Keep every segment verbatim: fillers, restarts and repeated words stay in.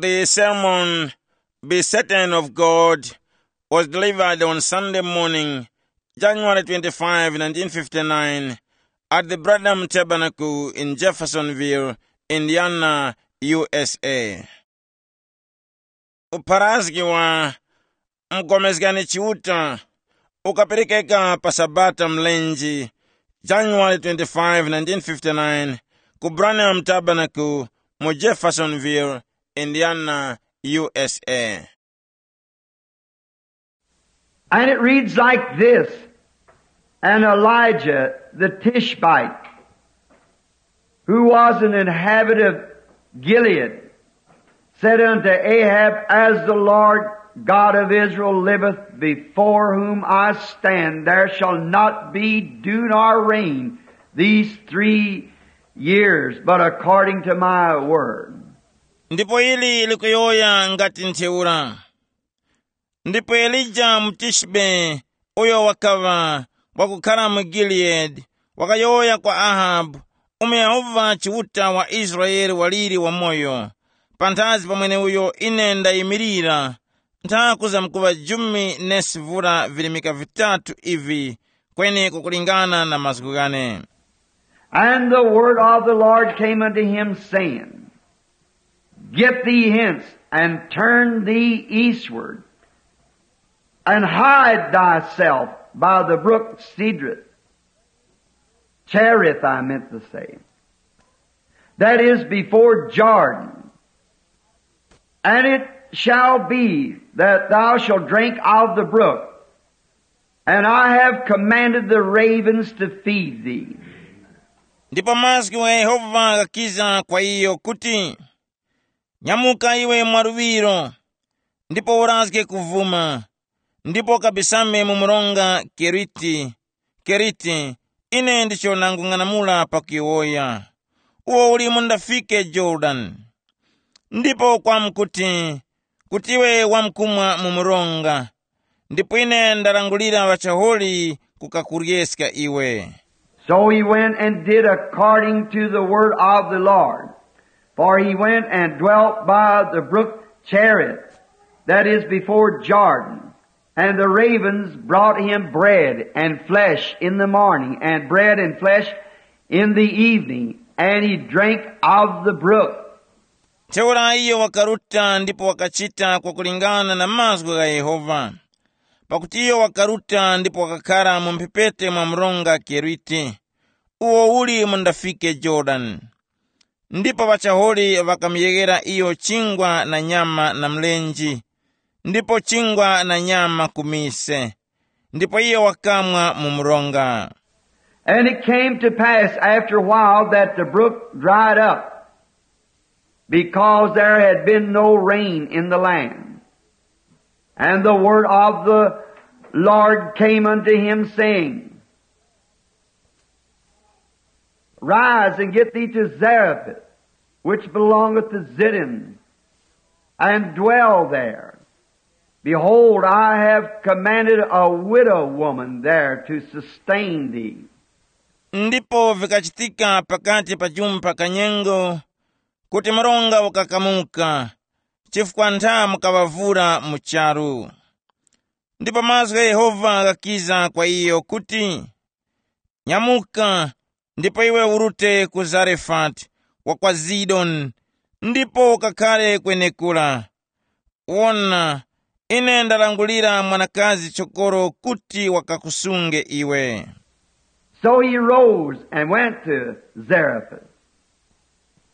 The sermon, Be Certain of God, was delivered on Sunday morning, January twenty-five, nineteen fifty-nine, at the Branham Tabernacle in Jeffersonville, Indiana, U S A. Upharazgi wa Mgomezgani Chiuta ukaperekeka pa Sabata mlenje, January twenty-five, nineteen fifty-nine, ku Branham Tabernacle mu Jeffersonville, Indiana, U S A. And it reads like this. And Elijah the Tishbite, who was an inhabitant of Gilead, said unto Ahab, As the Lord God of Israel liveth, before whom I stand, there shall not be dew nor rain these three years, but according to my word. Ndipo ili likuyowoya ngati ntheura. Ndipo Elija Mutishbe, uyo wakaŵa wakukhara mu Giliyadi, wakayowoya kwa Ahabu, umo Yehova Chiuta wa Israele waliri wamoyo, panthazi pa mweneuyo ine ndayimirira, nthakuzamkuŵa jumi nesi vura virimika vitatu ivi, kweni kukulingana na mazgu ghane. And the word of the Lord came unto him, saying, Get thee hence, and turn thee eastward, and hide thyself by the brook Cedrith, Cherith, I meant to say, that is before Jordan. And it shall be that thou shalt drink of the brook, and I have commanded the ravens to feed thee. Ndipo mazgu gha Yehova ghakiza kwa iyo kuti, Nyamuka iwe mwaluŵiro, ndipo urazge kuvuma, ndipo ukabisame mu mronga Keriti, Keriti, ine ndicho nangung'anamula pakuyowoya, uwo uli mundafike Yorodani. Ndipo kwamkuti, kuti iwe wamkumwa mu mronga, ndipo ine ndarangulira ŵachaholi kukakuryeska iwe. So he went and did according to the word of the Lord. For he went and dwelt by the brook Cherith, that is before Jordan. And the ravens brought him bread and flesh in the morning, and bread and flesh in the evening, and he drank of the brook. Ntheura iyo wakaruta ndipo wakachita kwakulingana na mazgu gha Yehova. Pakuti iyo wakaruta ndipo wakakhara mu mphepete mwa mronga Keriti, uwo uli mundafike Yorodani. Ndipo ŵachaholi ŵakamuyeghera iyo chingwa na nyama na mlenje, ndipo chingwa na nyama ku mise, ndipo iyo wakamwa mu mronga. And it came to pass after a while that the brook dried up, because there had been no rain in the land. And the word of the Lord came unto him, saying, Rise and get thee to Zarephath, which belongeth to Zidon, and dwell there. Behold, I have commanded a widow woman there to sustain thee. Ndipo vikachitika pakati pa chumba kanyengo kuti mronga ukakamuka, chifukwa ntha mukaŵavura mu charu. Ndipo mazgu gha Yehova ghakiza kwa iyo kuti, Nyamuka, ndipo iwe urute ku Zarefati wa kwa Zidoni, ndipo ukakhare kwenekura. Wona, ine ndarangulira mwanakazi chokoro kuti wakakusunge iwe. So he rose and went to Zarephath.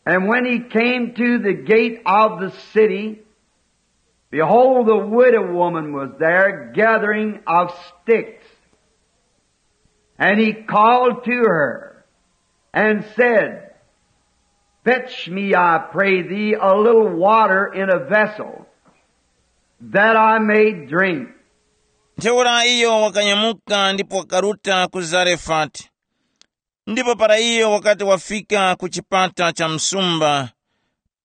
And when he came to the gate of the city, behold, the widow woman was there gathering of sticks. And he called to her and said, Fetch me, I pray thee, a little water in a vessel, that I may drink. Ntheura iyo wakanyamuka ndipo wakaruta ku Zarefati. Ndipo para iyo wakati wafika ku chipata cha msumba,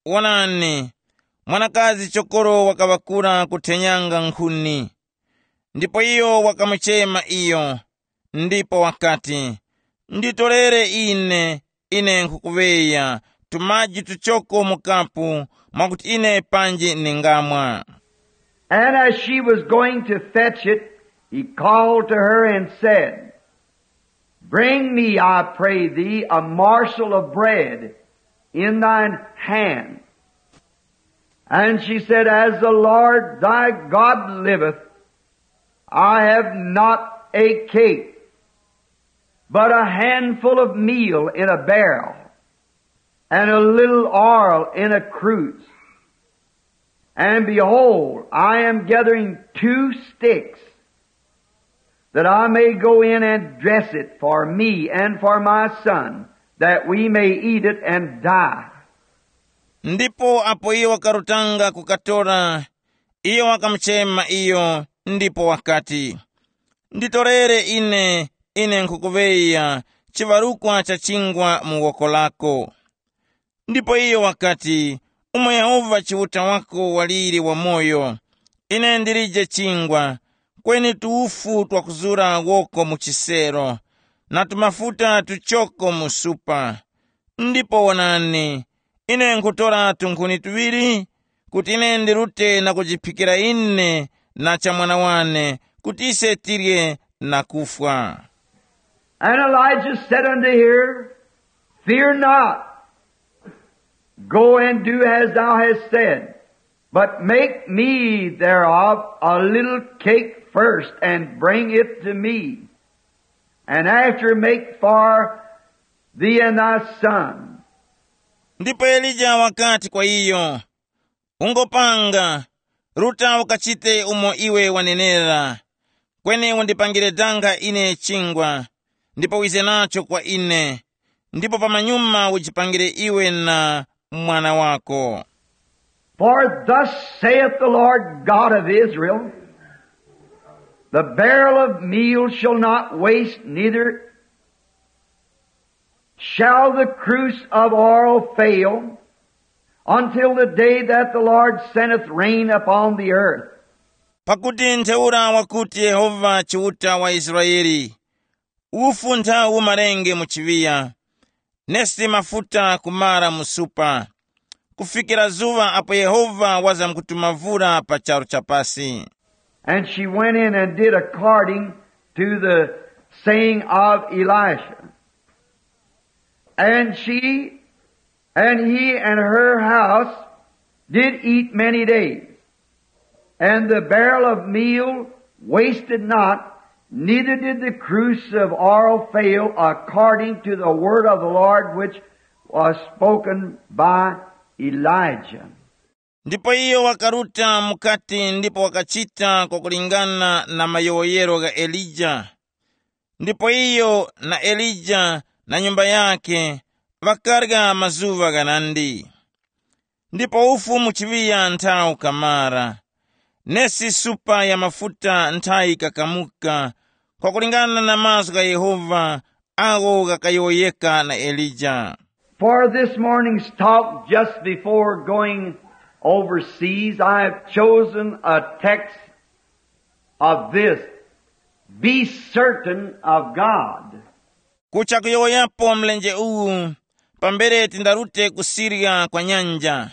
wonani, mwanakazi chokoro wakaŵakura kuthenyanga nkhuni. Ndipo iyo wakamuchema iyo, ndipo wakati, Nditorere ine, ine nkhukuŵeya tumaji tuchoko mu kapu, mwakuti ine panji ningamwa. And as she was going to fetch it, he called to her and said, "Bring me, I pray thee, a morsel of bread in thine hand." And she said, "As the Lord thy God liveth, I have not a cake, but a handful of meal in a barrel, and a little oil in a cruse. And behold, I am gathering two sticks, that I may go in and dress it for me and for my son, that we may eat it and die." Ndipo apo iyo wakarutanga kukatora, iyo wakamuchema iyo, ndipo wakati, "Nditorere ine, ine nkhukuŵeya chiŵarukwa cha chingwa mu woko lako." Ndipo iyo wakati, "Umo Yehova Chiuta wako waliri wamoyo, ine ndilije chingwa, kweni tuwufu twakuzura woko mu chisero, na tumafuta tuchoko mu supa. Ndipo wonani, ine nkhutora tunkhuni tuŵiri, kuti ine ndirute na kujiphikira ine na cha mwana wane, kuti ise tirye na kufwa." And Elijah said unto her, "Fear not, go and do as thou hast said, but make me thereof a little cake first, and bring it to me, and after make for thee and thy son." Ndipo Elija wakati kwa iyo, "Ungopanga, ruta ukachite umo iwe wanenera, kweni undipangire danga ine chingwa, ndipo wize nacho kwa ine, ndipo pamanyuma ujipangire iwe na mwana wako." For thus saith the Lord God of Israel, "The barrel of meal shall not waste, neither shall the cruse of oil fail, until the day that the Lord sendeth rain upon the earth." Pakuti ntheura wakuti Yehova Chiuta wa Israele, "Ufu nthawu umarenge mu chiŵiya, nesi mafuta kumara mu supa, kufikira zuŵa apo Yehova wazamkutuma vura pa charu cha pasi." And she went in and did according to the saying of Elisha. And she and he and her house did eat many days. And the barrel of meal wasted not, neither did the cruse of oil fail, according to the word of the Lord which was spoken by Elijah. Ndipo iyo wakaruta mukati ndipo wakachita kwakulingana na mayowoyero gha Elija. Ndipo iyo na Elija na nyumba yakhe ŵakarya mazuŵa ghanandi. Ndipo ufu mu chiŵiya nthawu kamara, nesi supa ya mafuta nthayi kakamuka, kwakulingana na mazgu gha Yehova agho ghakayowoyeka na Elija. For this morning's talk, just before going overseas, I have chosen a text of this, "Be certain of God." Kucha kuyowoyapo mlenje uwu, pambere tindarute kusirya kwa nyanja,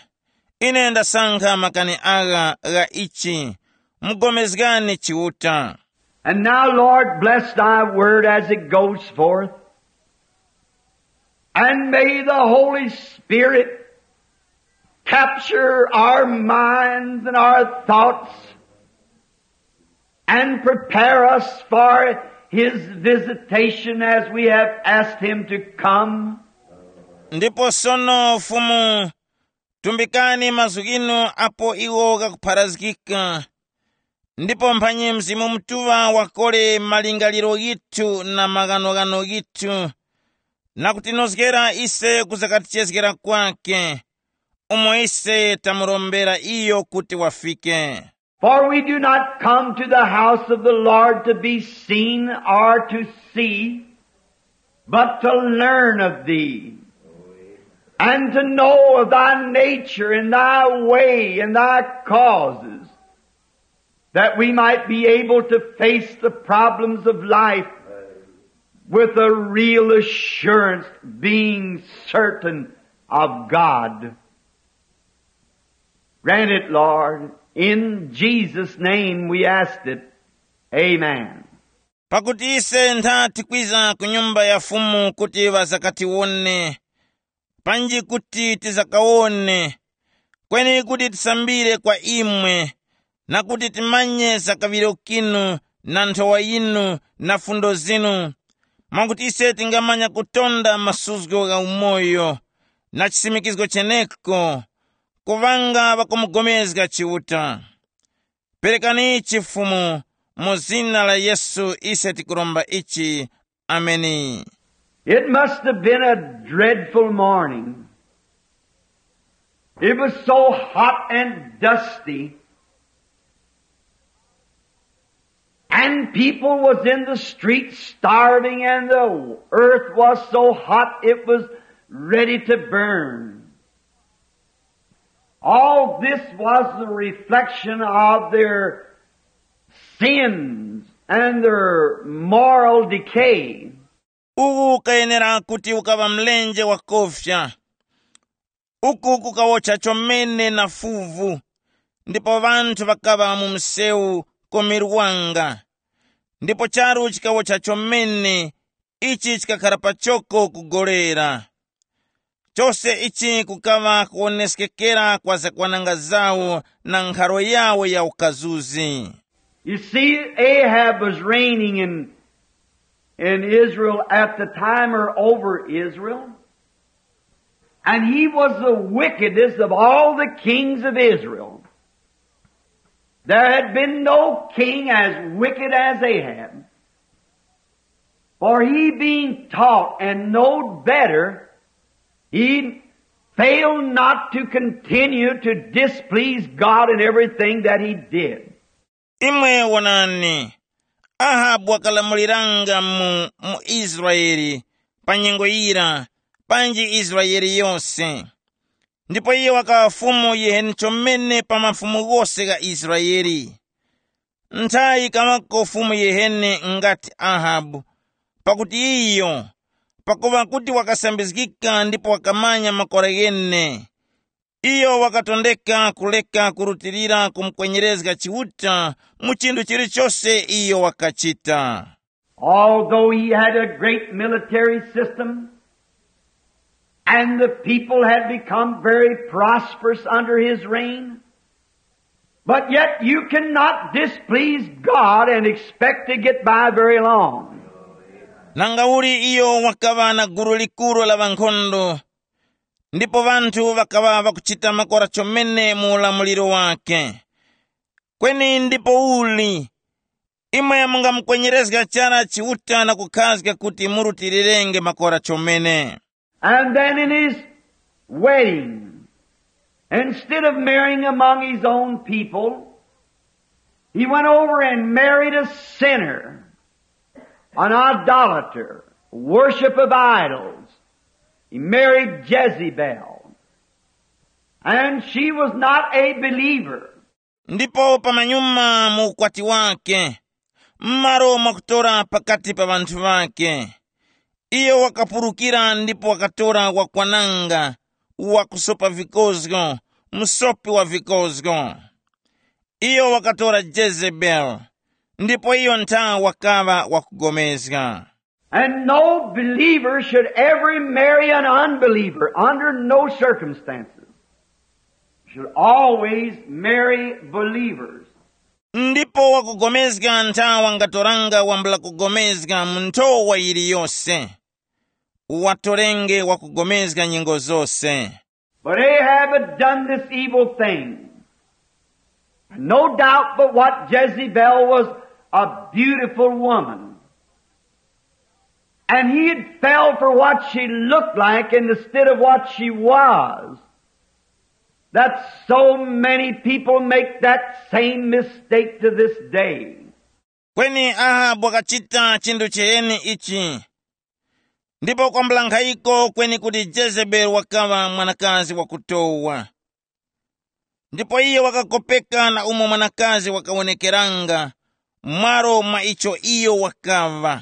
ine ndasankha makani agha gha ichi, mugomezgani Chiuta. And now, Lord, bless thy word as it goes forth. And may the Holy Spirit capture our minds and our thoughts and prepare us for his visitation as we have asked him to come. Ndipo sono Fumu, tumbikani mazgu ghinu apo iwo ghakupharazgika, ndipo mphanyi Mzimu Mutuŵa wakore malingaliro ghithu na maghanoghano ghithu, na kutinozgera ise kuza katichezgera kwake, umo ise tamurombera iyo kuti wafike. For we do not come to the house of the Lord to be seen or to see, but to learn of thee, and to know of thy nature and thy way and thy causes, that we might be able to face the problems of life with a real assurance, being certain of God. Grant it, Lord. In Jesus' name we asked it. Amen. Pakuti ise ntha tikwiza ku nyumba ya Fumu kuti ŵasakatiwone, panji kuti tizakawone, kweni kuti tisambire kwa imwe, na kuti timanye zakaŵiro kinu na nthowa yinu na fundo zinu, mwakuti ise tingamanya kutonda masuzgo gha umoyo na chisimikizgo cheneko, kuŵanga ŵakumugomezga Chiuta. Perekani ichi Fumu, mu zina la Yesu ise tikuromba ichi. Ameni. It must have been a dreadful morning. It was so hot and dusty. And people was in the streets starving, and the earth was so hot it was ready to burn. All this was the reflection of their sins and their moral decay. Uwu ukayenera kuti ukaŵa mlenje wakofya. Uku kukawocha chomene na fuvu, ndipo ŵanthu ŵakaŵa mu msewu komerwanga. Ndipo charu chikawocha chomene, ichi chikakhara pachoko kugolera. Chose ichi kukaŵa kuwoneskekera kwa zakwananga zawo na nkharo yawo ya ukazuzi. You see, Ahab was reigning in, in Israel at the time, or over Israel, and he was the wickedest of all the kings of Israel. There had been no king as wicked as Ahab. For he being taught and knowed better, he failed not to continue to displease God in everything that he did. Imwe wonani, Ahabu wakalamuliranga mu, mu Israele pa nyengo yira, panji Israele yose. Ndipo iyo wakaŵa fumu yiheni chomene pa mafumu ghose gha Israele. Nthayi kamako fumu yiheni ngati Ahabu, pakuti iyo, pakuŵa kuti wakasambizgika ndipo wakamanya makora ghene, iyo wakatondeka kureka kurutilira kumukwenyerezga Chiuta mu chinthu chilichose iyo wakachita. Although he had a great military system, and the people had become very prosperous under his reign, but yet you cannot displease God and expect to get by very long. Nangauli iyo wakaŵa na gulu likuru la ŵankhondo, ndipo ŵanthu ŵakaŵa ŵakuchita makora chomene mu ulamuliro wake. Kweni ndipouli, imwe mungamukwenyerezga chara Chiuta na kukhazga kuti murutirirenge makora chomene. And then in his wedding, instead of marrying among his own people, he went over and married a sinner, an idolater, worship of idols. He married Jezebel. And she was not a believer. Ndipo pamanyuma mu ukwati wake, m'malo mwakutora pakati pa ŵanthu ŵake, iyo wakapurukira ndipo wakatora wakwananga, wakusopa vikozgo, musopi wa vikozgo. Iyo wakatora Jezebeli, ndipo iyo ntha wakaŵa wakugomezga. And no believer should ever marry an unbeliever under no circumstances. Should always marry believers. Ndipo wakugomezga ntha wangatoranga wambula kugomezga mu nthowa yiliyose. Uwatorenge wakugomezga nyengo zose. But Ahab had done this evil thing. No doubt but what Jezebel was a beautiful woman. And he had fell for what she looked like instead of what she was. That so many people make that same mistake to this day. Kweni Ahabu wakachita chinthu chiheni ichi. Ndipo kwambula nkhayiko kweni kuti Jezebeli wakaŵa mwanakazi wakutowa. Ndipo iyo wakakopeka na umo mwanakazi wakawonekeranga, mwaro mwa icho iyo wakaŵa.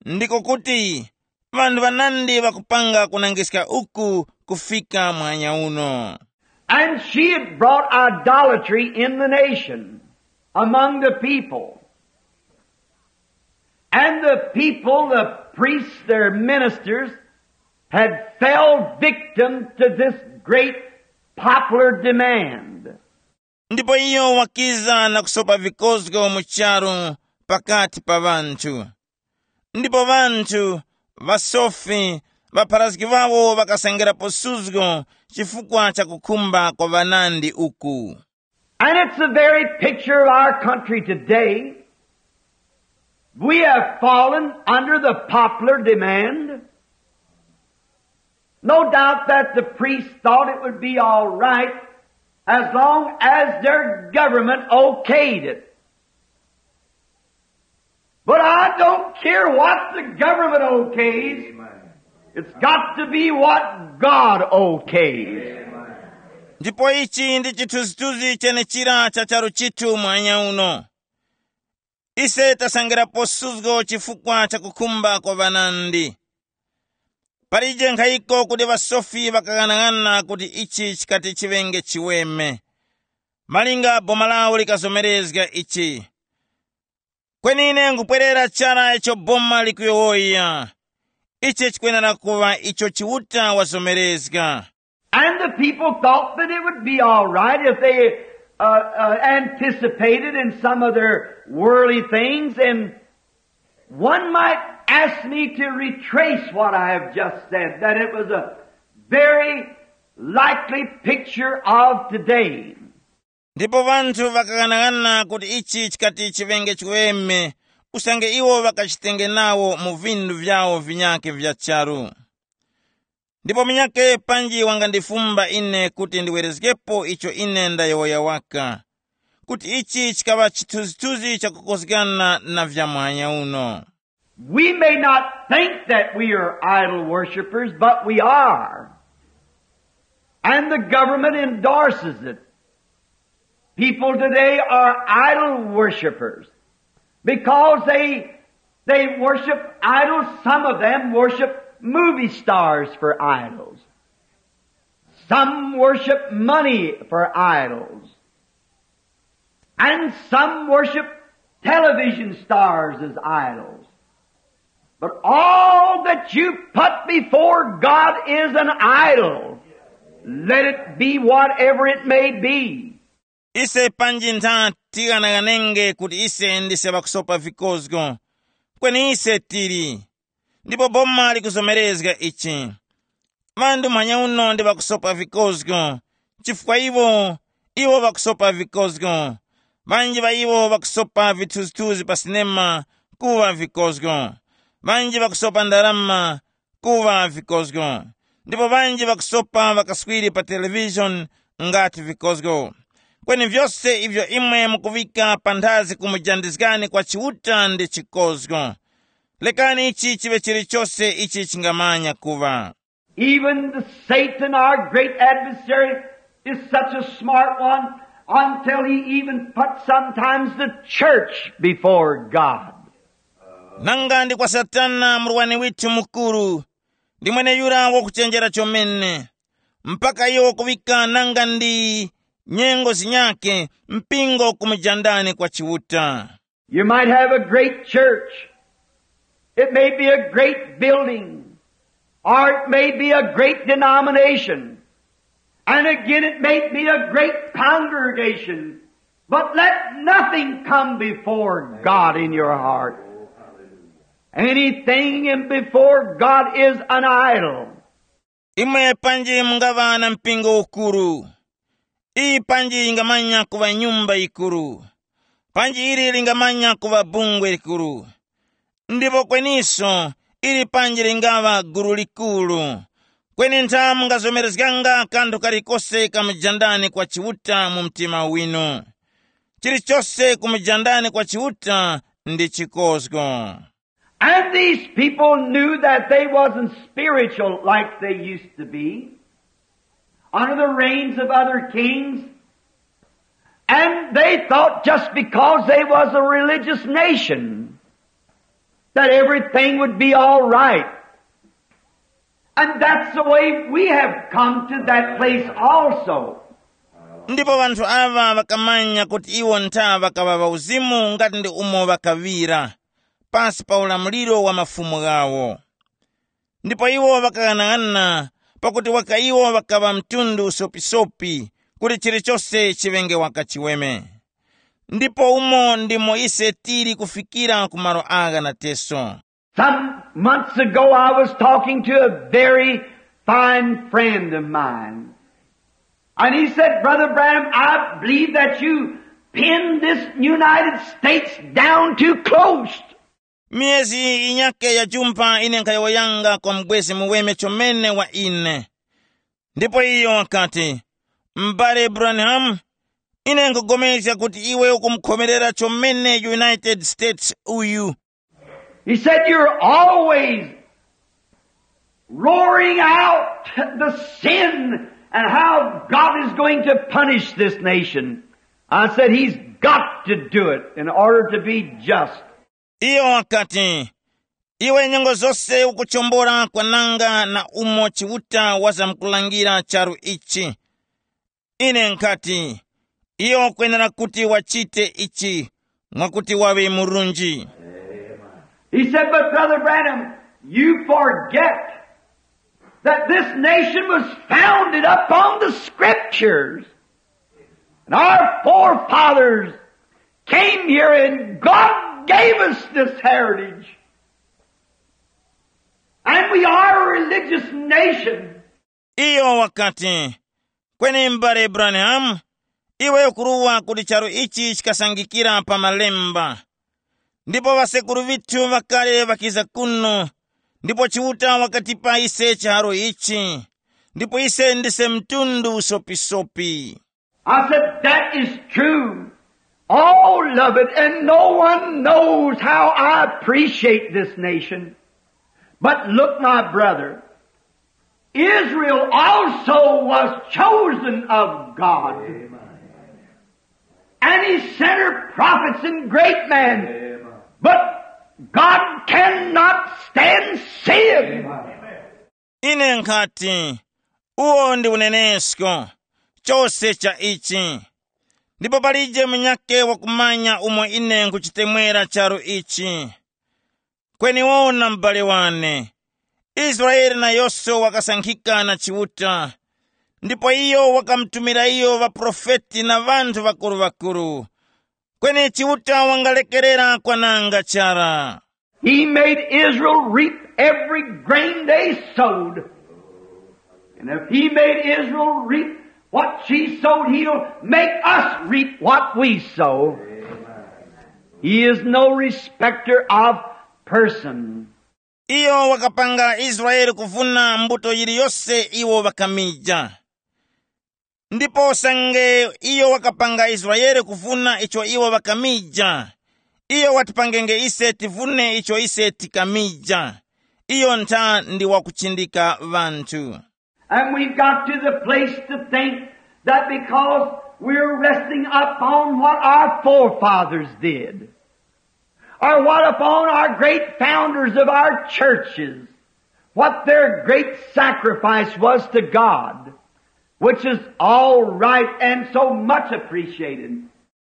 Ndiko kuti, Ŵanthu ŵanandi ŵakupanga kunangiska uku kufika mwanya uno. And she had brought idolatry in the nation, among the people. And the people, the priests, their ministers, had fell victim to this great popular demand. Ndipo iyo wakiza na kusopa vikozgo mu charu pakati pa ŵanthu. Ndipo ŵanthu, ŵasofi, ŵapharazgi ŵawo ŵakasengerapo suzgo chifukwa cha kukhumba kwa ŵanandi uku. And it's the very picture of our country today. We have fallen under the popular demand. No doubt that the priests thought it would be all right as long as their government okayed it. But I don't care what the government okays. It's got to be what God okays. Ndipo ichi ndi chithunzithunzi chenechira cha charu chithu mwanya uno. Ise tasangirapo suzgo chifukwa cha kukhumba kwa ŵanandi. Palije nkhayiko kuti ŵasofi ŵakang'anang'ana kuti ichi chikati chiŵenge chiweme. Malinga boma lawo likazomerezga ichi. Kweni ine nkupwerera chara icho boma likuyowoya. Ichi chikwenera kuŵa icho Chiuta wazomerezga. And the people thought that it would be all right if they uh, uh, anticipated in some of their worldly things. And one might ask me to retrace what I have just said, that it was a very likely picture of today. Ndipo ŵanthu ŵakaghanaghananga kuti ichi chikati chiŵenge chiweme, usange iwo ŵakachitenge nawo mu vindu vyawo vinyakhe vya charu. Ndipo munyakhe panji wangandifumba ine kuti ndiwerezgepo icho ine ndayowoya waka, kuti ichi chikaŵa chithunzithunzi chakukozgana na vya mwanya uno. We may not think that we are idol worshippers, but we are. And the government endorses it. People today are idol worshippers because they, they worship idols. Some of them worship movie stars for idols. Some worship money for idols. And some worship television stars as idols. But all that you put before God is an idol. Let it be whatever it may be. Ise panji ntha tighanaghanenge kuti ise ndise ŵakusopa vikozgo. Kweni ise tili. Ndipo boma likuzomerezga ichi. Ŵanthu muhanya uno ndi ŵakusopa vikozgo, chifukwa iwo, iwo ŵakusopa vikozgo. Ŵanji ŵa iwo ŵakusopa vithuzithuzi pa sinema kuŵa vikozgo. Ŵanji ŵakusopa ndarama kuŵa vikozgo. Ndipo ŵanji ŵakusopa ŵakaswiri pa televishoni ngati vikozgo. Kweni vyose ivyo imwe mukuŵika panthazi kumujandizgani kwa Chiuta ndi chikozgo. Lekani ichi chiŵe chilichose ichi chingamanya kuŵa. Even the Satan, our great adversary, is such a smart one until he even puts sometimes the church before God. Nanga ndi kwa Satana murwani withu mukuru, ndi mweneyura wakuchenjera chomene, mpaka iyo wakuŵika nanga ndi nyengo zinyakhe mpingo kumujandani kwa Chiuta. You might have a great church. It may be a great building, or it may be a great denomination. And again, it may be a great congregation. But let nothing come before God in your heart. Anything in before God is an idol. Imwe panji mungaŵa na mpingo ukuru. Iyi panji yingamanya kuŵa nyumba yikuru. Panji ili lingamanya kuŵa bungwe likuru. Ndipo kweniso, ili panji lingaŵa gulu likuru. Kweni ntha mungazomerezganga kanthu kalikose kamujandani kwa Chiuta mu mtima winu. Chilichose kumujandani kwa Chiuta ndi chikozgo. And these people knew that they wasn't spiritual like they used to be under the reigns of other kings. And they thought just because they was a religious nation that everything would be all right. And that's the way we have come to that place also. Ndipo ŵanthu aŵa ŵakamanya kuti iwo ntha ŵakaŵa ŵauzimu ngati ndi umo ŵakaŵira, pasi pa ulamuliro wa mafumu ghawo. Ndipo iwo ŵakaghanaghanana, pakuti waka iwo ŵakaŵa mtundu usopisopi, kuti chilichose chiŵenge waka chiweme. Ndipo umo ndimo ise tili kufikira ku malo agha nateso. Some months ago, I was talking to a very fine friend of mine. And he said, "Brother Branham, I believe that you pinned this United States down too close." Miyezi yinyake ya jumpha ine nkhayowoyanga kwa mubwezi muweme chomene wa ine. Ndipo iyo wakati, "M'bale Branham, ine nkugomezga kuti iwe ukumukhomerera chomene United States uyu." He said, "You're always roaring out the sin and how God is going to punish this nation." I said, "He's got to do it in order to be just." Iyo wakati, "Iwe nyengo zose ukuchombora kwananga na umo Chiuta wazamkulangira charu ichi." Ine nkhati, "Iyo wakwenera kuti wachite ichi, mwakuti waŵe murunji." He said, "But Brother Branham, you forget that this nation was founded upon the scriptures. And our forefathers came here and God gave us this heritage. And we are a religious nation." Iyo wakati, "Kweni m'bale Branham, iwe ukuruwa kuti charu ichi chikasangikira pa malemba. Ndipo ŵasekuru ŵithu ŵakale ŵakiza kuno, ndipo Chiuta wakatipa ise chiharo ichi, ndipo ise ndise mtundu usopisopi." I said, "That is true, all of it, and no one knows how I appreciate this nation. But look, my brother, Israel also was chosen of God. And he sent her prophets and great men. But God cannot stand sin." Ine nkhati, uwo ndi unenesko, chose cha ichi. Ndipo palije munyakhe wakumanya umo ine nkuchitemwera charu ichi. Kweni wona, m'bale wane, Israele nayose wakasankhika na Chiuta, ndipo iyo wakamutumira iyo ŵaprofeti na ŵanthu ŵakuru-ŵakuru. Kweni Chiuta wangalekerera kwananga chara. He made Israel reap every grain they sowed. And if he made Israel reap what she sowed, he'll make us reap what we sow. He is no respecter of person. Iyo wakapanga Israele kuvuna mbuto yiliyose iwo ŵakamija. Ndipo usange iyo wakapanga Israele kuvuna icho iwo ŵakamija, iyo watipangenge ise tivune icho ise tikamija. Iyo ntha ndi wakuchindika ŵanthu. And we've got to the place to think that because we're resting upon what our forefathers did, or what upon our great founders of our churches, what their great sacrifice was to God, which is all right and so much appreciated.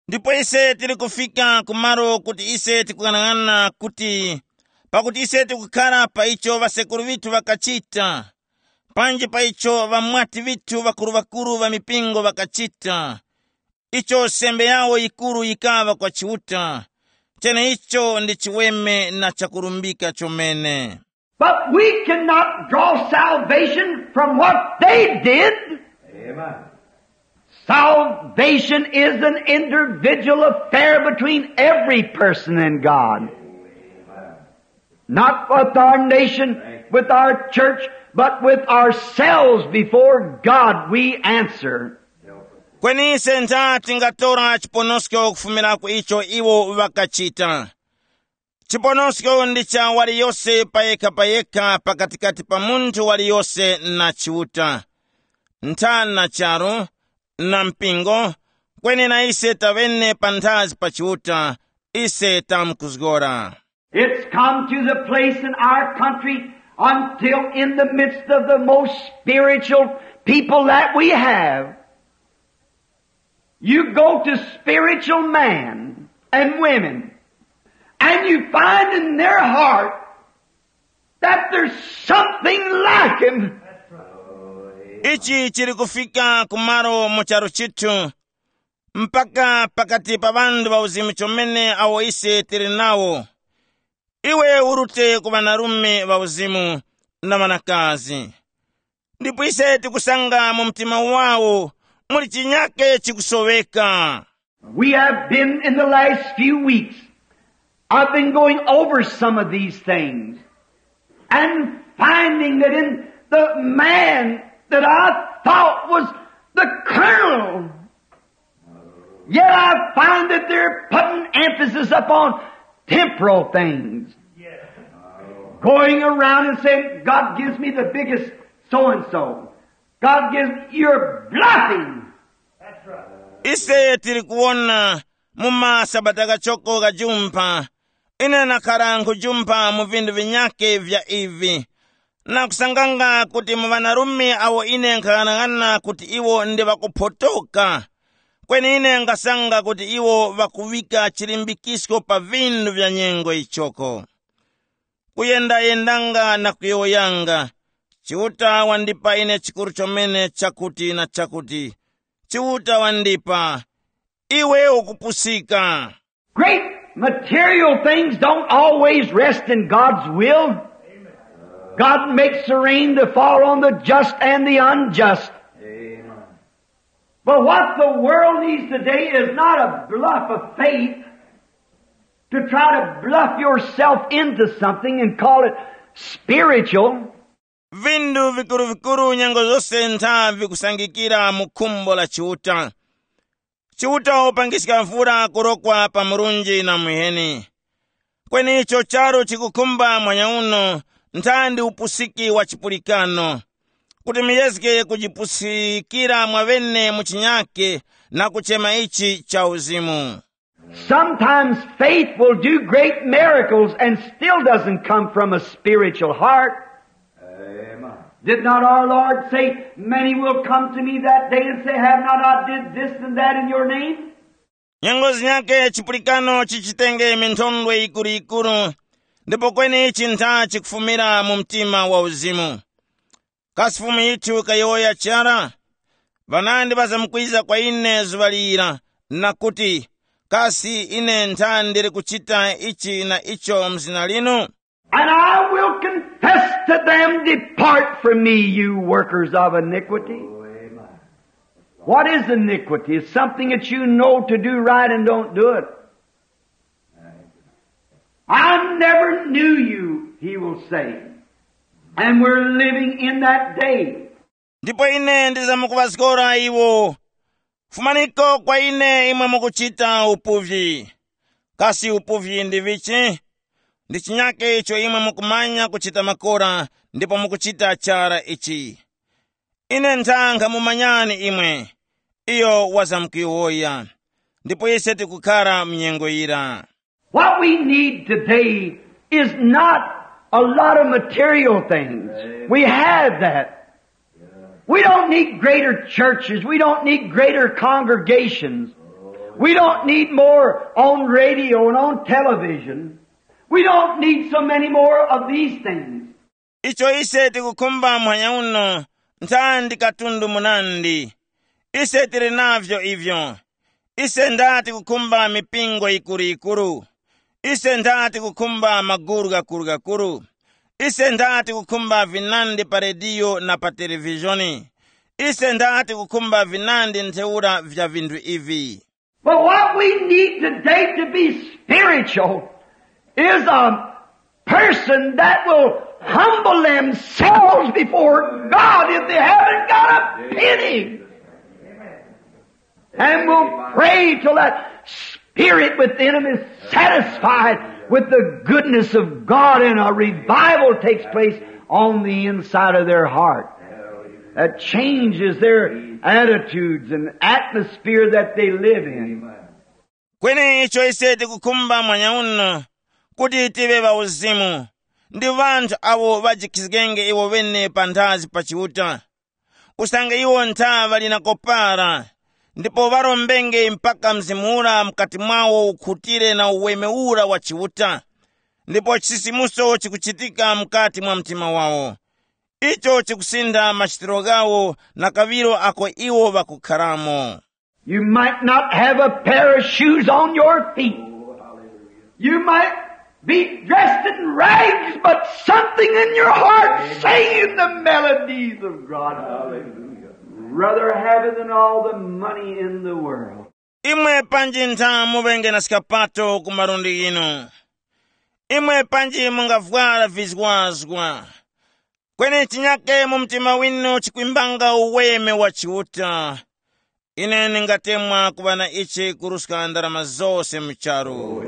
Ndipo ise tili kufika kumalo kuti ise tikung'anang'ana kuti, pakuti ise tikukhara pa icho ŵasekuru ŵithu ŵakachita, panji pa icho ŵamwati ŵithu ŵakuru-ŵakuru ŵa mipingo ŵakachita, icho sembe yawo yikuru yikaŵa kwa Chiuta, cheneicho ndi chiweme na chakurumbika chomene. But we cannot draw salvation from what they did. Amen. Salvation is an individual affair between every person and God. Not with our nation, with our church, but with ourselves before God we answer. Kweni ise ntha tingatora chiponosko kufumira ku icho iwo ŵakachita. Chiponosko ndi cha waliyose payekha-payekha pakatikati pa munthu waliyose na Chiuta, ntha na charu, na mpingo, kweni na ise taŵene panthazi pa Chiuta, ise tamkuzgora. It's come to the place in our country Until in the midst of the most spiritual people that we have, you go to spiritual men and women, and you find in their heart that there's something lacking. Ichi chili kufika kumalo mu charu chithu, mpaka pakati pa ŵanthu ŵauzimu chomene awo ise tili nawo. Iwe urute ku ŵanarume ŵauzimu na ŵanakazi, ndipo ise tikusanga mu mtima wawo muli chinyake chikusoweka. We have been in the last few weeks, I've been going over some of these things and finding that in the man that I thought was the colonel, yet I find that they're putting emphasis upon temporal things. Going around and saying, "God gives me the biggest so and so." God gives, you're bluffing. Ise tili kuwona mu masabata kachoko kajumpha, ine nakhara nkhujumpha mu vinthu vinyake vya ivi, na kusanganga kuti mu ŵanarume awo ine nkhaghanaghananga kuti iwo ndi ŵakuphotoka, kweni ine nkasanga kuti iwo ŵakuŵika chilimbikisko pa vinthu vya nyengo ichoko. Kuyendayendanga na kuyowoyanga, Chiuta wandipa ine chikuru chomene chakuti na chakuti. Chiuta wandipa, iwe ukupusika. Great material things don't always rest in God's will. God makes the rain to fall on the just and the unjust. But what the world needs today is not a bluff of faith to try to bluff yourself into something and call it spiritual. Vinthu vikuru-vikuru nyengo zose ntha vikusangikira mu khumbo la Chiuta. Chiuta wapangiska mvula kurokwa pa murunji na muheni. Kweni icho charu chikukhumba mwanyauno ntha ndi upusiki wa chipulikano, kuti muyezge kujipusikira mwawene mu chinyake na kuchema ichi cha uzimu. Sometimes faith will do great miracles and still doesn't come from a spiritual heart. Did not our Lord say, "Many will come to me that day and say, 'Have not I did this and that in your name?'" Nyengo zinyake chipulikano chichitenge minthondwe yikuru-yikuru, ndipo kweni ichi ntha chikufumira mu mtima wa uzimu. Kasi Fumu yithu kayowoya chara? Ŵanandi ŵazamkwiza kwa ine zuŵa lira, na kuti, kasi ine ntha ndili kuchita ichi na icho mu zina linu? And I will confess to them, "Depart from me, you workers of iniquity." What is iniquity? It's something that you know to do right and don't do it. "I never knew you," he will say. And we're living in that day. Ndipo ine ndizamkuŵazgora iwo, fumaniko kwa ine imwe mukuchita upuvyi. Kasi upuvyi ndi vichi? Ndi chinyake icho imwe mukumanya kuchita makora ndipo mukuchita chara ichi. Ine ntha nkhamumanyani imwe. Iyo wazamkuyowoya. Ndipo ise tikukhara mnyengo yira. What we need today is not a lot of material things. We have that. We don't need greater churches. We don't need greater congregations. We don't need more on radio and on television. We don't need so many more of these things. Icho ise tikukhumba muhanya uno ntha ndi katundu munandi. Ise tili navyo ivyo. Ise ndati kukhumba mipingo yikuru-yikuru. Ise ndati kukhumba maguru ghakuru-ghakuru. Ise ndati kukhumba vinandi pa rediyo na pa televizhoni. Ise ndati kukhumba vinandi ntheura vya vinthu ivi. But what we need today to be spiritual is a person that will humble themselves before God if they haven't got a penny. And will pray till that spirit within them is satisfied with the goodness of God and a revival takes place on the inside of their heart. That changes their attitudes and atmosphere that they live in. Kweni icho ise tikukhumba mwanya uno kuti tive ŵauzimu, ndi ŵanthu awo ŵajikizgenge iwo ŵene panthazi pa Chiuta, usange iwo ntha ŵali na kopara, ndipo ŵarombenge mpaka Mzimu ura mukati mwawo ukhutire na uweme ura wa Chiuta, ndipo chisisimuso chikuchitika mukati mwa mtima wawo. Icho chikusintha machitiro ghawo na kaŵiro ako iwo ŵakukharamo. You might not have a pair of shoes on your feet. You might be dressed in rags, but something in your heart singing the melodies of God. Hallelujah. Rather have it than all the money in the world. Imwe panji ntha muŵenge na skapato ku malundi ghinu. Imwe panji mungavwara vizwazwa. Kweni chinyake mu mtima winu chikwimbanga uweme wa Chiuta. Ine ndingatemwa kuŵa na ichi kuruska ndarama zose mu charu.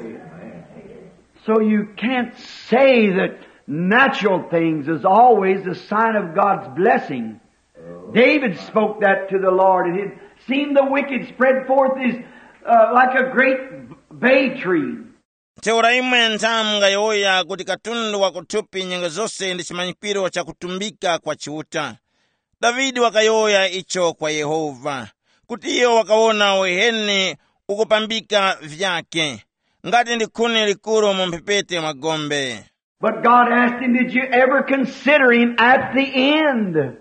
So you can't say that natural things is always a sign of God's blessing. David spoke that to the Lord, and he'd seen the wicked spread forth his, uh, like a great bay tree. Ntheura imwe ntha mungayowoya kuti katundu wa kuthupi nyengo zose ndi chimanyikwiro cha kutumbika kwa Chiuta. Davide wakayowoya icho kwa Yehova, kuti iyo wakawona uheni ukupambika vyake, ngati ndi khuni likuru mu mphepete mwa gombe. But God asked him, "Did you ever consider him at the end?"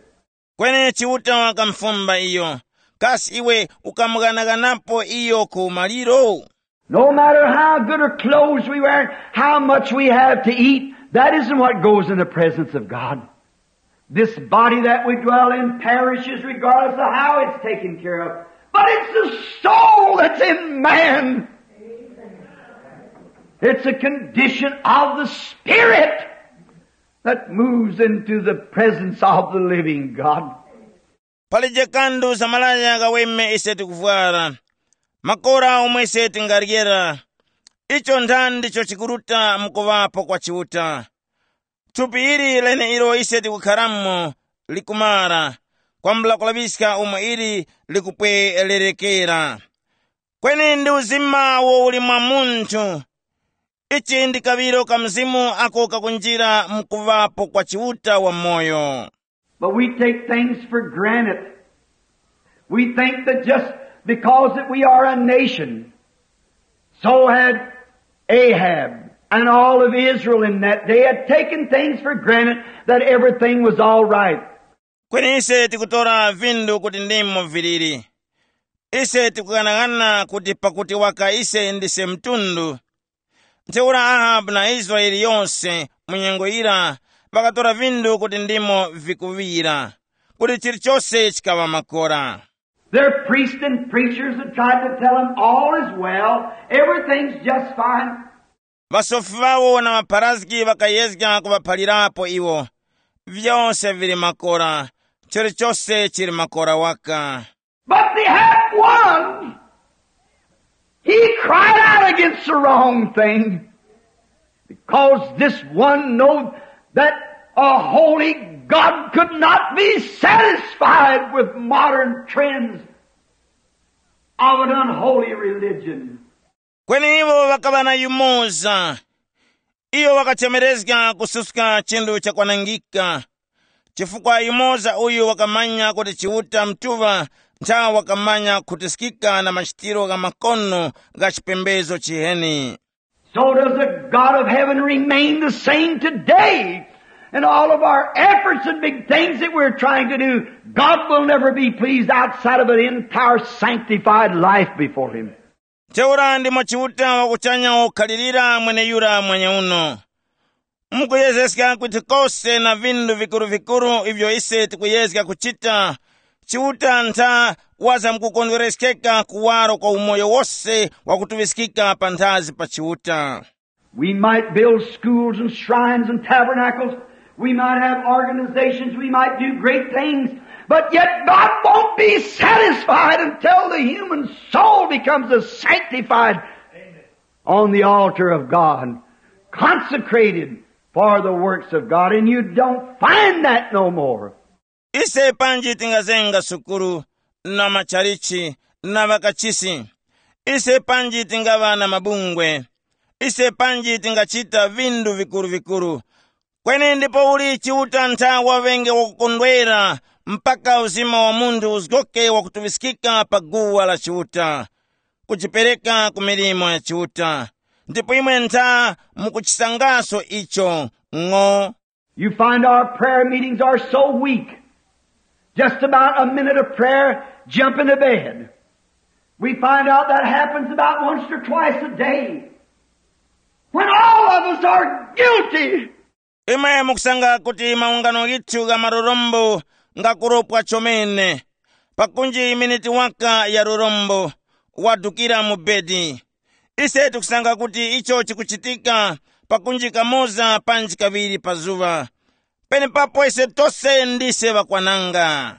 Kweni Chiuta wakamufumba iyo, kasi iwe ukamughanaghanapo iyo ku maliro? No matter how good of clothes we wear, how much we have to eat, that isn't what goes in the presence of God. This body that we dwell in perishes regardless of how it's taken care of. But it's the soul that's in man. It's a condition of the spirit that moves into the presence of the living God. Palije kandu za malaya ghaweme ise tikuvwara, makora omwe ise tingaryera, icho nthani ndicho chikuruta mukuŵapo kwa Chiuta. Thupi ili leneilo ise tikukharamo likumara, kwambula kulaŵiska umo ili likupwererekera. Kweni ndi uzima uwo uli mwa munthu. Ichi ndi kaŵiro ka Mzimu ako kakunjira mukuŵapo kwa Chiuta wamoyo. But we take things for granted. We think that just because that we are a nation, so had Ahab and all of Israel in that day had taken things for granted that everything was all right. Kweni ise tikutora vindu kuti ndimo viliri. Ise tikughanaghana kuti pakuti waka ise ndise mtundu, ntheura Ahabu na Israele yose mu nyengo yira ŵakatora vindu kuti ndimo vikuŵira, kuti chilichose chikaŵa makora. Their priests and preachers had tried to tell them all is well, everything's just fine. Ŵasofi ŵawo na ŵapharazgi ŵakayezga kuŵaphalirapo iwo, vyose vili makora, chilichose chili makora waka. But they had one. He cried out against the wrong thing. Because this one knew that a holy God could not be satisfied with modern trends of an unholy religion. Kweni iwo ŵakaŵa na yumoza. Iyo wakachemerezga kususka chinthu chakwanangika, chifukwa yumoza uyu wakamanya kuti Chiuta Mutuŵa ntha wakamanya khutiskika na machitiro gha makono gha chipembezo chiheni. So does the God of heaven remain the same today? And all of our efforts and big things that we're trying to do, God will never be pleased outside of an entire sanctified life before Him. Ntheura ndimo Chiuta wakuchanya wakukhalirira mweneyura mwenyeuno. Mukuyezeska kuti kose na vindu vikuru-vikuru ivyo ise tikuyezga kuchita, Chiuta ntha wazamkukondwereskeka kuwaro kwa umoyo wose wakutuŵiskika panthazi pa Chiuta. We might build schools and shrines and tabernacles. We might have organizations. We might do great things. But yet God won't be satisfied until the human soul becomes a sanctified on the altar of God, consecrated for the works of God. And you don't find that no more. Ise panji tingazenga sukulu na machalichi na ŵakachisi. Ise panji tingaŵa na mabungwe. Ise panji tingachita vindu vikuru-vikuru. Kweni ndipo uli Chiuta ntha waŵenge wakukondwera, mpaka uzima wa munthu uzgoke wakutuŵiskika pa guwa la Chiuta, kujipereka ku milimo ya Chiuta. Ndipo imwe ntha mukuchisangaso icho. Ng'o. You find our prayer meetings are so weak. Just about a minute of prayer, jump into bed. We find out that happens about once or twice a day. When all of us are guilty. Imwe mukusanga kuti maungano ghithu gha marorombo ngakuropwa chomene. Pakunji miniti waka ya rorombo, wadukira mu bedi. Ise tikusanga kuti icho chikuchitika pakunji kamoza panji kaŵiri pa zuŵa. Penepapo ise tose ndise ŵakwananga.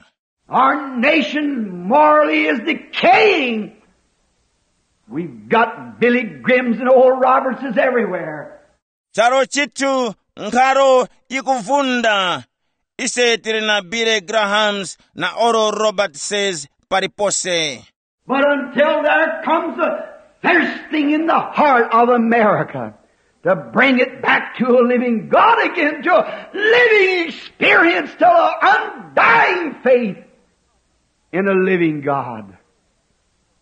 Our nation morally is decaying. We've got Billy Grims and old Robertses everywhere. Charo chithu nkharo yikuvunda. Ise tili na Billy Grahams na Oral Robertses palipose. But until there comes a thirsting in the heart of America to bring it back to a living God again, to a living experience, to an undying faith in a living God.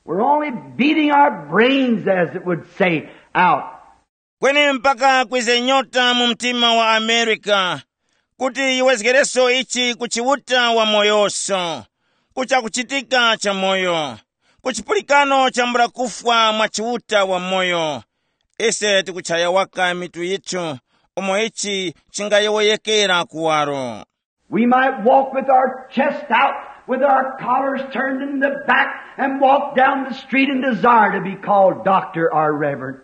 We're only beating our brains, as it would say, out. Kweni mpaka kwize nyota mu mtima wa Amerika, kuti yiwezgereso ichi ku Chiuta wa moyoso, ku chakuchitika cha moyo, ku chipulikano chambula kufwa mwa Chiuta wa moyo. Ise tikuchaya waka mitu yithu, umo ichi chingayowoyekera kuwaro. We might walk with our chest out, with our collars turned in the back, and walk down the street and desire to be called doctor or reverend.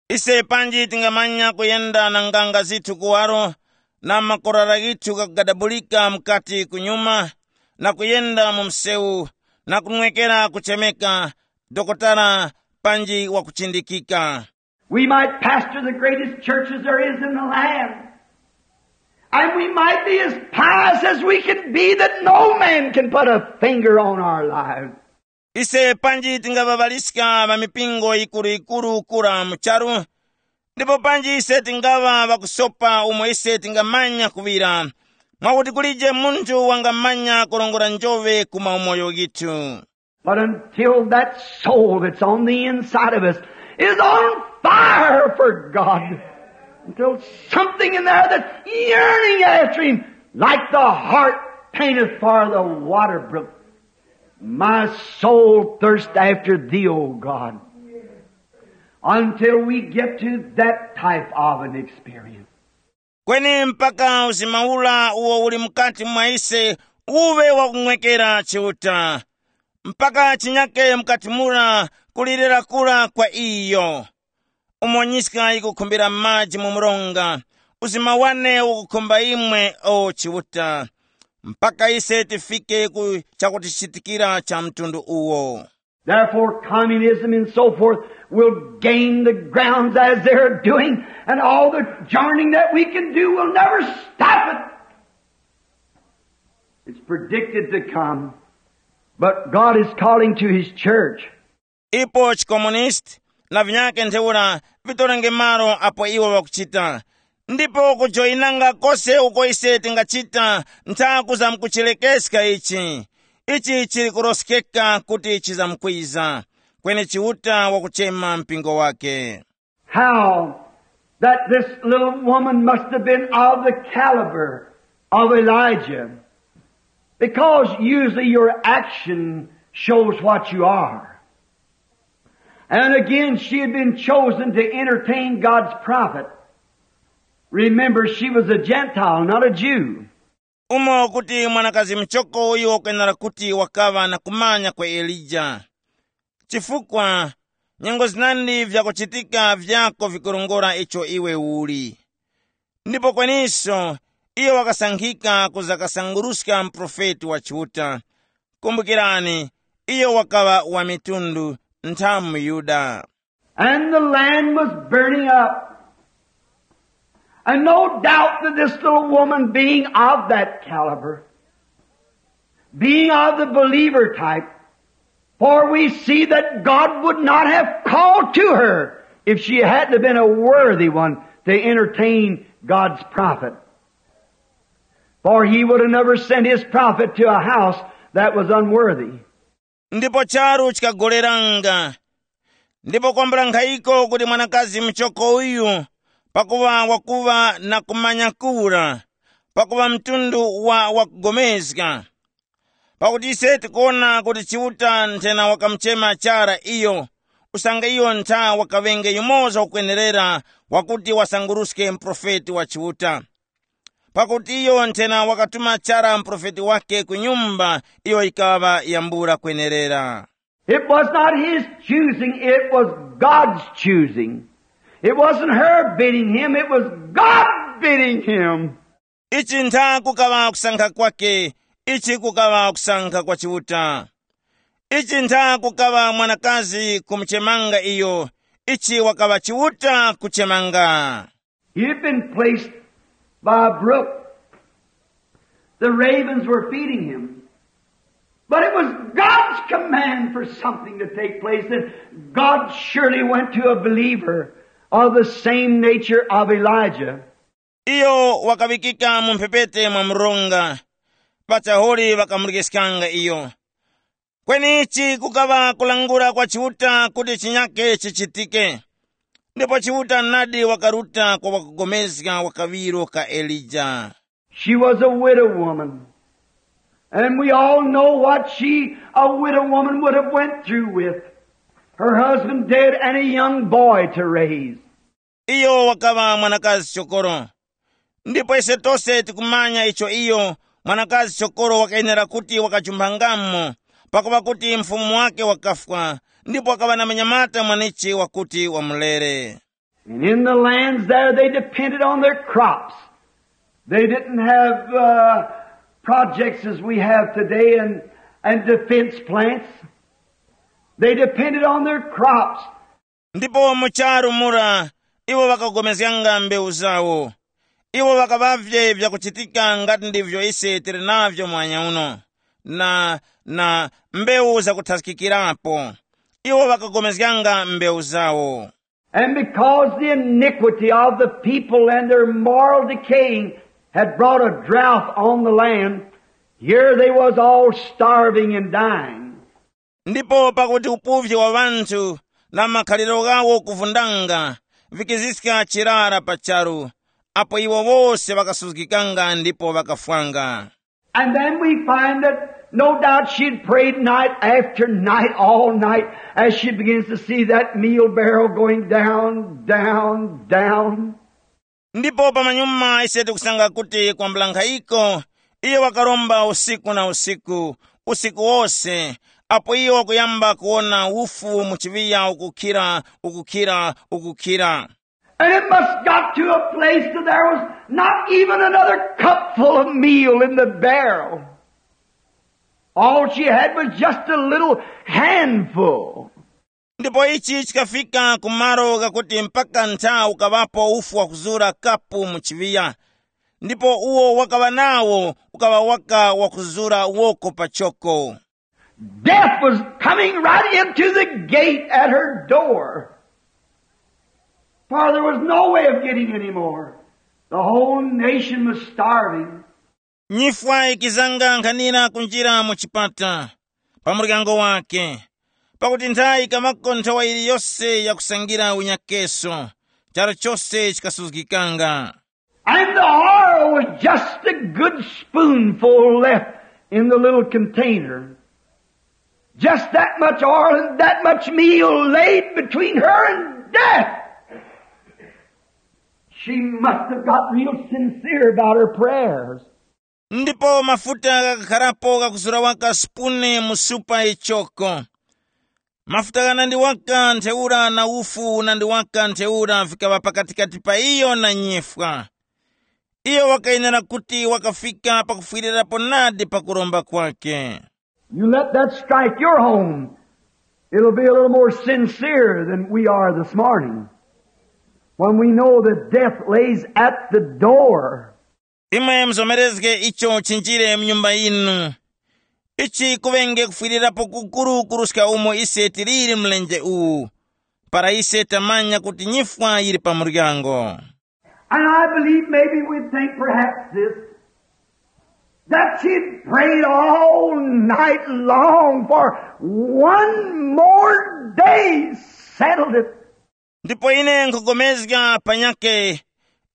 Ise panji tingamanya kuyenda na nganga zithu kuwaro, na makorara ghithu ghakugadabulika mukati kunyuma, na kuyenda mu msewu, na kunwekera kuchemeka dokotala panji wakuchindikika. We might pastor the greatest churches there is in the land. And we might be as pious as we can be that no man can put a finger on our lives. Ise panji tingaŵaŵaliska ŵa mipingo yikuru-yikuru kura mu charu, ndipo panji ise tingaŵa ŵakusopa umo ise tingamanya kuŵira, mwakuti kulije munthu wangamanya kurongora njoŵe ku maumoyo ghithu. But until that soul that's on the inside of us is on fire for God, until something in there that's yearning after Him, like the hart panteth for the water brook, my soul thirsts after Thee, O God. Until we get to that type of an experience. Kweni mpaka uzima ura uwo uli mukati mwa ise uŵe wakung'wekera Chiuta, mpaka chinyake mukati mura kulirira kura kwa iyo. Umo nyiska yikukhumbira maji mu mronga, uzima wane ukukhumba imwe, o Chiuta, mpaka ise tifike ku chakutichitikira cha mtundu uwo. Therefore, communism and so forth will gain the grounds as they're doing, and all the journeying that we can do will never stop it. It's predicted to come, but God is calling to His church. Ipo chikomunisti na vinyake ntheura vitorenge malo apo iwo ŵakuchita, ndipo kujoyinanga kose uko ise tingachita ntha kuzamkuchilekeska ichi. Ichi chili kuroskeka kuti chizamkwiza, kweni Chiuta wakuchema mpingo wake. How that this little woman must have been of the caliber of Elijah, because usually your action shows what you are. And again, she had been chosen to entertain God's prophet. Remember, she was a Gentile, not a Jew. Umo kuti mwanakazi mchoko uyu wakwenera kuti wakaŵa na kumanya kwa Elija, chifukwa nyengo zinandi vyakuchitika vyako vikurongora icho iwe uli. Ndipo kweniso, iyo wakasankhika kuza kasanguruska muprofeti wa Chiuta. Kumbukirani, iyo wakaŵa wa mitundu, ntha muYuda. And the land was burning up. And no doubt that this little woman, being of that caliber, being of the believer type, for we see that God would not have called to her if she hadn't have been a worthy one to entertain God's prophet. For he would have never sent his prophet to a house that was unworthy. Ndipo charu chikagoleranga. Ndipo kwambula nkhayiko kuti mwanakazi muchoko uyu, pakuŵa wakuŵa na kumanya kura, pakuŵa mtundu wa wakugomezga. Pakuti ise tikuwona kuti Chiuta nthena wakamuchema chara iyo, usange iyo ntha wakaŵenge yumoza wakwenerera wakuti wasanguruske muprofeti wa Chiuta. Pakuti iyo nthena wakatuma chara muprofeti wake ku nyumba iyo yikaŵa yambula kwenerera. It was not his choosing, it was God's choosing. It wasn't her bidding him, it was God bidding him. Ichi ntha kukaŵa kusankha kwake, ichi kukaŵa kusankha kwa Chiuta. Ichi ntha kukaŵa mwanakazi kumuchemanga iyo, ichi wakaŵa Chiuta kuchemanga. He had been placed by a brook. The ravens were feeding him. But it was God's command for something to take place, and God surely went to a believer of the same nature of Elijah. Iyo wakaŵikika mu mphepete mwa mronga, pachahuli ŵakamulikiskanga iyo. Kweni ichi kukaŵa kulangula kwa Chiuta kuti chinyake chichitike. Ndipo Chiuta nadi wakaruta kwa wakugomezga wa kaŵiro ka Elija. She was a widow woman. And we all know what she, a widow woman, would have went through with her husband dead and a young boy to raise. Iyo wakaŵa mwanakazi chokoro. Ndipo ise tose tikumanya icho iyo mwanakazi chokoro wakayenera kuti wakajumphangamo, pakuŵa kuti mfumu wake wakafwa, ndipo wakaŵa na munyamata mwanichi wakuti wamulere. And in the lands there, they depended on their crops. They didn't have uh, projects as we have today and, and defense plants. They depended on their crops. Ndipo mu charu mura, iwo ŵakagomezganga mbewu zawo. Iwo ŵakaŵavye vyakuchitika ngati ndivyo ise tili navyo mwanya uno, na, na mbewu zakuthaskikirapo. Iwo ŵakagomezganga mbewu zawo. And because the iniquity of the people and their moral decaying had brought a drought on the land, here they was all starving and dying. Ndipo pakuti upuvye wa ŵanthu na makhaliro ghawo kuvundanga vikiziska chirara pa charu, apo iwo wose ŵakasuzgikanga ndipo ŵakafwanga. And then we find that no doubt she'd prayed night after night, all night, as she begins to see that meal barrel going down, down, down. Ndipo pamanyuma ise tikusanga kuti kwambula nkhayiko, iyo wakaromba usiku na usiku, usiku wose, apo iyo wakuyamba kuwona ufu mu chiŵiya ukukhira, ukukhira, ukukhira. And it must got to a place that there was not even another cupful of meal in the barrel. All she had was just a little handful. Ndipo ichi chikafika ku malo ghakuti mpaka ntha ukaŵapo ufu wakuzura kapu mu chiŵiya, ndipo uwo wakaŵa nawo ukaŵa waka wakuzura woko pachoko. Death was coming right into the gate at her door. For there was no way of getting any more. The whole nation was starving. Nyifwa ikizanga nkhanira kunjira mu chipata pa muryango wake, pakuti nthayi kamako nthawa iliyose yakusangira unyakeso, charu chose chikasuzgikanga. And the oil was just a good spoonful left in the little container. Just that much oil and that much meal laid between her and death. She must have got real sincere about her prayers. Ndipo mafuta ghakakharapo ghakuzura waka sipuni mu supa ichoko. Mafuta ghanandi waka ntheura na ufu unandi waka ntheura vikaŵa pakatikati pa iyo na nyifwa. Iyo wakayenera kuti wakafika pakufwirirapo nadi pa kuromba kwake. You let that strike your home, it'll be a little more sincere than we are this morning, when we know that death lays at the door. Imwe muzomerezge icho chinjire mu nyumba yinu. Ichi kuŵenge kufwirirapo kukuru kuruska umo ise tiliri mlenje uwu, para ise tamanya kuti nyifwa yili pa muryango. And I believe maybe we think perhaps this, That she prayed all night long for one more day settled it. Ndipo ine nkhupulikana panyakhe,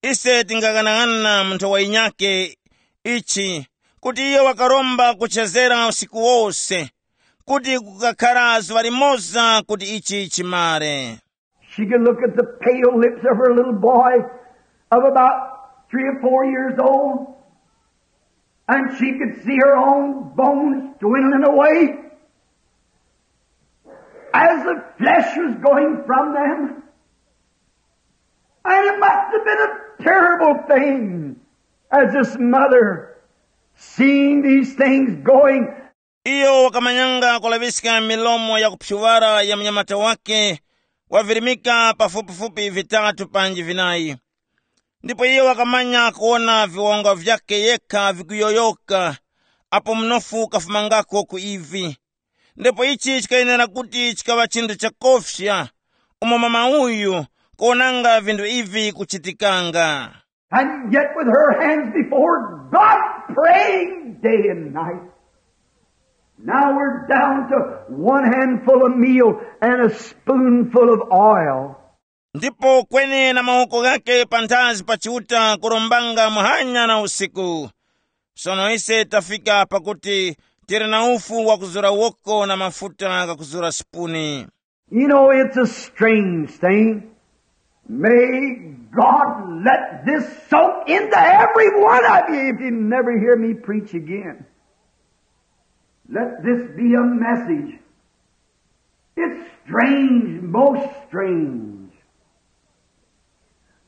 ise tingaghanaghananga mu nthowa yinyakhe ichi, kuti iyo wakaromba kuchezera usiku wose, kuti kukakhara zuŵa limoza kuti ichi chimare. She could look at the pale lips of her little boy of about three or four years old, and she could see her own bones dwindling away as the flesh was going from them. And it must have been a terrible thing as this mother seeing these things going. Iyo wakamanyanga kulaŵiska milomo ya kuphyuŵara ya munyamata wake wavirimika pafupifupi vitatu panji vinayi. Ndipo iyo wakamanya kuwona viwonga vyakhe yekha vikuyoyoka, apo mnofu ukafumangako ku ivi. Ndipo ichi chikayenera kuti chikaŵa chinthu chakofya, umo mama uyu kuwonanga vinthu ivi kuchitikanga. And yet with her hands before God praying day and night. Now we're down to one handful of meal and a spoonful of oil. Ndipo kweni na mawoko ghakhe panthazi pa Chiuta kurombanga muhanya na usiku. Sono ise tafika pakuti tili na ufu wakuzura woko na mafuta ghakuzura sipuni. You know, it's a strange thing. May God let this soak into every one of you if you never hear me preach again. Let this be a message. It's strange, most strange,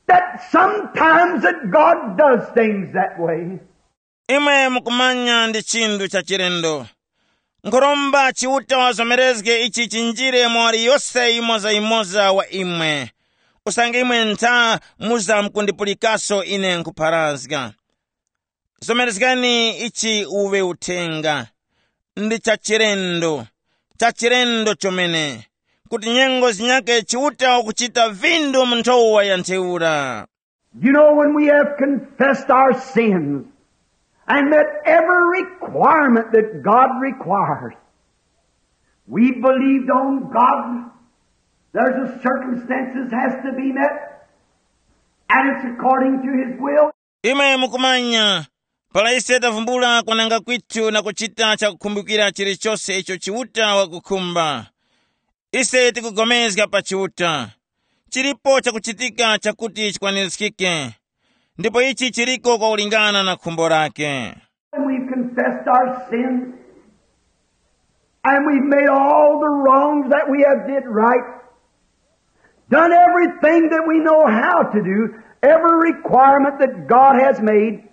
that sometimes that God does things that way. Imwe mukumanya ndi chinthu cha chilendo. Nkhuromba Chiuta wazomerezge ichi chinjire mwa waliyose yimoza-yimoza wa imwe. Usange imwe ntha muza mukundipulikaso ine nkhupharazga. Zomerezgani ichi uwe uthenga. Ndi cha chilendo, cha chilendo chomene, kuti nyengo zinyake Chiuta ukuchita vindu mu nthowa ya ntheura. You know, when we have confessed our sins and met every requirement that God requires, we believed on God. There's a circumstances has to be met, and it's according to His will. Imwe mukumanya, para ise tavumbula kwananga kwithu na kuchita chakukhumbikira chilichose icho Chiuta wakukhumba, ise tikupulikana pa Chiuta. Chilipo chakuchitika chakuti chikwanirizgike, ndipo ichi chiliko kwakulingana na khumbo lake. And we've confessed our sins, and we've made all the wrongs that we have did right, done everything that we know how to do, every requirement that God has made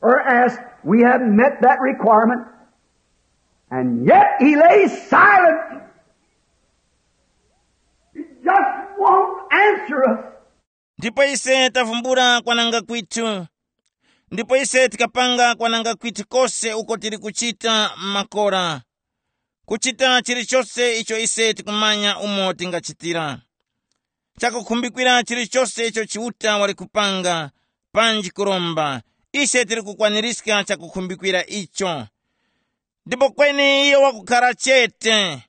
or asked, we have met that requirement. And yet He lays silent. He just won't answer us. Ndipo ise tavumbula kwananga kwithu, ndipo ise tikapanga kwananga kwithu kose uko tili kuchita makora, kuchita chilichose icho ise tikumanya umo tingachitira, chakukhumbikira chilichose icho Chiuta wali kupanga, panji kuromba, ise tili kukwanirizga chakukhumbikira icho. Ndipo kweni iyo wakukhara chete,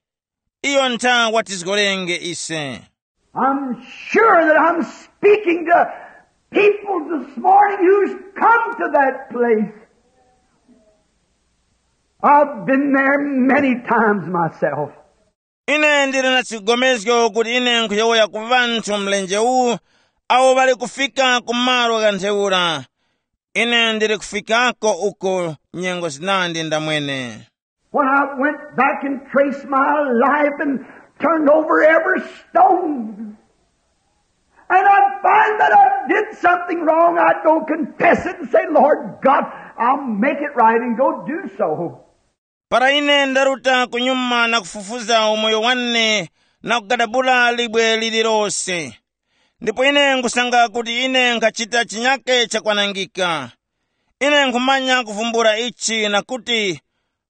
iyo ntha watizgorenge ise. I'm sure that I'm speaking to people this morning who's come to that place. I've been there many times myself. Ine ndili na chigomezgo kuti ine nkhuyowoya ku ŵanthu mlenje uwu awo ŵali kufika ku malo gha ntheura. Ine ndili kufikako uko nyengo zinandi ndamwene. When I went back and traced my life and turned over every stone, and I find that I did something wrong, I'd go confess it and say, "Lord God, I'll make it right," and go do so. Para ine ndaruta kunyuma na kufufuza umoyo wane na kugadabula libwe lililose, ndipo ine nkusanga kuti ine nkhachita chinyake chakwanangika, ine nkhumanya kuvumbula ichi na kuti,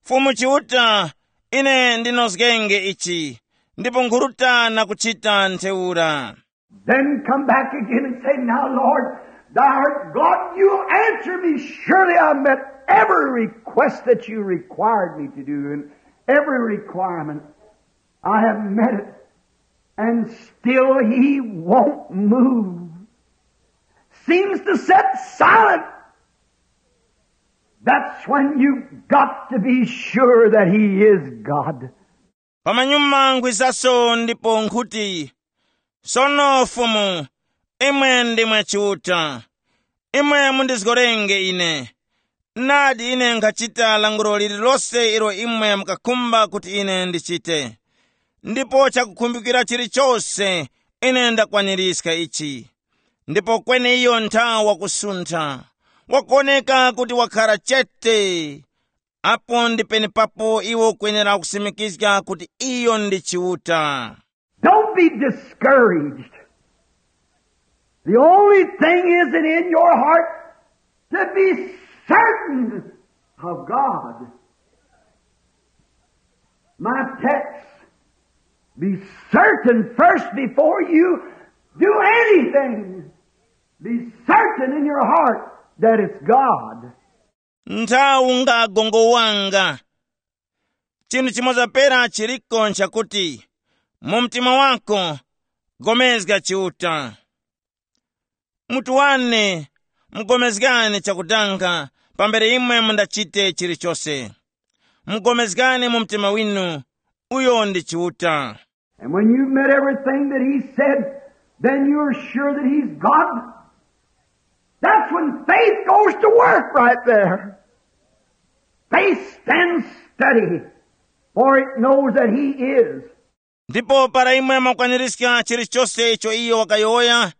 Fumu Chiuta, ine ndinozgenge ichi, ndipo nkhuruta na kuchita ntheura. Then come back again and say, "Now, Lord, Thou art God, you'll answer me. Surely I met every request that you required me to do, and every requirement I have met it. And still he won't move. Seems to sit silent. That's when you've got to be sure that he is God. Pamanyuma nkhwizaso ndipo nkhuti, sono Fumu, imwe ndimwe Chiuta. Imwe mundizgorenge ine. Nadi ine nkhachita lankhulo lililose ilo imwe mukakhumba kuti ine ndichite. Ndipo chakukhumbikira chilichose ine ndakwanirizga ichi. Ndipo kweni iyo nthawi wakusuntha, wakuwoneka kuti wakhara chete. Apo ndi penepapo iwe ukwenera kusimikizga kuti iyo ndi Chiuta. Don't be discouraged. The only thing is it in your heart to be certain of God. My text, be certain first before you do anything. Be certain in your heart that it's God. Nthawi ngagongo wanga. Chinthu chimoza pera chiliko nchakuti, mu mtima wako, gomezga Chiuta. Mutu wane, mugomezgani chakudanga pambere imwe mundachite chilichose. Mugomezgani mu mtima winu, uyo ndi Chiuta. And when you've met everything that he said, then you're sure that he's God. That's when faith goes to work right there. Faith stands steady, for it knows that he is. Ndipo para imwe mwakwanirizga chilichose icho iyo wakayowoya,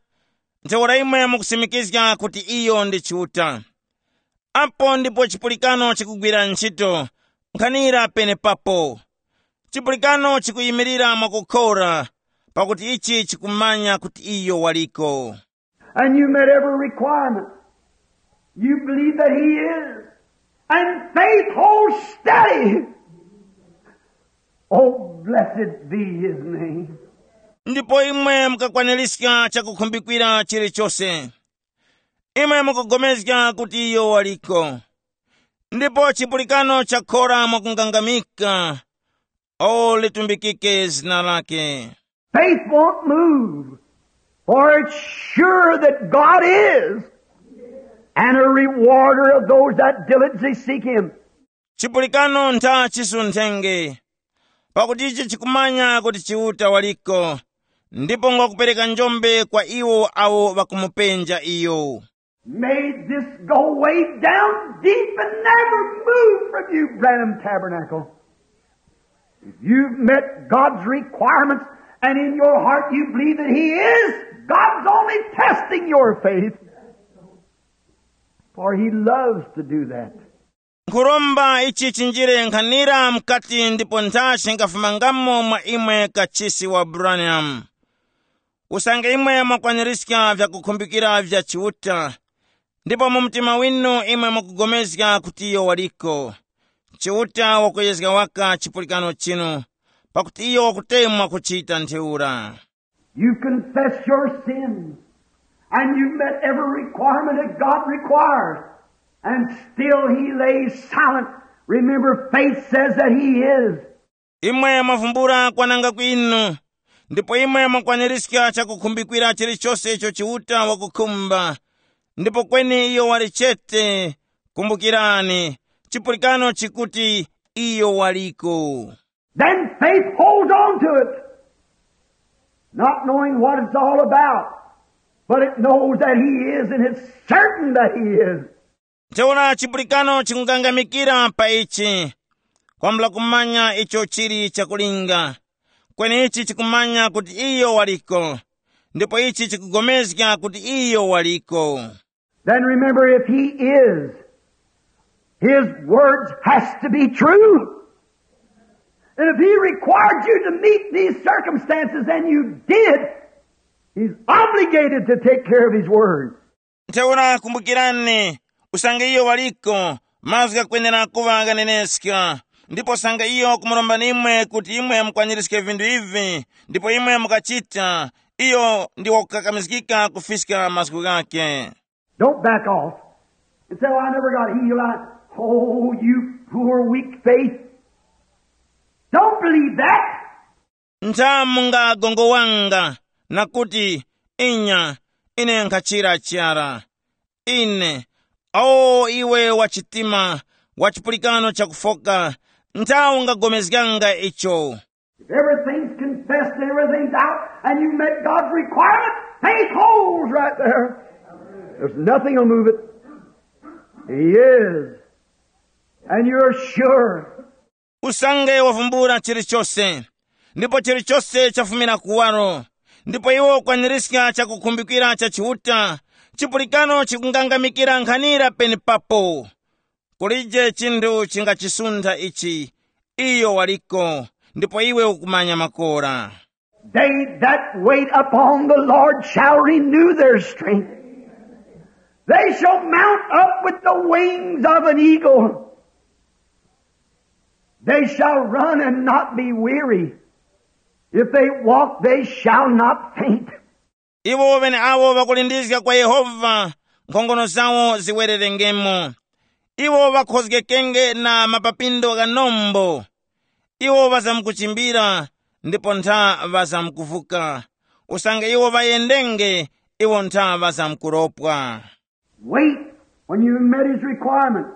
ntheura imwe mukusimikizga kuti iyo ndi Chiuta. Apo ndipo chipulikano chikugwira ntchito, nkhanira penepapo. Chipulikano chikuyimirira mwakukhora, pakuti ichi chikumanya kuti iyo waliko. And you met every requirement. You believe that he is. And faith holds steady. Oh, blessed be his name. Ndipo imwe mukakwanirizga chakukhumbikira chilichose. Imwe mukugomezga kuti iyo waliko. Ndipo chipulikano chakhora mwakungangamika. O litumbikike zina lake. Faith won't move, for it's sure that God is, and a rewarder of those that diligently seek him. Chipulikano ntha chisunthenge, pakuti ichi chikumanya kuti Chiuta waliko, ndipo ngwakupereka njombe kwa iwo awo ŵakumupenja iyo. May this go way down deep and never move from you, Branham Tabernacle. If you've met God's requirements and in your heart you believe that he is, God's only testing your faith. For he loves to do that. Nkhuromba ichi chinjire nkhanira mukati ndipo nthachi ngafumangamo mwa imwe kachisi wa Branham. Usange imwe mwakwanirizga vyakukhumbikira vya Chiuta, ndipo mu mtima winu imwe mukugomezga kuti iyo waliko, Chiuta wakuyezga waka chipulikano chinu, pakuti iyo wakutemwa kuchita ntheura. You confess your sins, and you met every requirement that God requires, and still he lays silent. Remember, faith says that he is. Imwe mwavumbula kwananga kwinu, ndipo imwe mwakwanirizga chakukhumbikira chilichose icho Chiuta wakukhumba, ndipo kweni iyo wali chete. Kumbukirani, chipulikano chikuti iyo waliko. Then faith holds on to it, not knowing what it's all about, but it knows that he is, and it's certain that he is. Ntheura chipulikano chikungangamikira pa ichi, kwambula kumanya icho chili chakulinga, kweni ichi chikumanya kuti iyo waliko, ndipo ichi chikugomezga kuti iyo waliko. Then remember, if he is, his words has to be true. And if he required you to meet these circumstances and you did, he's obligated to take care of his word. Ntheura kumbukirani, usange iyo waliko, mazgu ghakwenera kuŵa ghaneneska. Ndipo usange iyo kumuromba nimwe kuti imwe mukwanirizge vinthu ivi, ndipo imwe mukachita, iyo ndi wakukakamizgika kufiska mazgu ghakhe. Don't back off and say, "Oh, I never got healed." I, oh, you poor, weak faith. Don't believe that. Nthamunga gongowanga na kuti, "Inya, ine nkhachira chara." Ine, o iwe wa chitima, wa chipulikano chakufoka, nthawi ungagomezganga icho. If everything's confessed and everything's out, and you met God's requirement, faith holds right there. There's nothing will move it. He is. And you're sure. Usange wavumbula chilichose, ndipo chilichose chafumira kuwaro, ndipo iwe ukwanirizga chakukhumbikira cha Chiuta, chipulikano chikungangamikira nkhanira penepapo. Kulije chinthu chingachisuntha ichi. Iyo waliko, ndipo iwe ukumanya makora. They that wait upon the Lord shall renew their strength. They shall mount up with the wings of an eagle. They shall run and not be weary. If they walk, they shall not faint. Iwo ŵeneawo ŵakulindizga kwa Yehova, nkhongono zawo ziwererengemo. Iwo ŵakhozgekenge na mapapindo gha nombo. Iwo ŵazamkuchimbira, ndipo ntha ŵazamkuvuka. Usange iwo ŵayendenge, iwo ntha ŵazamkuropwa. Wait, when you met his requirement,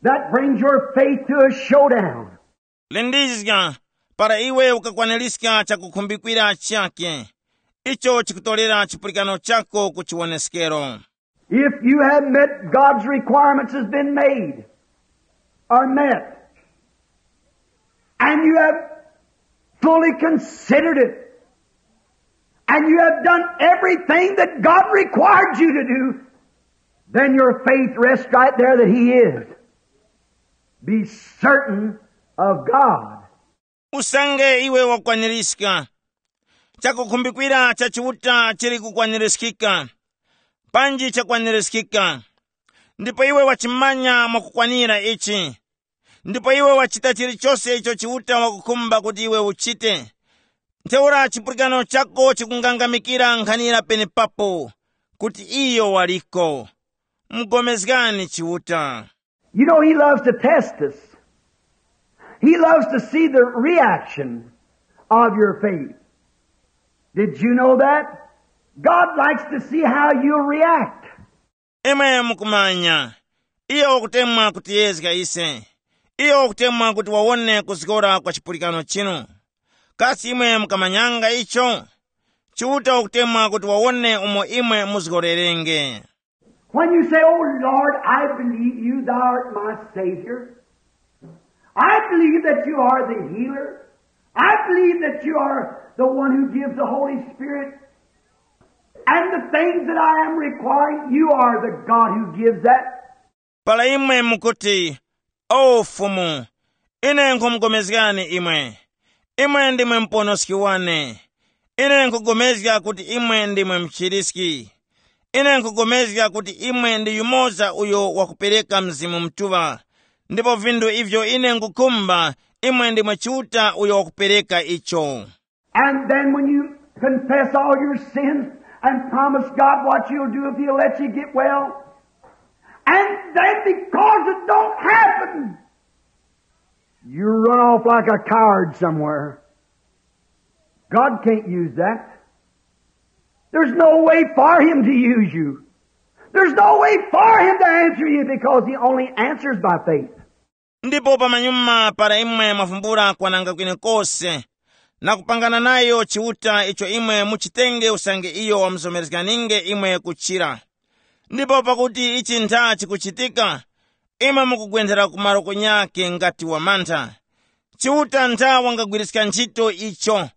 that brings your faith to a showdown. Lindizga, para iwe ukakwanirizga chakukhumbikira chakhe, icho chikutorera chipulikano chako ku chiwoneskero. If you have met God's requirements has been made or met, and you have fully considered it, and you have done everything that God required you to do, then your faith rests right there that He is. Be certain of God. Usange iwe wakwanirizga chakukhumbikira cha Chiuta chili kukwanirizgika, panji chakwanirizgika, ndipo iwe wachimanya mwakukwanira ichi, ndipo iwe wachita chilichose icho Chiuta wakukhumba kuti iwe uchite, ntheura chipulikano chako chikungangamikira nkhanira penepapo kuti iyo waliko. Mugomezgani Chiuta. You know, he loves to test us. He loves to see the reaction of your faith. Did you know that? God likes to see how you'll react. Imwe mukumanya, iyo wakutemwa kutiyezga ise. Iyo wakutemwa kuti wawone kuzgora kwa chipulikano chinu. Kasi imwe mukamanyanga icho? Chiuta wakutemwa kuti wawone umo imwe muzgorerenge. When you say, "Oh Lord, I believe you, thou art my Savior. I believe that you are the healer. I believe that you are the one who gives the Holy Spirit. And the things that I am requiring, you are the God who gives that." Para imwe mukuti, "O Fumu, ine nkhumugomezgani imwe. Imwe ndimwe muponoski wane. Ine nkhugomezga kuti imwe ndimwe mchiriski. Ine nkhugomezga kuti imwe ndi yumoza uyo wakupereka Mzimu Mutuŵa. Ndipo vinthu ivyo ine nkhukhumba, imwe ndimwe Chiuta uyo wakupereka icho." And then when you confess all your sins and promise God what you'll do if he'll let you get well, and then because it don't happen, you run off like a coward somewhere. God can't use that. There's no way for him to use you. There's no way for him to answer you because he only answers by faith. Ndipo pamanyuma para imwe mwavumbula kwananga kwenekose, na kupangana nayo Chiuta icho imwe muchitenge usange iyo wamuzomerezganinge imwe kuchira. Ndipo pakuti ichi ntha chikuchitika, imwe mukugwenthera ku malo kunyakhe ngati wamantha. Chiuta ntha wangagwiriska ntchito icho.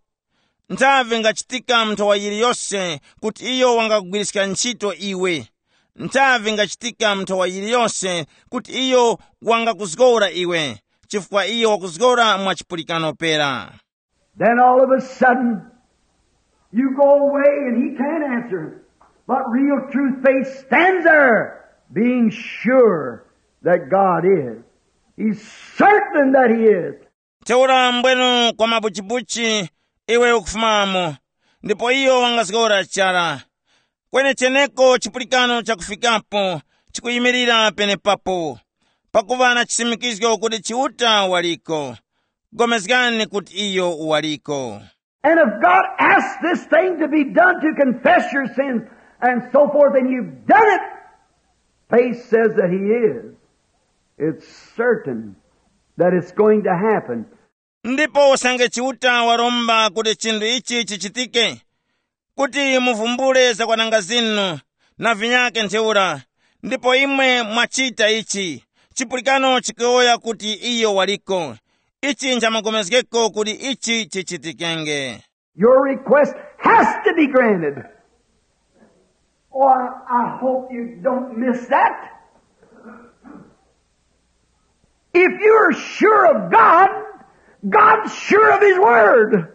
Nthavi ngachitika mu nthowa yiliyose kuti iyo wangakugwiriska ntchito iwe. Nthavi ngachitika mu nthowa yiliyose kuti iyo wangakuzgora iwe, chifukwa iyo wakuzgora mwa chipulikano pera. Then all of a sudden, you go away and he can't answer. But real true faith stands there, being sure that God is. He's certain that he is. Ntheura mbwenu kwa mabuchibuchi iwe ukufumamo, ndipo iyo wangazgora chara. Kwenecheneko chipulikano chakufikapo chikuyimirira penepapo, pakuŵa na chisimikizgo kuti Chiuta waliko. Pulikani kuti iyo waliko. And if God asks this thing to be done, to confess your sins and so forth, and you've done it, faith says that He is. It's certain that it's going to happen. Ndipo usange Chiuta waromba kuti chinthu ichi chichitike, kuti muvumbule zakwananga zinu na vinyakhe ntheura, ndipo imwe mwachita ichi, chipulikano chikuyowoya kuti iyo waliko. Ichi nchamapulikano kuti ichi chichitikenge. Your request has to be granted. Oh, I, I hope you don't miss that. If you're sure of God, God's sure of His Word.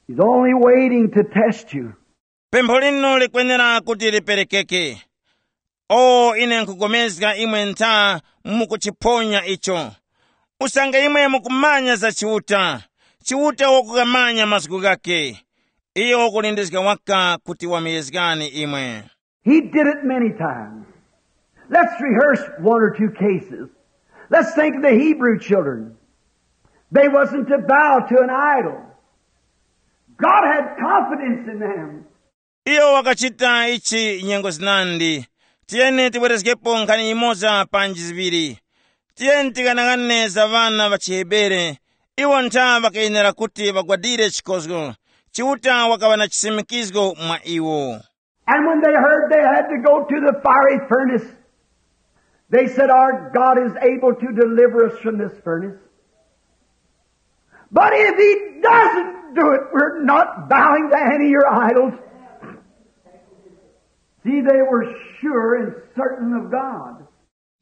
He's only waiting to test you. Pempho linu likwenera kuti liperekeke. O, ine nkupulikana imwe ntha mukuchiphonya icho. Usange imwe mukumanya za Chiuta, Chiuta wakukamanya mazgu ghakhe. Iyo wakulindizga waka kuti wamuyezgani imwe. He did it many times. Let's rehearse one or two cases. Let's think of the Hebrew children. They wasn't to bow to an idol. God had confidence in them. Iyo wakachita ichi nyengo zinandi. Tiyeni tibwerezgepo nkhani imoza panji ziŵiri. Tiyeni tikanang'ane za ŵana ŵa chiHebere. Iwo ntha ŵakayenera kuti ŵagwadire chikozgo. Chiuta wakaŵa na chisimikizgo mwa iwo. And when they heard they had to go to the fiery furnace, they said, "Our God is able to deliver us from this furnace. But if He doesn't do it, we're not bowing to any of your idols." See, they were sure and certain of God.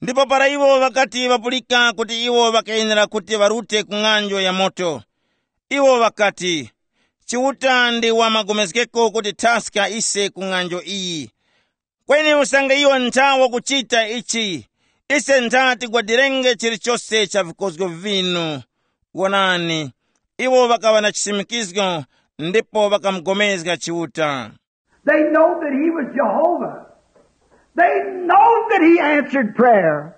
Ndipo para iwo ŵakati ŵapulika kuti iwo ŵakayenera kuti ŵarute ku ng'anjo ya moto, iwo ŵakati, "Chiuta ndi wamagomezgeko kuti thaska ise ku ng'anjo iyi. Kweni usange iyo ntha wakuchita ichi, ise ntha tigwadirenge chilichose cha vikozgo vinu." Wonani, iwo ŵakaŵa na chisimikizgo ndipo ŵakamugomezga Chiuta. They know that He was Jehovah. They know that He answered prayer.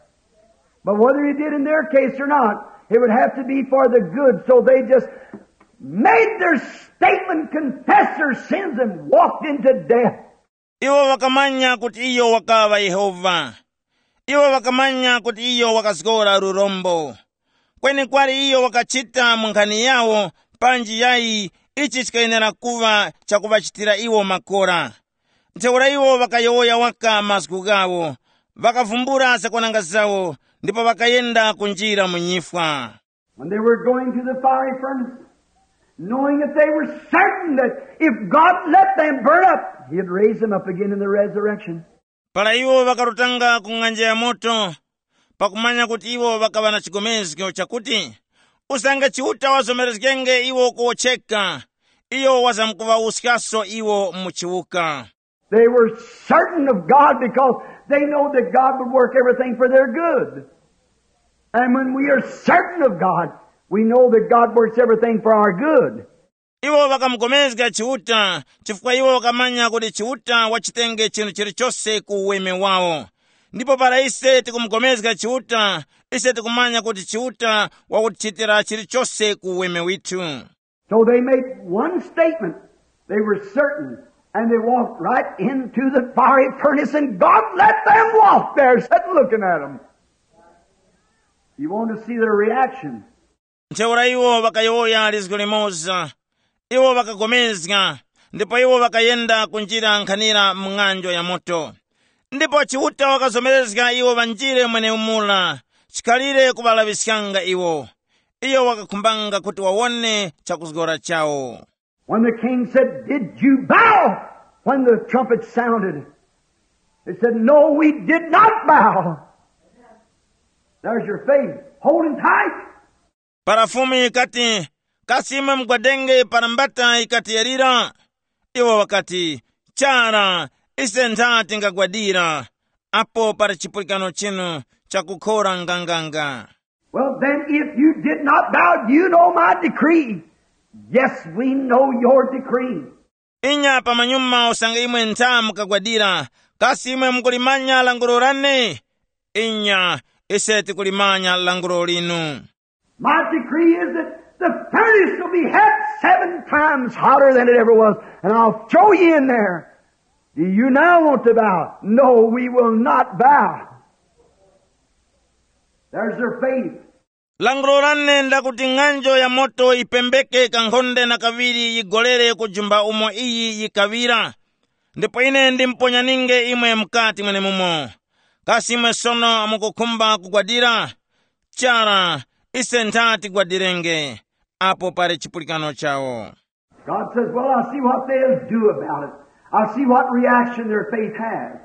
But whether He did in their case or not, it would have to be for the good. So they just made their statement, confessed their sins, and walked into death. Iwo ŵakamanya kuti iyo wakaŵa Yehova. Iwo ŵakamanya kuti iyo wakazgora lurombo. Kweni kwali iyo wakachita mu nkhani yawo, panji yayi ichi chikayenera kuŵa chakuŵachitira iwo makora. Ntheura iwo ŵakayowoya waka mazgu ghawo, ŵakavumbula zakwananga zawo, ndipo ŵakayenda kunjira mu nyifwa. When they were going to the fiery furnace, knowing that they were certain that if God let them burn up, He'd raise them up again in the resurrection. Para iwo ŵakarutanga ku ng'anja ya moto, pakumanya kuti iwo ŵakaŵa na chigomezgo chakuti usange Chiuta wazomerezgenge iwo kuwotcheka, iyo wazamkuŵawuskaso iwo mu chiwuka. They were certain of God because they know that God would work everything for their good. And when we are certain of God, we know that God works everything for our good. Iwo ŵakamugomezga Chiuta chifukwa iwo ŵakamanya kuti Chiuta wachitenge chinthu chilichose ku uweme wawo. Ndipo para ise tikumugomezga Chiuta, ise tikumanya kuti Chiuta wakutichitira chilichose ku uweme withu. So they made one statement. They were certain, and they walked right into the fiery furnace, and God let them walk there, sitting looking at them. You want to see their reaction. Ntheura iwo ŵakayowoya lizgu limoza. Iwo ŵakagomezga, ndipo iwo ŵakayenda kunjira nkhanira mu ng'anjo ya moto. Ndipo Chiuta wakazomerezga iwo ŵanjire mweneumura, chikhalire kuŵalaŵiskanga iwo. Iyo wakakhumbanga kuti wawone chakuzgora chawo. When the king said, "Did you bow when the trumpet sounded?" They said, "No, we did not bow." There's your faith. Holding tight. Para Fumu yikati, "Kasi imwe mugwadenge para mbata yikati yalira?" Iwo ŵakati, "Chara, ise ntha tingagwadira apo para chipulikano chinu chakukhora nganganga." Well, then, if you did not bow, you know my decree. Yes, we know your decree. Inya pamanyuma usange imwe ntha mukagwadira, kasi imwe mukulimanya lankhulo lane? Inya, ise tikulimanya lankhulo linu. My decree is that the furnace will be half seven times hotter than it ever was, and I'll throw you in there. Do you now want to bow? No, we will not bow. There's their faith. Lankhulo lane ndakuti ng'anjo ya moto yipembeke kankhonde na kaŵiri yigolere kujumba umo iyi yikaŵira. Ndipo ine ndimponyaninge imwe mukati mwenemumo. Kasi imwe sono mukukhumba kugwadira? Chara, ise ntha tigwadirenge. Apo pali chipulikano chawo. God says, "Well, I'll see what they'll do about it. I'll see what reaction their faith has."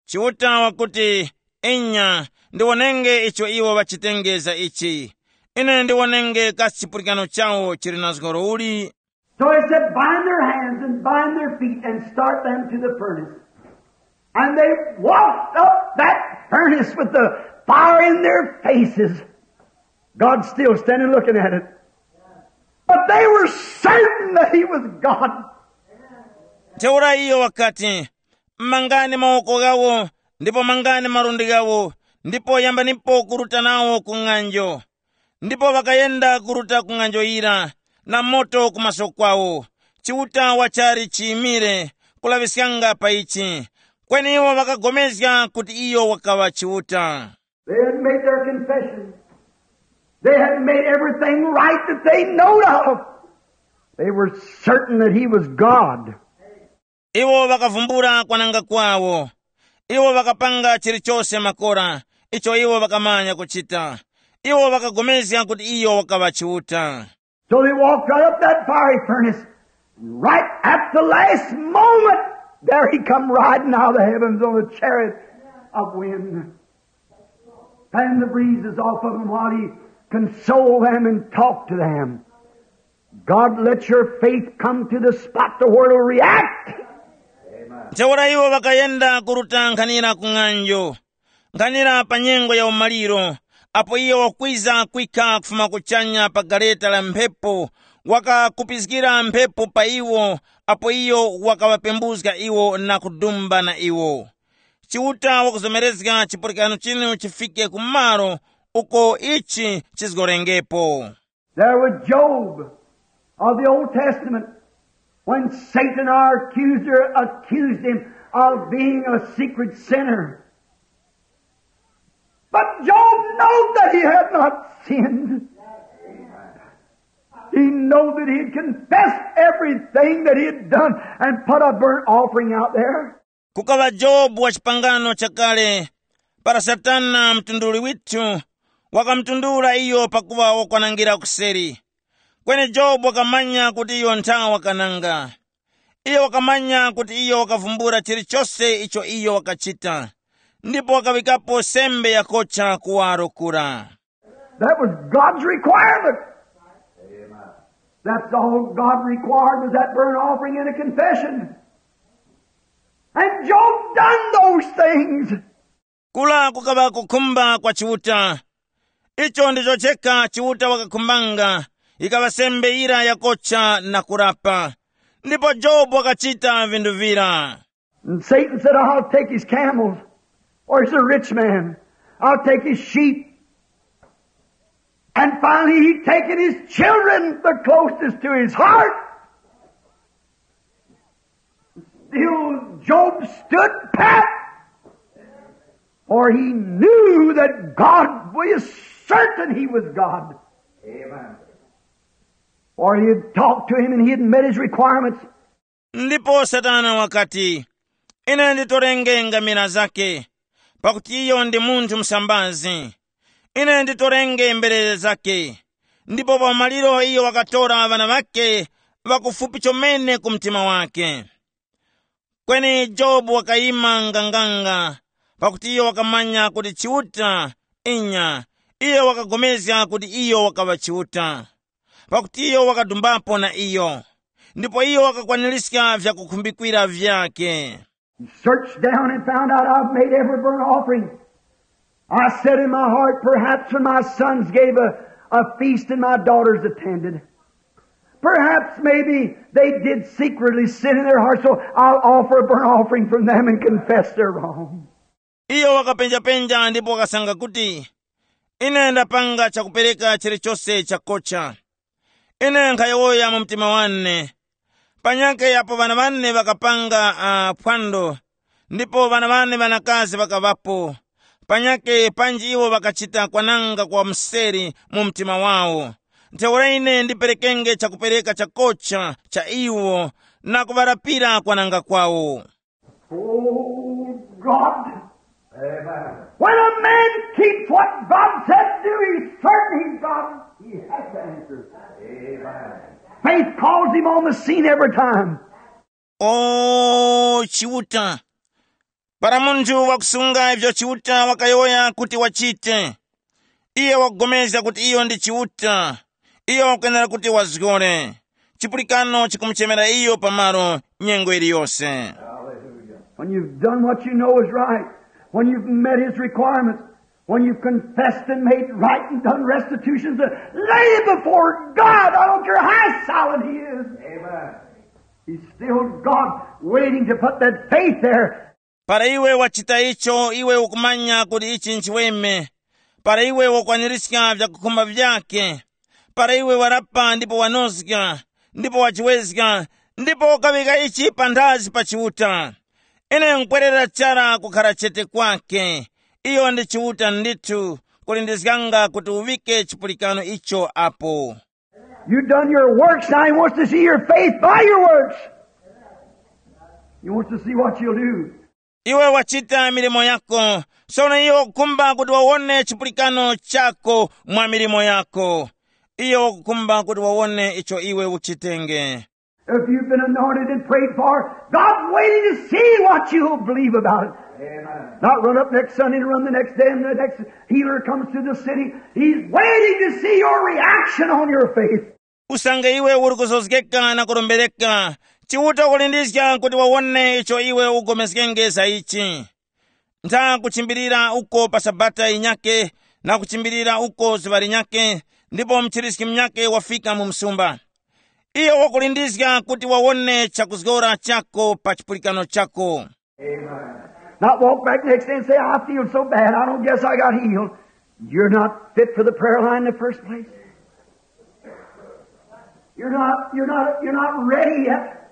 Chiuta wakuti, inya, ndiwonenge icho iwo ŵachitengeza ichi. Ine ndiwonenge kasi chipulikano chawo chili na zgoro uli. So he said, "Bind their hands and bind their feet and start them to the furnace." And they walked up that furnace with the fire in their faces. God's still standing looking at it. But they were certain that he was God. Ntheura iyo wakati, mangani mawoko ghawo, ndipo mangani malundi ghawo, ndipo yambanipo kuruta nawo ku ng'anjo. Ndipo ŵakayenda kuruta ku ng'anjo yira, na moto ku maso kwawo. Chiuta wachali chiyimire kulaŵiskanga pa ichi. Kweni iwo ŵakagomezga kuti iyo wakaŵa Chiuta. They had made their confession. They had made everything right that they knowed of. They were certain that he was God. Iwo ŵakavumbula kwananga kwawo. Iwo ŵakapanga chilichose makora icho iwo ŵakamanya kuchita. Iwo ŵakagomezga kuti iyo wakaŵa Chiuta. So they walked right up that fiery furnace. Right at the last moment, there he come riding out of the heavens on a chariot of wind. Fan the breezes off of him while he console them and talk to them. God, let your faith come to the spot the world will react. Ntheura iwo ŵakayenda kuruta nkhanira ku ng'anjo, nkhanira pa nyengo ya umaliro, apo iyo wakwiza kwikha kufuma kuchanya pa gareta la mphepo, wakakupizgira mphepo pa iwo, apo iyo wakaŵapembuzga iwo na kudumba na iwo. Chiuta wakuzomerezga chipulikano chinu chifike ku malo uko ichi chizgorengepo. There was Job of the Old Testament when Satan, our accuser, accused him of being a secret sinner. But Job knew that he had not sinned. He knew that he had confessed everything that he had done and put a burnt offering out there. Kukaŵa Jobu wa chipangano chakale, para Satana mtunduli withu wakamutundula iyo pakuŵa wakwanangira kuseri. Kweni Jobu wakamanya kuti iyo ntha wakananga. Iyo wakamanya kuti iyo wakavumbula chilichose icho iyo wakachita, ndipo wakaŵikapo sembe yakocha kuwaro kura. That was God's requirement. That's all God required was that burnt offering and a confession. And Job done those things. Kula kukaŵa kukhumba kwa Chiuta. Icho ndicho chekha Chiuta wakakhumbanga, ikaŵa sembe yira yakocha na kurapa. Ndipo Jobu wakachita vinthu vira. And Satan said, "I'll take his camels, for he's a rich man. I'll take his sheep." And finally, he taken his children, the closest to his heart. Still, Job stood pat, for he knew that God was certain he was God. Amen. For he had talked to him and he had met his requirements. Ndipo Satana wakati, "Ine nditorenge ngamira zake, pakuti iyo ndi munthu msambazi. Ine nditorenge mberere zake." Ndipo pa maliro iyo wakatora ŵana ŵake ŵakufupi chomene ku mtima wake. Kweni Jobu wakayima nganganga, pakuti iyo wakamanya kuti Chiuta, inya, iyo wakapulikana kuti iyo wakaŵa Chiuta, pakuti iyo wakadumbapo na iyo, ndipo iyo wakakwaniska vyakukhumbikwira vyakhe. He searched down and found out I've made every burnt offering. I said in my heart, "Perhaps when my sons gave a, a feast and my daughters attended." Perhaps maybe they did secretly sin in their heart, so I'll offer a burnt offering from them and confess their wrong. Iyo wakapenjapenja ndipo wakasanga kuti, "Ine ndapanga chakupereka chilichose chakocha. Ine nkhayowoya mu mtima wane. Panyakhe apo ŵana ŵane ŵakapanga uh, phwando, ndipo ŵana ŵane ŵanakazi ŵakaŵapo, panyakhe panji iwo ŵakachita kwananga kwa mseri mu mtima wawo. Ntheura ine ndiperekenge chakupereka chakocha cha iwo na kuŵarapira kwananga kwawo." Oh, God. Amen. When a man keeps what God said to do, he's certain he's God. He has to answer. Amen. Faith calls him on the scene every time. O Chiuta, para munthu wakusunga ivyo Chiuta wakayowoya kuti wachite, iye wakupulikana kuti iyo ndi Chiuta, iyo wakwenera kuti wazgore. Chipulikano chikumuchemera iyo pamalo nyengo iliyose. When you've done what you know is right, when you've met his requirements, when you've confessed and made right and done restitutions, uh, lay before God. I don't care how solid he is. Amen. He's still God waiting to put that faith there. Para iwe wachita icho iwe ukumanya kuti ichi nchiweme, para iwe wakwaniska vyakukhumba vyake, para iwe warapa ndipo wanozga, ndipo wachiwezga, ndipo ukaŵika ichi panthazi pa Chiuta. Ine nkwerera chara kukhara chete kwake. Iyo ndi Chiuta ndithu, kulindizganga kuti uŵike chipulikano icho apo. You done your works, now he wants to see your faith by your works. He wants to see what you'll do. Iwe wachita milimo yako, sono iye wakukhumba kuti wawone chipulikano chako mwa milimo yako. Iye wakukhumba kuti wawone icho iwe uchitenge. If you've been anointed and prayed for, God's waiting to see what you'll believe about it. Amen. Not run up next Sunday and run the next day, and the next healer comes to the city. He's waiting to see your reaction on your faith. Usange iwe uri kuzozgeka na kurombereka, Chiuta wakulindizga kuti wawone icho iwe ugomezgenge za ichi. Ntha kuchimbilira uko pa sabata yinyake, na kuchimbilira uko zuŵa linyake, ndipo mchiriski munyake wafika mu msumba. Iyo wakulindizga kuti wawone chakuzgora chako pa chipulikano chako. Amen. Not walk back next day and say, "I feel so bad, I don't guess I got healed." You're not fit for the prayer line in the first place. You're not, you're not, you're not ready yet.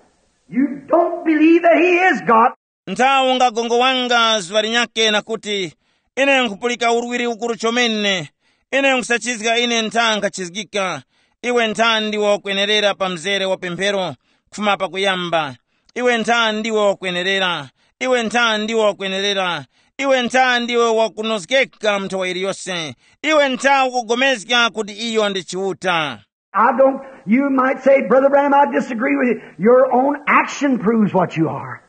You don't believe that he is God. Ntha ungagongowanga zuŵa linyake na kuti, "Ine nkhupulika urwiri ukuru chomene, ine nkhusachizga, ine ntha nkhachizgika." Iwe ntha ndiwe wakwenerera pa mzere wa pemphero kufuma pakuyamba. Iwe ntha ndiwe wakwenerera. Iwe ntha ndiwe wakwenerera. Iwe ntha ndiwe wakunozgeka mu nthowa iliyose. Iwe ntha ukugomezga kuti iyo ndi Chiuta. I don't, you might say, "Brother Branham, I disagree with you." Your own action proves what you are.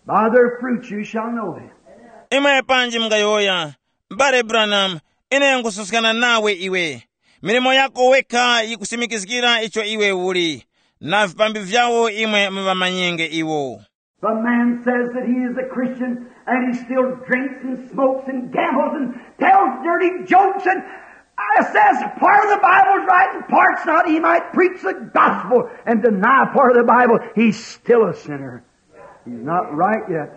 By their fruits you shall know them. Imwe panji mungayowoya, "M'bale Branham, ine nkususkana nawe iwe. Milimo yako wekha yikusimikizgira icho iwe uli. Na vipambi vyawo imwe muŵamanyenge iwo." If a man says that he is a Christian and he still drinks and smokes and gambles and tells dirty jokes and uh, says part of the Bible's right and part's not, he might preach the gospel and deny part of the Bible. He's still a sinner. He's not right yet.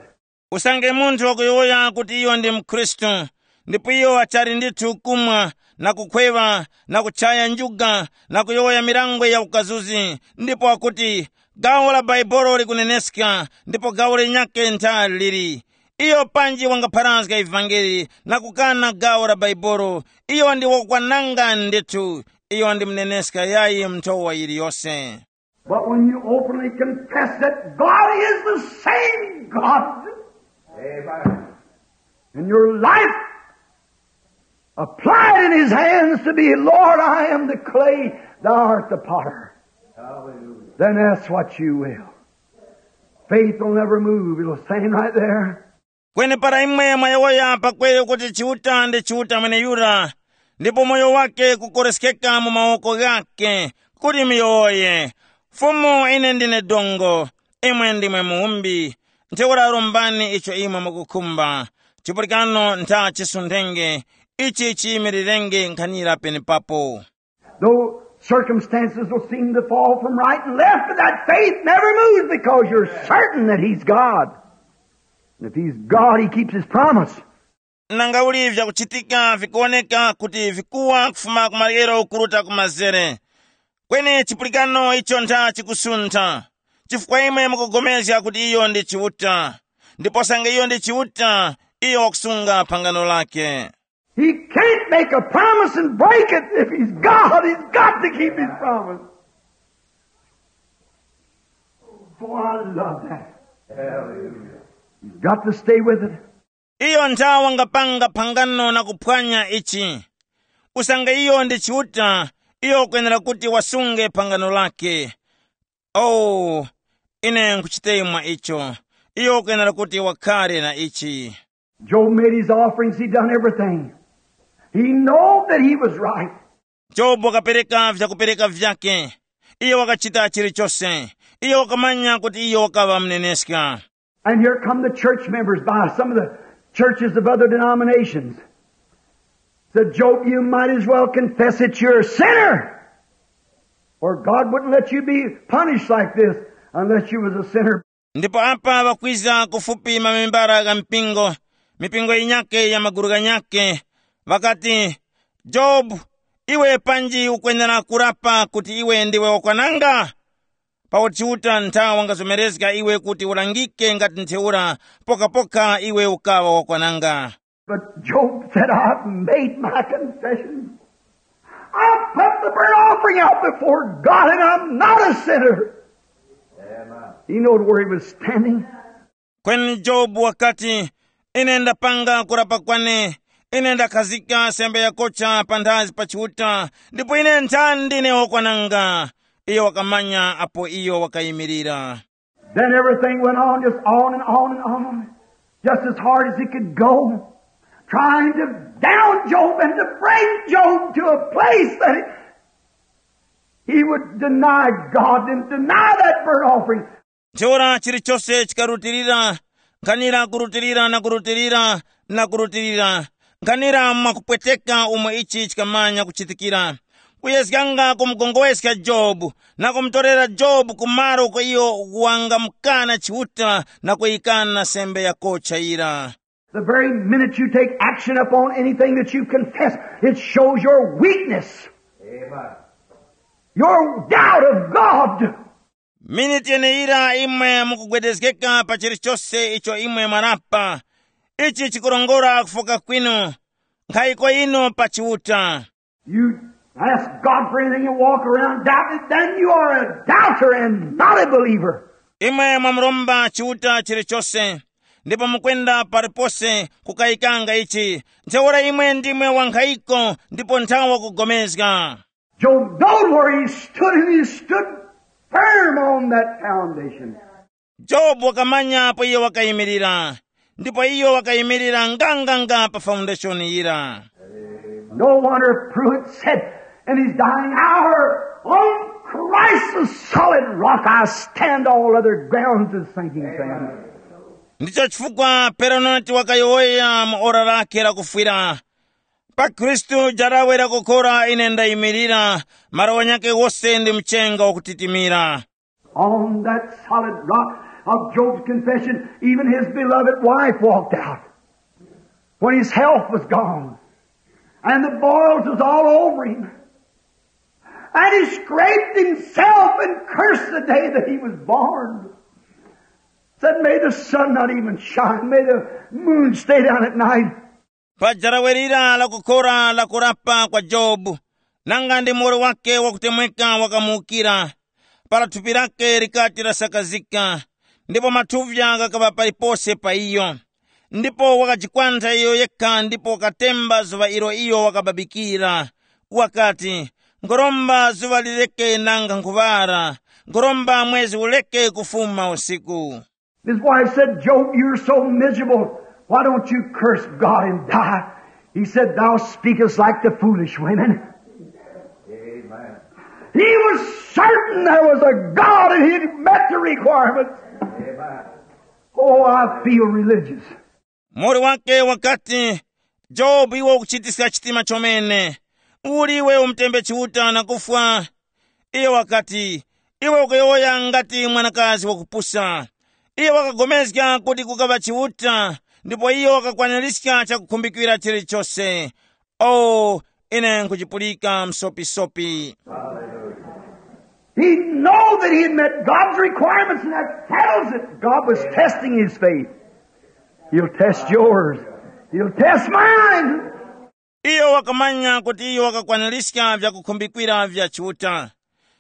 Usange munthu wakuyowoya kuti iyo ndi mkhristu, ndipo iyo achali ndithu kumwa na kukhweŵa na kuchaya njuga na kuyowoya milangwe ya ukazuzi, ndipo wakuti, "Gawo la Baibolo likuneneska, ndipo gawo linyakhe ntha lili." Iyo panji wangapharazga ivangeli na kukana gawo la Baibolo, iyo ndi wakukwananga ndithu. Iyo ndi muneneska yayi mu nthowa yiliyose. But when you openly confess that God is the same God, amen, and your life applied in his hands to be, "Lord, I am the clay, thou art the potter." Hallelujah. Then ask what you will. Faith will never move. It'll stand right there. Kweni para imwe mwayowoya pakweyo kuti Chiuta ndi Chiuta mweneyura, ndipo moyo wake kukoreskeka mu mawoko ghake, kuti muyowoye, "Fumu, ine ndine dongo, imwe ndimwe muwumbi, ntheura rombani icho imwe mukukhumba, chipulikano ntha chisunthenge, ichi chiyimirirenge nkhanira penepapo." Though Circumstances will seem to fall from right and left, but that faith never moves because you're certain that He's God. And if He's God, He keeps His promise. Nanga uli vyakuchitika vikuwoneka kuti vikuwa kufuma ku maryero kuruta ku mazere. Kweni chipulikano icho ntha chikusuntha, chifukwa imwe mukupulikana kuti iyo ndi Chiuta. Ndipo sange iyo ndi Chiuta, iyo wakusunga phangano lake. He can't make a promise and break it. If He's God, He's got to keep His promise. Oh, I love that. Hallelujah. You've got to stay with it. Iyo ntha wangapanga phangano na kuphwanya ichi. Usange iyo ndi Chiuta, iyo ukwenera kuti wasunge phangano lake. Oh, ine nkuchitemwa icho. Iyo ukwenera kuti wakhare na ichi. Job made his offerings, he done everything. He know that he was right. Jobu wakapereka vyakupereka vyake. Iyo wakachita chilichose. Iyo wakamanya kuti iyo wakaŵa mneneska. And here come the church members by some of the churches of other denominations. Said, "Job, you might as well confess that you're a sinner. Or God wouldn't let you be punished like this unless you was a sinner." Ndipo apa ŵakwiza kufupi mamembara gha mpingo, mipingo yinyake ya maguru ghanyake, ŵakati, "Jobu, iwe panji ukwenera kurapa kuti iwe ndiwe wakwananga? Pakuti Chiuta ntha wangazomerezga iwe kuti ulangike ngati ntheura, pokapoka iwe ukaŵa wakwananga." But Job said, "I've made my confession. I've put the burnt offering out before God, and I'm not a sinner." He knowed where he was standing. Kweni Jobu wakati, "Ine ndapanga kurapa kwane, ine ndakhazika sembe yakocha panthazi pa Chiuta, ndipo ine nthani ndine wakwananga." Iyo wakamanya apo iyo wakayimirira. Then everything went on, just on and on and on, just as hard as it could go, trying to down Job and to bring Job to a place that he, he would deny God and deny that burnt offering. Ntheura chilichose chikarutilira, nkhanira kurutilira na kurutilira na kurutilira, nkhanira mwakupweteka umo ichi chikamanya kuchitikira, kuyezganga kumugongoweska Jobu na kumutorera Jobu ku malo uko iyo wangamukana Chiuta na kuyikana sembe yakocha yira. The very minute you take action upon anything that you confess, it shows your weakness, your doubt of God. Miniti yeneyira imwe mukugwedezgeka pa chilichose icho imwe mwarapa, ichi chikurongora kufoka kwinu, nkhayiko yinu pa Chiuta. You ask God for anything and walk around doubting, then you are a doubter and not a believer. Imwe mwamuromba Chiuta chilichose, ndipo mukwenda palipose kukayikanga ichi, ntheura imwe ndimwe wankhayiko ndipo nthawa kugomezga. Job knowed where he stood, and he stood firm on that foundation. Jobu wakamanya apo iyo wakayimirira, ndipo iyo wakayimirira nganganga pa foundation yira. No wonder Pruitt said in his dying hour, "On Christ the solid rock I stand, all other grounds is sinking sand." Ndicho chifukwa Peronati wakayowoya mu ora lake lakufwira, "Pa Khristu jarawe lakukhora ine ndayimirira, malo ghanyakhe ghose ndi mchenga wakutitimira." On that solid rock of Job's confession, even his beloved wife walked out when his health was gone and the boils was all over him. And he scraped himself and cursed the day that he was born. Said, "May the sun not even shine, may the moon stay down at night." Pa jarawe lira lakukhora lakurapa kwa Jobu, nanga ndi muwoli wake wakutemweka wakamuwukira, para thupi lake likati lasakazika, ndipo mathuvya ghakaŵa palipose pa iyo. Ndipo wakajikwantha iyo yekha ndipo wakatemba zuŵa ilo iyo wakababikira. Wakati, "Nkhoromba zuŵa lireke nanga nkhuŵara, nkhoromba mwezi ureke kufuma usiku." His wife said, "Job, you're so miserable. Why don't you curse God and die?" He said, "Thou speakest like the foolish women." Amen. He was certain there was a God and he'd met the requirements. Amen. Oh, I feel religious. Muwoli wake wakati, "Jobu, iwe ukuchitiska chitima chomene. Uli iwe umutembe Chiuta na kufwa?" Iyo wakati, “Iwe ukuyowoya ngati mwanakazi wakupusa.” Iyo wakagomezga kuti kukaŵa Chiuta, ndipo iyo wakakwaniska chakukhumbikira chilichose. Oh, ine nkuchipulika msopisopi. He know that he had met God's requirements, and that settles it. God was testing his faith. He'll test yours. He'll test mine. Iyo wakamanya kuti iyo wakakwaniska vyakukhumbikwira vya Chiuta,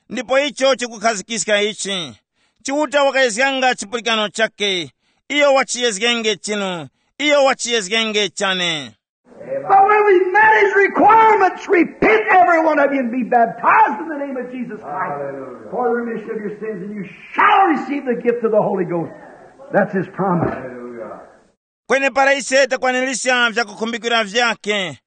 ndipo icho chikukhazikiska ichi. Chiuta wakayezganga chipulikano chakhe. Iyo wachiyezgenge chinu. Iyo wachiyezgenge chane. But when we met his requirements, repent, every one of you, and be baptized in the name of Jesus Christ for the remission of your sins, and you shall receive the gift of the Holy Ghost. That's his promise. Kwenepara ise takwanirisha vyakukhumbikira vyakhe.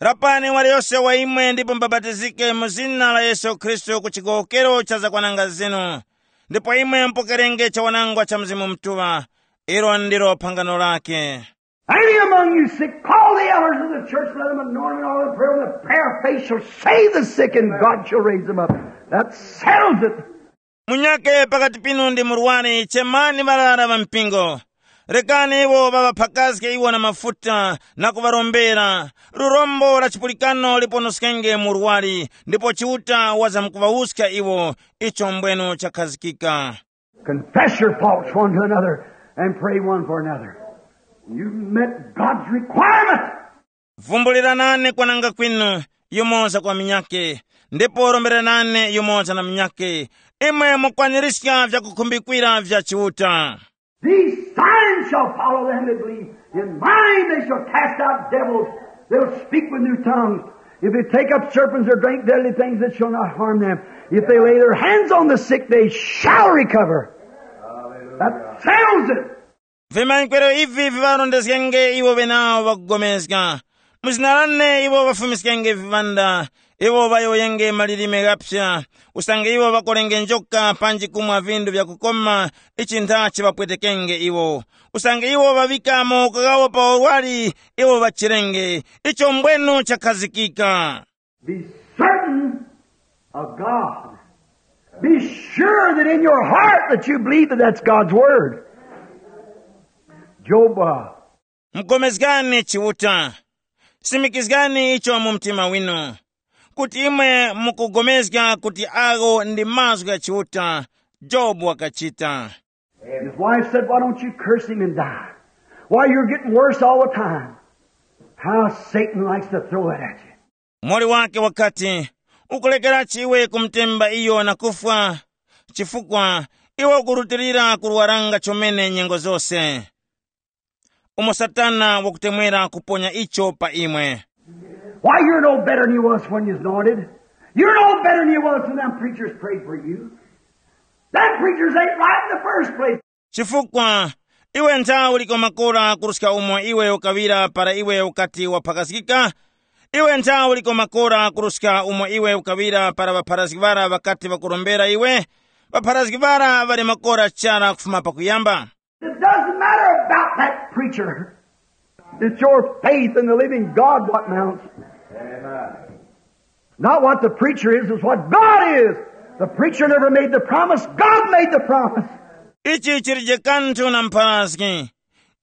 Rapani waliyose wa imwe ndipo mubapatizike mu zina la Yesu Khristu ku chigowokero cha zakwananga zinu, ndipo imwe mupokerenge chawanangwa cha Mzimu Mutuŵa. Ilo ndilo phangano lake. Any among you sick, call the elders of the church, let them anoint him with oil and pray, and the prayer of faith shall save the sick, and God shall raise them up. That settles it. Munyake pakati pinu ndi murwari, chemani ŵarara ŵa mpingo. Rekani iwo ŵaŵaphakazge iwo na mafuta na kuŵarombera. Lurombo la chipulikano liponoskenge murwari, ndipo Chiuta wazamkuŵawuska iwo. Icho mbwenu chakhazikika. Confess your faults one to another and pray one for another. You've met God's requirement. Vumbuliranani kwananga kwinu, yumoza kwa minyake, ndipo romberanani yumoza na minyake. Imwe mukwanirizga vyakukhumbikira vya Chiuta. These signs shall follow them that believe. In mine they shall cast out devils. They'll speak with new tongues. If they take up serpents or drink deadly things, it shall not harm them. If they lay their hands on the sick, they shall recover. That settles it. Vimanyikwero ivi viŵarondezgenge iwo ŵenawo ŵakugomezga. Mu zina lane iwo ŵafumiskenge viŵanda, iwo ŵayowoyenge malilime ghaphya. Usange iwo ŵakolenge njoka panji kumwa vindu vyakukoma, ichi nthachi ŵapwetekenge iwo. Usange iwo ŵaŵika mawoko ghawo pa urwari, iwo ŵachirenge. Icho mbwenu chakhazikika. Be certain of God. Be sure that in your heart that you believe that that's God's word. Job, uh, Mugomezgani Chiuta. Simikizgani icho mu mtima winu, kuti imwe mukugomezga kuti agho ndi mazgu gha Chiuta. Jobu wakachita. His wife said, "Why don't you curse him and die? Why, you're getting worse all the time." How Satan likes to throw that at you. Muwoli wake wakati, "Ukulekerachi iwe kumutemba iyo na kufwa? Chifukwa iwe ukurutilira kurwaranga chomene nyengo zose." Umo Satana wakutemwera kuponya icho pa imwe. Why, you're no better than you was when you was anointed. You're no better than you was when them preachers prayed for you. Them preachers ain't right in the first place. Chifukwa iwe nthawe uliko makora kuruska umo iwe ukaŵira para iwe ukati waphakazgika. Iwe nthawe uliko makora kuruska umo iwe ukaŵira para ŵapharazgi ŵara ŵakati ŵakurombera iwe. Ŵapharazgi ŵara ŵali makora chara kufuma pakuyamba. It doesn't matter about that preacher. It's your faith in the living God what mounts. Not what the preacher is, it's what God is. The preacher never made the promise, God made the promise. Ichi chilije kanthu na mpharazgi.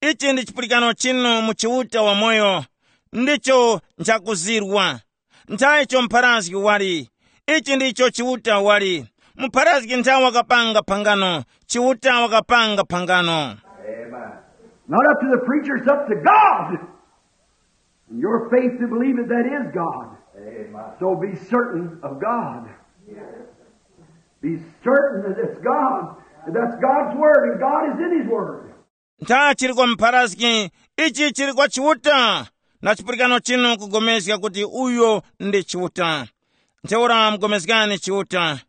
Ichi ndi chipulikano chinu mu Chiuta wamoyo. Ndicho nchakuzirwa. Nthaicho mpharazgi wali. Ichi ndicho Chiuta wali. Mupharazgi nthawe wakapanga phangano. Chiuta wakapanga phangano. Not up to the preacher, it's up to God. And your faith to believe that that is God. So be certain of God. Be certain that it's God. That that's God's word, and God is in his word. Ntha chili kwa mpharazgi, ichi chili kwa Chiuta. Na chipulikano chinu kugomezga kuti uyo ndi Chiuta. Ntheura mugomezgani Chiuta.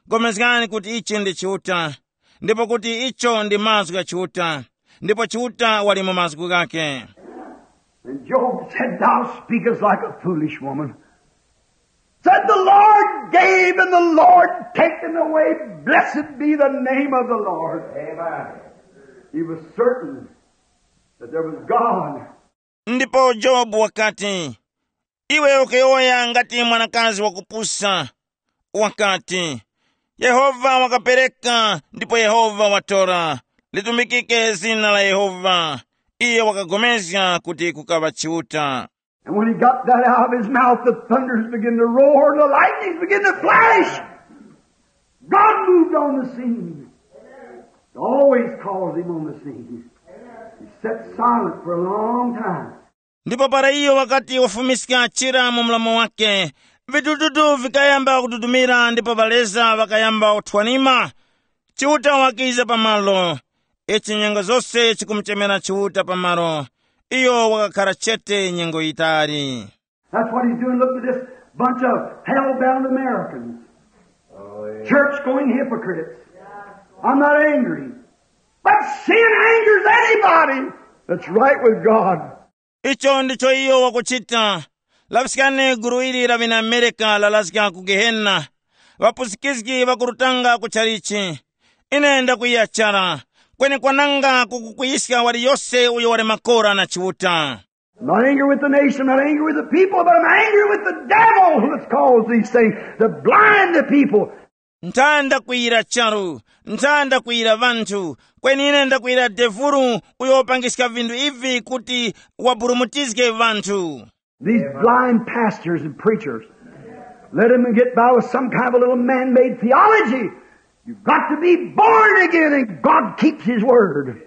Gomezgani kuti ichi ndi Chiuta, ndipo kuti icho ndi mazgu gha Chiuta, ndipo Chiuta wali mu mazgu ghakhe. And Job said, "Thou speakest like a foolish woman." Said, "The Lord gave and the Lord taken away. Blessed be the name of the Lord." Amen. He was certain that there was God. Ndipo Jobu wakati, "Iwe ukuyowoya ngati mwanakazi wakupusa." Wakati, Yehova wakapereka ndipo Yehova watora. Litumikike zina la Yehova. Iye wakagomezga kuti kukaŵa Chiuta. And when he got that out of his mouth, the thunders began to roar and the lightnings began to flash. God moved on the scene. It always calls him on the scene. He sat silent for a long time. Ndipo para iyo wakati wafumiska chira mu mlomo wake, vitututu vikayamba kududumira ndipo ŵaleza ŵakayamba kuthwanima. Chiuta wakiza pamalo. Ichi nyengo zose chikumuchemera Chiuta pamalo. Iyo wakakhara chete nyengo yitali. That's what he's doing. Look at this bunch of hell-bound Americans. Church-going hypocrites. I'm not angry. But sin angers anybody that's right with God. Icho ndicho iyo wakuchita. Laŵiskani gulu ili la ŵina Amerika lalazga ku Gehena. Ŵapusikizgi ŵakurutanga ku chalichi. Ine ndakwiya chara. Kweni kwananga kukukwiyiska waliyose uyo wali makora na Chiuta. Not angry with the nation, not angry with the people, but I'm angry with the devil that's caused these things to blind the people. Nthanda kwiyira charu, nthanda kwiyira ŵanthu, kweni ine ndakwiyira devuru uyo wapangiska vinthu ivi kuti waburumutizge ŵanthu. These blind pastors and preachers, let them get by with some kind of a little man-made theology. You've got to be born again, and God keeps his word.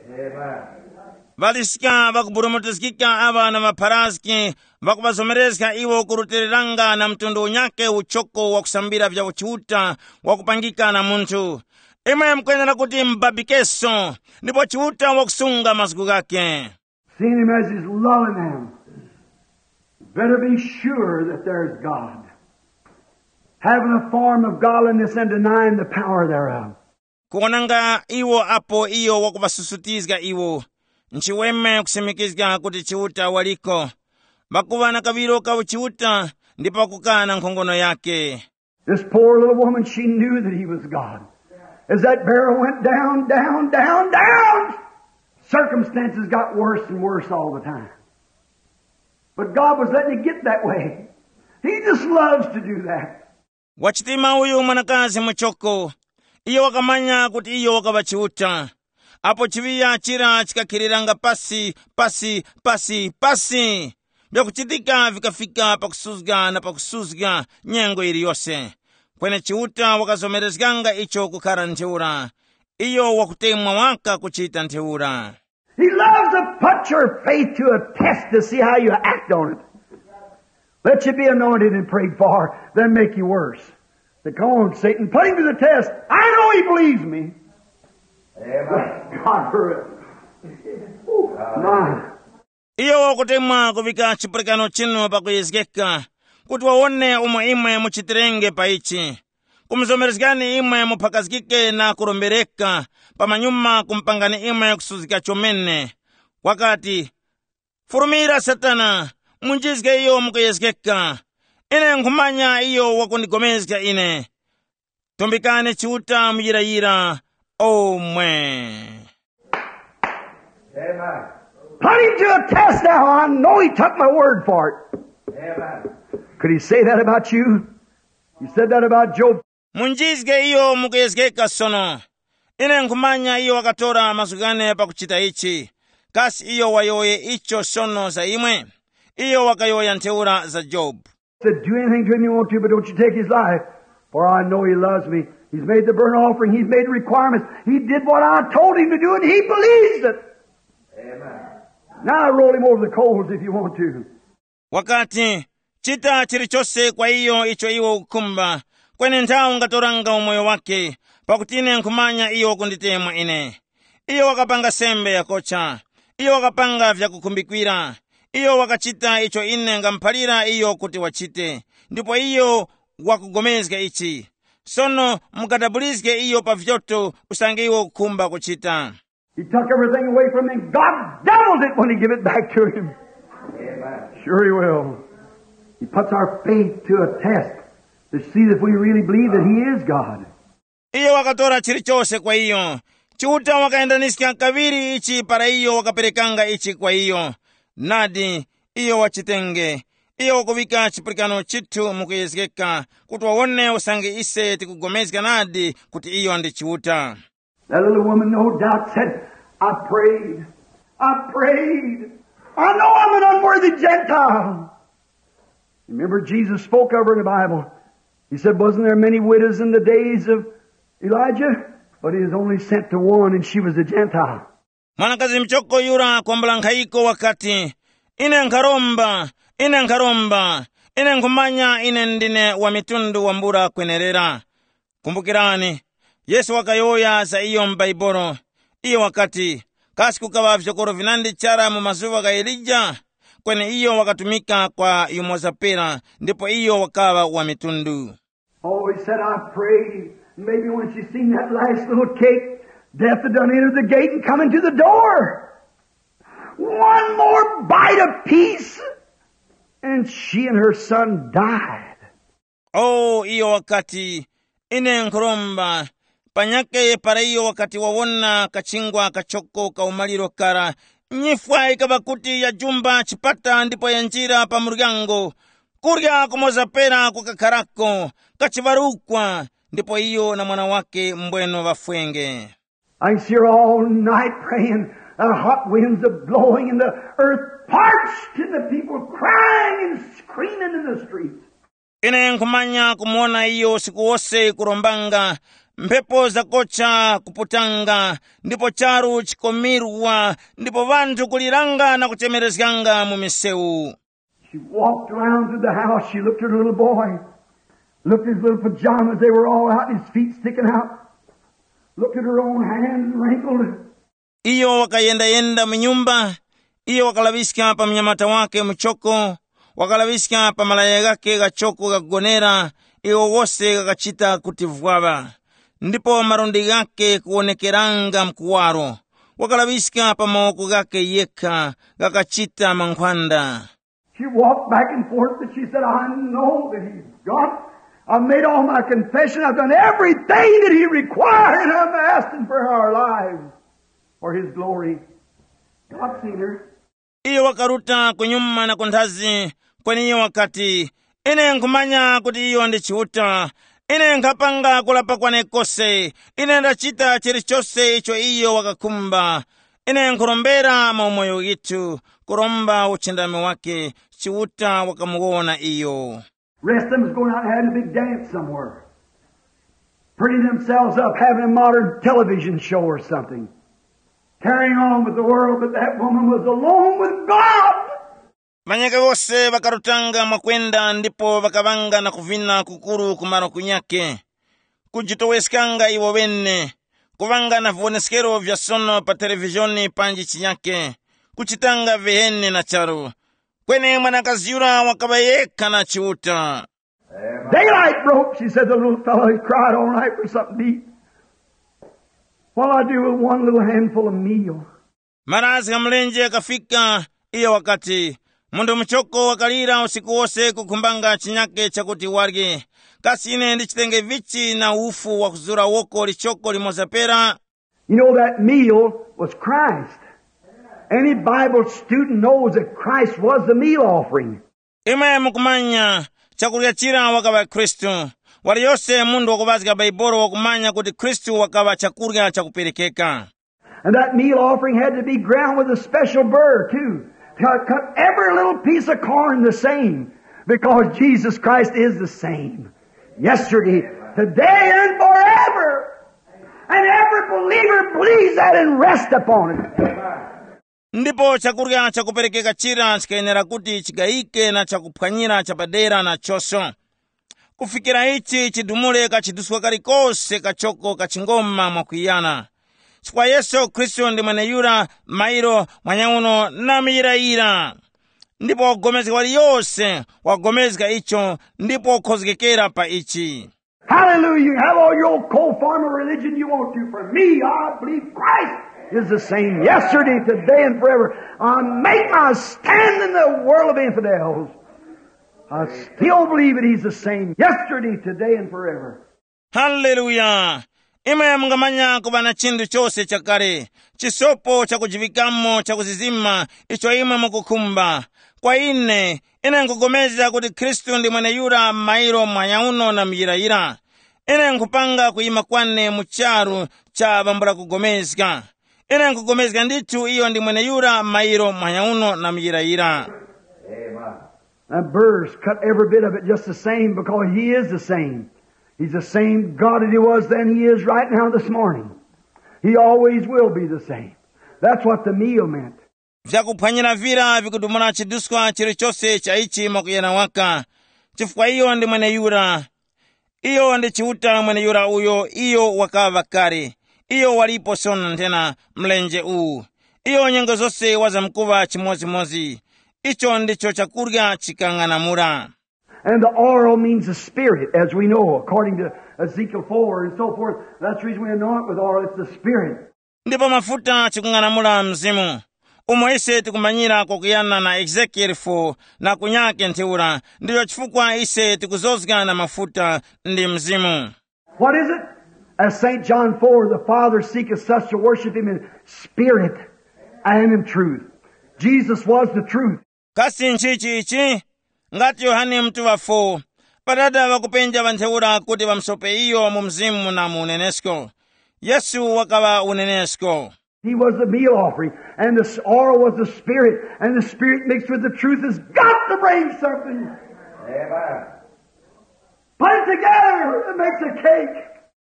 Ŵaliska ŵakuburumutizgika aŵa na ŵapharaski ŵakuŵazomerezga iwo kurutiliranga na mtundu unyakhe uchoko wakusambira vya Chiuta wakupangika na munthu. Imwe mukwenera kuti mubabikeso, ndipo Chiuta wakusunga mazgu ghakhe. Seeing him as he's loving them, better be sure that there's God. Having a form of godliness and denying the power thereof. Kuwonanga iwo apo iyo wakuŵasusutizga iwo, nchiweme kusimikizga kuti Chiuta waliko. Ŵakuŵa na kaŵiro ka uchiuta ndipo ŵakukana nkhongono yakhe. This poor little woman, she knew that he was God. As that barrel went down, down, down, down, circumstances got worse and worse all the time. But God was letting it get that way. He just loves to do that. Wachitima uyu mwanakazi muchoko, iyo wakamanya kuti iyo wakaŵa Chiuta. Apo chiŵiya chira chikakhiriranga pasi, pasi, pasi, pasi, vyakuchitika vikafika pakusuzga na pakusuzga nyengo yiliyose. Kweni Chiuta wakazomerezganga icho kukhara ntheura. Iyo wakutemwa waka kuchita ntheura. He loves to put your faith to a test to see how you act on it. Let you be anointed and prayed for, then make you worse. Say, come on, Satan, put him to the test. I know he believes me. Amen. God for it. Ooh, my. Iyo wakutemwa kuvika chipulikano chinu pakuyezgeka, kuti wawone umo imwe muchitirenge pa ichi. Kumuzomerezgani imwe muphakazgike na kurombereka, pamanyuma kumupangani imwe kusuzgika chomene. Wakati, furumira Satana, munjizge iyo mukuyezgeka. Ine nkhumanya iyo wakundigomezga ine. Tumbikani Chiuta muyirayira omwe. Amen. Put him to a test now. I know he took my word for it. Amen. Could he say that about you? He said that about Job. Munjizge iyo mukuyezgeka sono. Ine nkhumanya iyo wakatora mazgu ghane pakuchita ichi. Kasi iyo wayowoye icho sono za imwe? Iyo wakayowoya ntheura za Jobu. Said, do anything to him you want to, but don't you take his life. For I know he loves me. He's made the burnt offering. He's made the requirements. He did what I told him to do, and he believes it. Amen. Now roll him over the coals if you want to. Wakati, chita chilichose kwa iyo icho iwe ukukhumba, kweni nthawi ungatoranga umoyo wake, pakuti ine nkhumanya iyo wakunditemwa ine. Iyo wakapanga sembe yakocha. Iyo wakapanga vyakukhumbikira. Iyo wakachita icho ine ngamuphalira iyo kuti wachite. Ndipo iyo wakugomezga ichi. Sono mukadabulizge iyo pa vyoto usange iwe ukukhumba kuchita. He took everything away from him. God doubled it when he gave it back to him. Sure he will. He puts our faith to a test to see if we really believe that he is God. Iyo wakatora chilichose kwa iyo. Chiuta wakayendaniska kaŵiri ichi para iyo wakaperekanga ichi kwa iyo. Nadi, iyo wachitenge. Iyo wakuŵika chipulikano chithu mukuyezgeka kuti wawone usange ise tikupulikana nadi kuti iyo ndi Chiuta. That little woman no doubt said, "I prayed, I prayed. I know I'm an unworthy Gentile." Remember, Jesus spoke of her in the Bible. He said, "Wasn't there many widows in the days of Elijah? But he was only sent to one, and she was a Gentile." Mwanakazi mchoko yura kwambula nkhayiko wakati, "Ine nkharomba, ine nkharomba, ine nkhumanya ine ndine wa mitundu wambula kwenerera." Kumbukirani, Yesu wakayowoya za iyo m'Baibulo. Iyo wakati, "Kasi kukaŵa vyokoro vinandi chara mu mazuŵa gha Elija? Kweni iyo wakatumika kwa yumoza pera, ndipo iyo wakaŵa wa mitundu." Oh, he said, "I pray." Maybe when she seen that last little cake, death had done entered the gate and come into the door. One more bite of peace, and she and her son died. Oh, iyo wakati, "Ine nkhuromba." Panyakhe para iyo wakati wawona kachingwa kachoko ka umaliro kara, nyifwa yikaŵa kuti yajumba chipata ndipo yanjira pa muryango. Kurya kumoza pera kukakharako, kachiŵarukwa, ndipo iyo na mwana wake mbweno ŵafwenge. I can see her all night praying. The hot winds are blowing and the earth parched and the people crying and screaming in the streets. Ine nkhumanya kumuwona iyo usiku wose kurombanga, mphepo zakocha kuputanga, ndipo charu chikomirwa, ndipo ŵanthu kuliranga na kuchemerezganga mu misewu. She walked around through the house. She looked at her little boy, looked at his little pajamas. They were all out, his feet sticking out. Looked at her own hands wrinkled. Iyo wakayendayenda mu nyumba, iyo wakalaŵiska pa mnyamata wake muchoko, wakalaŵiska pa malaya ghake ghachoko ghakugonera, iwo wose ghakachita kuti vwaŵa, ndipo malundi ghake kuwonekeranga mkuwaro. Wakalaŵiska pa mawoko ghake yekha ghakachita mankhwanda. She walked back and forth, but she said, "I know that he's God. I've made all my confession. I've done everything that he required, and I'm asking for our lives for his glory." God seen her. Iyo wakaruta kunyuma na kunthazi, kweni iyo wakati, "Ine nkhumanya kuti iyo ndi Chiuta. Ine nkhapanga kulapa kwane kose. Ine ndachita chilichose icho iyo wakakhumba. Ine nkhurombera mu umoyo withu, kuromba uchindami wake." Chiuta wakamuwona iyo. Rest of them was going out and having a big dance somewhere. Pretty themselves up, having a modern television show or something. Carrying on with the world, but that woman was alone with God. Ŵanyakhe wose ŵakarutanga mwakwenda ndipo ŵakaŵanga na kuvina kukuru ku malo kunyakhe, kujitoweskanga iwo ŵene, kuŵanga na viwoneskero vya sono pa televizhoni panji chinyakhe, kuchitanga viheni na charu. Kweni mwanakazi yura wakaŵa yekha na Chiuta. Daylight broke, she said, the little fellow, he cried all night for something to eat. What I do with one little handful of meal? Marazgi gha mlenje ghakafika, iyo wakati, "Munthu muchoko wakalira usiku wose kukhumbanga chinyake chakuti warye. Kasi ine ndichitenge vichi na ufu wakuzura woko lichoko limoza pera?" You know, that meal was Christ. Any Bible student knows that Christ was the meal offering. Imwe mukumanya, chakurya chira wakaŵa Khristu. Waliyose munthu wakuŵazga Bhaibuli wakumanya kuti Khristu wakaŵa chakurya chakuperekeka. And that meal offering had to be ground with a special burr, too. Cut, cut every little piece of corn the same, because Jesus Christ is the same yesterday, today, and forever. And every believer believes that and rest upon it. Ndipo chakurya chakuperekeka chira chikayenera kuti chigayike na chakuphwanyira chapadera nachonso, kufikira ichi chidumule kachiduswa kalikose kachoko kachingoma mwakwiyana. Chifukwa Yesu Khristu ndi mweneyura mairo mwanyauno na muyirayira. Ndipo wakupulikana waliyose wakupulikana icho ndipo wakukhozgekera pa ichi. Hallelujah. You have all your old cold form of religion you want to. For me, I believe Christ is the same yesterday, today, and forever. I make my stand in the world of infidels. I still believe that he's the same yesterday, today, and forever. Haleluya! Imwe mungamanya kuŵa na chinthu chose chakale, chisopo chakujiŵikamo chakuzizima icho imwe mukukhumba. Kwa ine, ine nkupulikana kuti Khristu ndi mweneyura m'mairo muhanya uno na muyirayira. Ine nkhupanga kuyima kwane mu charu cha ŵambula kugomezga. Ine nkupulikana ndithu iyo ndi mweneyura m'mairo muhanya uno na muyirayira. That burr's cut every bit of it just the same because he is the same. He's the same God that he was then, he is right now this morning. He always will be the same. That's what the meal meant. Vyakuphwanyira vira vikudumula chiduskwa chilichose cha ichi mwakuyana waka, chifukwa iyo ndi mweneyura. Iyo ndi Chiuta mweneyura uyo iyo wakaŵa kale, iyo walipo sono nthena mlenje uwu. Iyo nyengo zose wazamkuŵa chimodzimodzi. Icho ndicho chakurya chikang'anamula. And the oral means the spirit, as we know, according to Ezekiel four and so forth. That's the reason we anoint with oil, it's the spirit. Ndipo mafuta chikung'anamula mzimu, umo ise tikumanyira kwakuyana na Ezekieli four na kunyake ntheura. Ndicho chifukwa ise tikuzozga na mafuta ndi mzimu. What is it? As Saint John four, the Father seeketh such to worship him in spirit and in truth. Jesus was the truth. Kasi nchichi ichi? Ngati Yohane Mutuŵa four, Padada ŵakupenja ŵa ntheura kuti ŵamusope iyo mu mzimu na mu unenesko. Yesu wakaŵa unenesko. He was the meal offering, and the s- oil was the spirit, and the spirit mixed with the truth has got to bring something. Amen. Put it together, it makes a cake.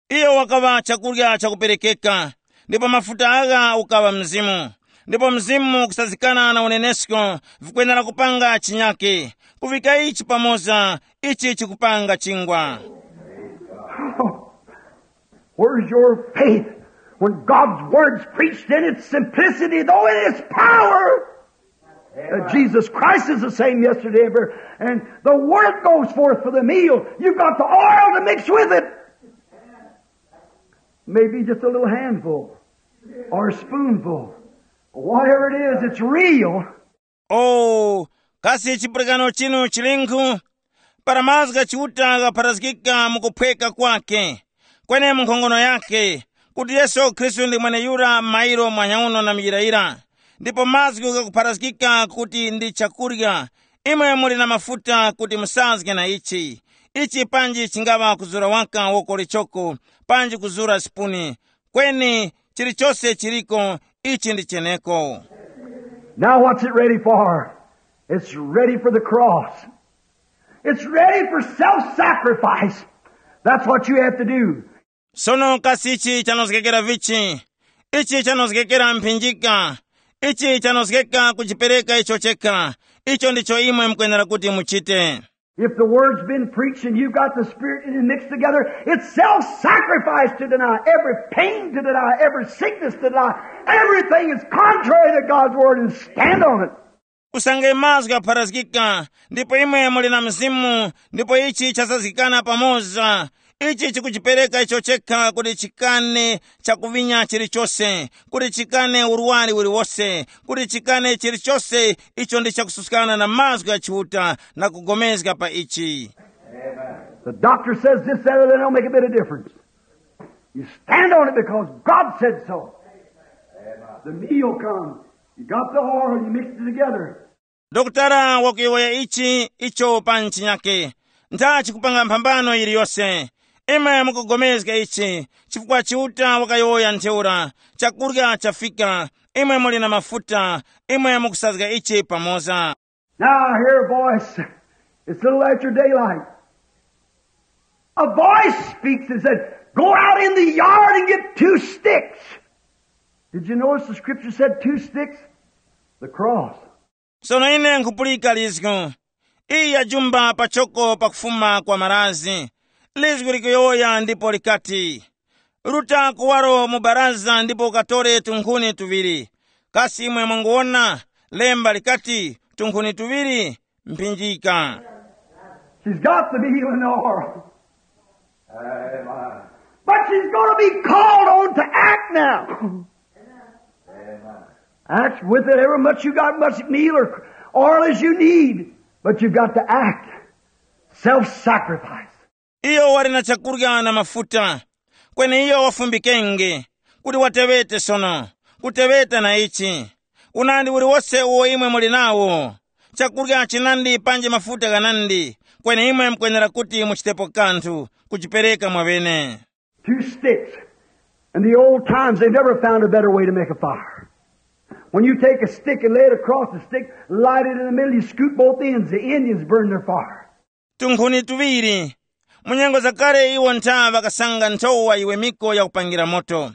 Iyo wakaŵa chakurya chakuperekeka, ndipo mafuta agha ukaŵa mzimu, ndipo mzimu kusazikana na unenesko vikwenera kupanga chinyake. Kuvika ichi pamoza, ichi chikupanga chingwa. Where's your faith when God's word's preached in its simplicity, though in its power? That Jesus Christ is the same yesterday and forever. And the word goes forth for the meal. You've got the oil to mix with it. Maybe just a little handful or a spoonful. Whatever it is, it's real. O, kasi chipulikano chinu chilinkhu? Para mazgu gha Chiuta ghapharazgika mu kuphweka kwake, kweni mu nkhongono yakhe, kuti Yesu Khristu ndi mweneyura mairo mwanyauno na muyirayira, ndipo mazgu ghakupharazgika kuti ndi chakurya, imwe muli na mafuta kuti musazge na ichi. Ichi panji chingaŵa kuzura waka woko lichoko, panji kuzura sipuni, kweni chilichose chiliko, ichi ndi cheneko. Now what's it ready for? It's ready for the cross. It's ready for self-sacrifice. That's what you have to do. Sono kasi ichi chanozgekera vichi? Ichi chanozgekera mphinjika. Ichi chanozgeka kuchipereka icho chekha. Icho ndicho imwe mukwenera kuti muchite. If the word's been preached and you've got the Spirit and it mixed together, it's self-sacrifice to deny, every pain to deny, every sickness to deny, everything is contrary to God's word and stand on it. Usange mazgu apharazgika, ndipo imwe muli na mzimu, ndipo ichi chasazgikana pamoza. Ichi chikuchipereka icho chekha kuti chikane chakuvinya chilichose, kuti chikane urwari uliwose, kuti chikane chilichose icho ndi chakususkana na mazgu gha Chiuta na kugomezga pa ichi. The doctor says this, that, or that don't make a bit of difference. You stand on it because God said so. The meal come. You got the oil, you mix it together. Dokotala wakuyowoya ichi icho pa nchinyake, ntha chikupanga mphambano yiliyose. Imwe mukugomezga ichi chifukwa Chiuta wakayowoya ntheura, chakurya chafika, imwe muli na mafuta, imwe mukusazga ichi pamoza. Now I hear a voice. It's a little after daylight. A voice speaks and said, "Go out in the yard and get two sticks." Did you notice the scripture said two sticks? The cross. Sono ine nkhupulika lizgu, iyi yajumba pachoko pakufuma kwa marazi. Lizgu likuyowoya ndipo likati, "Ruta kuwaro mu baraza ndipo ukatore tunkhuni tuŵiri." Kasi imwe mwanguwona? Lemba likati, "Tunkhuni tuŵiri, mphinjika." She's got the meal and the oil. But she's going to be called on to act now. Act with it, however much you got, much meal or oil as you need, but you've got to act. Self-sacrifice. Iyo wali na chakurya na mafuta, Kweni iyo wafumbikenge, kuti wateŵete sono, kuteŵeta na ichi. Unandi uliwose uwo imwe muli nawo, chakurya chinandi panji mafuta ghanandi, kweni imwe mukwenera kuti muchitepo kanthu kuchipereka mwaŵene. Two sticks. In the old times, they never found a better way to make a fire. When you take a stick and lay it across the stick, light it in the middle, you scoop both ends, the Indians burn their fire. Tunkhuni tuŵiri. Mu nyengo zakale iwo ntha ŵakasanga nthowa yiwemiko yakupangira moto.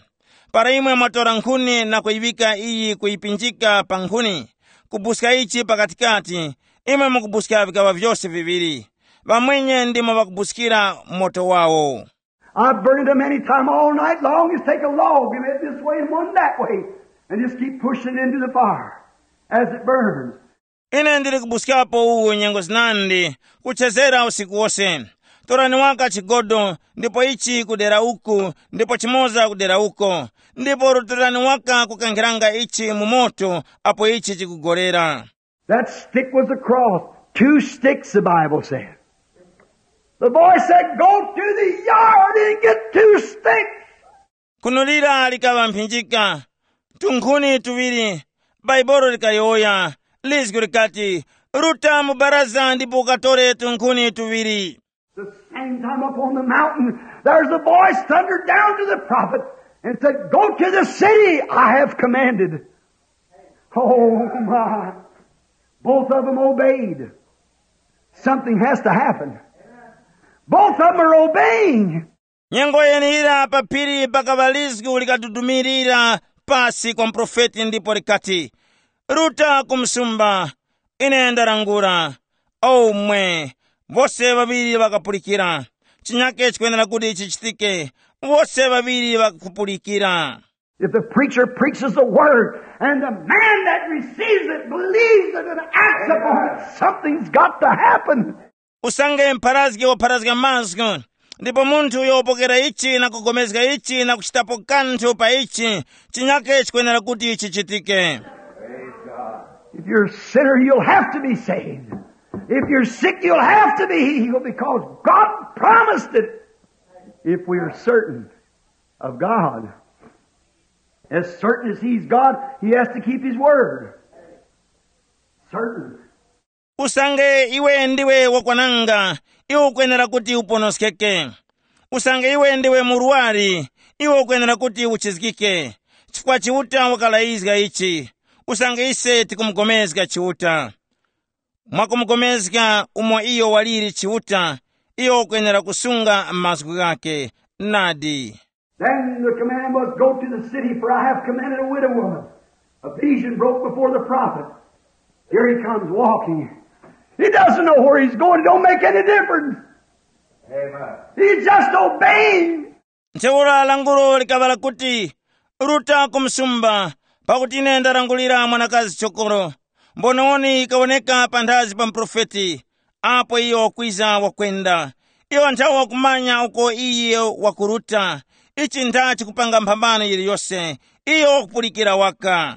Para imwe mwatora nkhuni na kuyiŵika iyi kuyipinjika pa nkhuni, kubuska ichi pakatikati, imwe mukubuska vikaŵa vyose viŵiri. Ŵamwenye ndimo ŵakubuskira moto wawo. I've burned them any time all night long. Just take a log and it this way and one that way, and just keep pushing it into the fire as it burns. Ine ndili kubuskapo uwu nyengo zinandi, kuchezera usiku wose. Torani waka chigodo, ndipo ichi kudera uku, ndipo chimoza kudera uko, ndipo rutirani waka kukankhiranga ichi mu moto apo ichi chikugorera. That stick was a cross. Two sticks, the Bible said. The boy said, "Go to the yard and get two sticks." Kunulira likaŵa mphinjika, tunkhuni tuŵiri. Bhaibolo likayowoya, lizgu likati, "Ruta mu baraza ndipo ukatore tunkhuni tuŵiri." The same time up on the mountain, there's a voice thundered down to the prophet and said, "Go to the city I have commanded." Oh my. Both of them obeyed. Something has to happen. Both of them are obeying. Nyengo yeneyira pa phiri pakaŵa lizgu likatutumirira pasi kwa muprofeti ndipo likati, "Ruta ku msumba, ine ndarangura." Omwe, wose ŵaŵiri ŵakapulikira. Chinyake chikwenera kuti chichitike, wose ŵaŵiri ŵakapulikira. If the preacher preaches the word and the man that receives it believes it and acts upon it, something's got to happen. Usange mpharazgi wapharazga mazgu, ndipo munthu uyo wapokera ichi na kugomezga ichi na kuchitapo kanthu pa ichi, chinyake chikwenera kuti chichitike. If you're a sinner, you'll have to be saved. If you're sick, you'll have to be healed because God promised it. If we are certain of God, as certain as He's God, He has to keep His word. Certain. Usange iwe ndiwe wakwananga, iwe ukwenera kuti uponoskeke. Usange iwe ndiwe murwari, iwe ukwenera kuti uchizgike. Chifukwa Chiuta wakalayizga ichi. Usange ise tikumugomezga Chiuta. Mwakumugomezga umo iyo waliri Chiuta, iyo ukwenera kusunga mazgu ghake. Nadi. Then the command was, "Go to the city, for I have commanded a widow woman." A vision broke before the prophet. Here he comes walking. He doesn't know where he's going. It don't make any difference. Amen. He's just obeying. Ntheura lankhulo likaŵa lakuti, "Ruta ku msumba, pakuti ine ndarangulira mwanakazi chokoro." Mbonewoni yikawoneka panthazi pa muprofeti, apo iyo wakwiza wakwenda. Iyo nthawe wakumanya uko iye wakuruta. Ichi ntha chikupanga mphambano yiliyose. Iyo wakupulikira waka.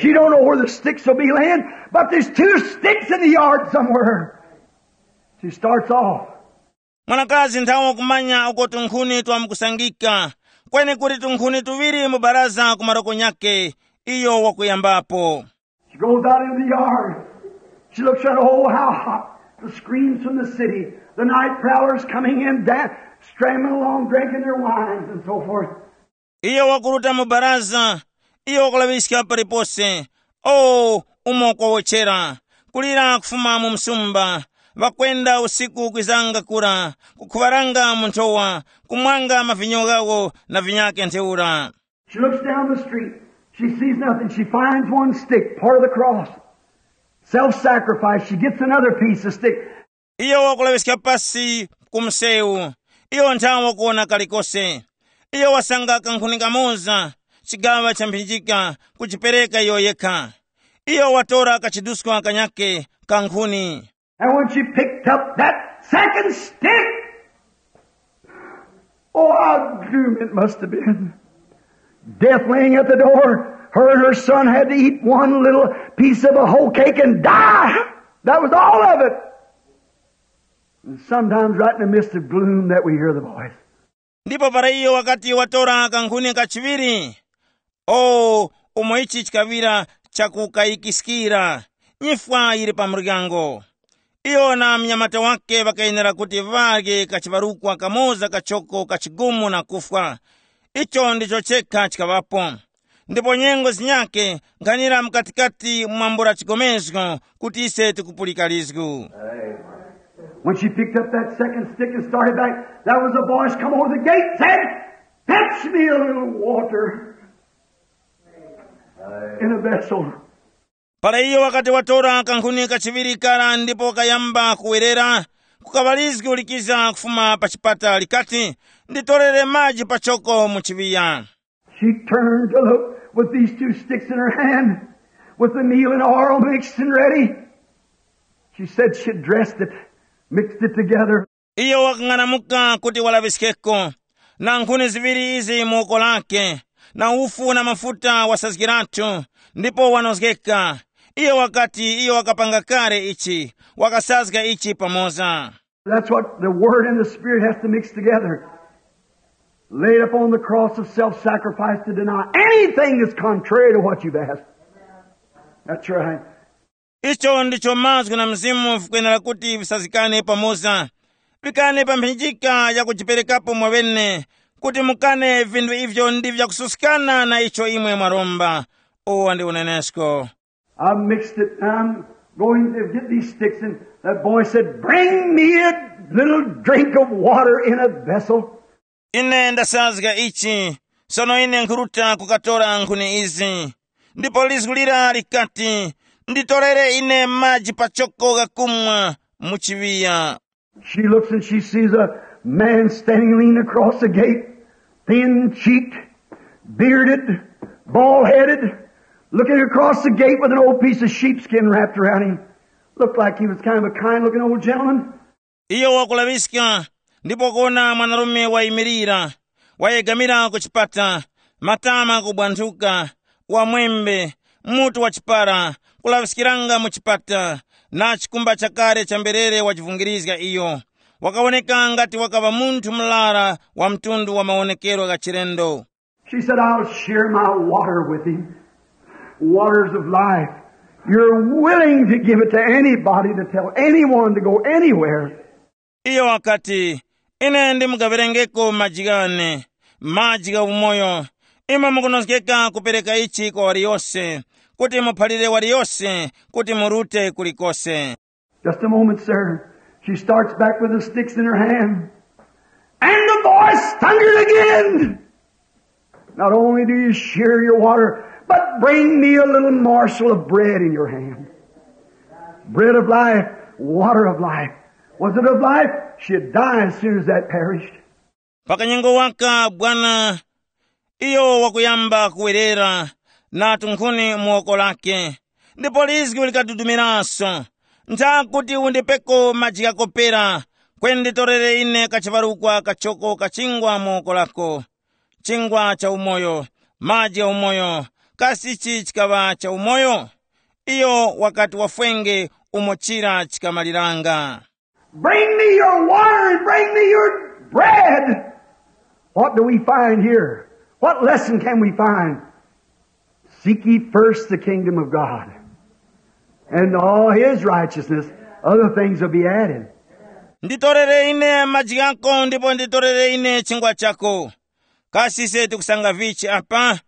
She don't know where the sticks will be laying, but there's two sticks in the yard somewhere. She starts off. Mwanakazi nthawe wakumanya uko tunkhuni twamkusangika, kweni kuli tunkhuni tuŵiri mu baraza ku maroko nyakhe, iyo wakuyambapo. She goes out into the yard. She looks around, oh, how hot. The screams from the city. The night prowlers coming in, dan-, strambling along, drinking their wines and so forth. Iyo wakuruta mu baraza, iyo wakulaŵiska palipose. O, umo kwawochera, kulira kufuma mu msumba, ŵakwenda usiku kwizanga kura, kukhuŵaranga mu nthowa, kumwanga mavinyo ghawo na vinyakhe ntheura. She looks down the street. She sees nothing. She finds one stick, part of the cross. Self-sacrifice. She gets another piece of stick. Iyo wakulaŵiska pasi ku msewu. Iyo nthawe wakuwona kalikose. Iyo wasanga kankhuni kamoza, chigaŵa cha mphinjika, kuchipereka iyo yekha. Iyo watora kachiduskwa kanyakhe ka nkhuni. And when she picked up that second stick, oh, how gloom it must have been. Death laying at the door. Her and her son had to eat one little piece of a hoe cake and die. That was all of it. And sometimes right in the midst of gloom that we hear the voice. Ndipo para iyo wakati watora kankhuni kachiŵiri, o, umo ichi chikaŵira chakukayikiskira, nyifwa yili pa muryango. Iyo na munyamata wake ŵakayenera kuti ŵarye kachiŵarukwa kamoza kachoko kachigumu na kufwa. Icho ndicho chekha chikaŵapo. Ndipo nyengo zinyake nkhanira mkatikati mwambula chigomezgo kuti ise tikupulika lizgu. When she picked up that second stick and started back, there was a voice come over the gate and said, "Fetch me a little water in a vessel." Para iyo wakati watora kankhuni kachiŵiri kara ndipo kayamba kuwerera, kukaŵa lizgu likiza kufuma pa chipata likati, "Nditorere maji pachoko mu chiŵiya." She turned to look with these two sticks in her hand, with the meal and oil mixed and ready. She said she dressed it, mixed it together. Iyo wakang'anamuka kuti walaŵiskeko, na nkhuni ziŵiri izi mu woko lake, na ufu na mafuta wasazgiratu, ndipo wanozgeka. Iyo wakati iyo wakapanga kale ichi, wakasazga ichi pamoza. That's what the Word and the Spirit has to mix together. Laid upon the cross of self-sacrifice to deny anything that's contrary to what you've asked. That's right. Icho ndicho mazgu na mzimu vikwenera kuti visazikane pamoza. Vikane pa mphinjika ya kujiperekapo mwaŵene, kuti mukane vinthu ivyo ndi vyakususkana na icho imwe mwaromba. Uwo ndi unenesko. I mixed it. I'm going to get these sticks, and that boy said, "Bring me a little drink of water in a vessel." Ine ndasazga ichi, sono ine nkhuruta kukatora nkhuni izi. Ndipo lizgu lira likati, "Nditorere ine maji pachoko ghakumwa mu chiŵiya." She looks and she sees a man standing leaning across the gate, thin cheeked, bearded, bald headed, looking across the gate with an old piece of sheepskin wrapped around him. Looked like he was kind of a kind looking old gentleman. Iyo wakulaŵiska, ndipo kuona mwanarume wayimirira, wayegamira ku chipata, matama kubwanthuka, wamwembe, mutu wa chipara, kulaŵiskiranga mu chipata, na chikumba chakale cha mberere wachivungirizga iyo. Wakawoneka ngati wakaŵa munthu murara wa mtundu wa mawonekero gha chilendo. She said, "I'll share my water with him. Waters of life. You're willing to give it to anybody, to tell anyone to go anywhere." Iyo wakati, "Ine ndimugaŵirengeko maji ghane, maji gha umoyo. Imwe mukunozgeka kupereka ichi kwa waliyose, kuti muphalire waliyose kuti murute kulikose." Just a moment, sir. She starts back with the sticks in her hand. And the voice thundered again. "Not only do you share your water, but bring me a little morsel of bread in your hand. Bread of life, water of life. Was it of life? She'd die as soon as that perished." Pakanyengo waka bwana, iyo wakuyamba kuwerera na tunkhuni mu woko lake, ndipo lizgu likadudumiranso, "Ntha kuti undipeko maji ghakopera, kweni nditorere ine kachiparukwa kachoko kachingwa mu woko lako, chingwa cha umoyo, maji gha umoyo. Kasi ichi chikaŵa cha umoyo?" Iyo wakati wafwenge umo chira chikamaliranga. "Bring me your water and bring me your bread." What do we find here? What lesson can we find? "Seek ye first the kingdom of God, and all his righteousness, other things will be added." "Nditorere ine maji ghako ndipo nditorere ine chingwa chako." Kasi ise tikusanga vichi apa?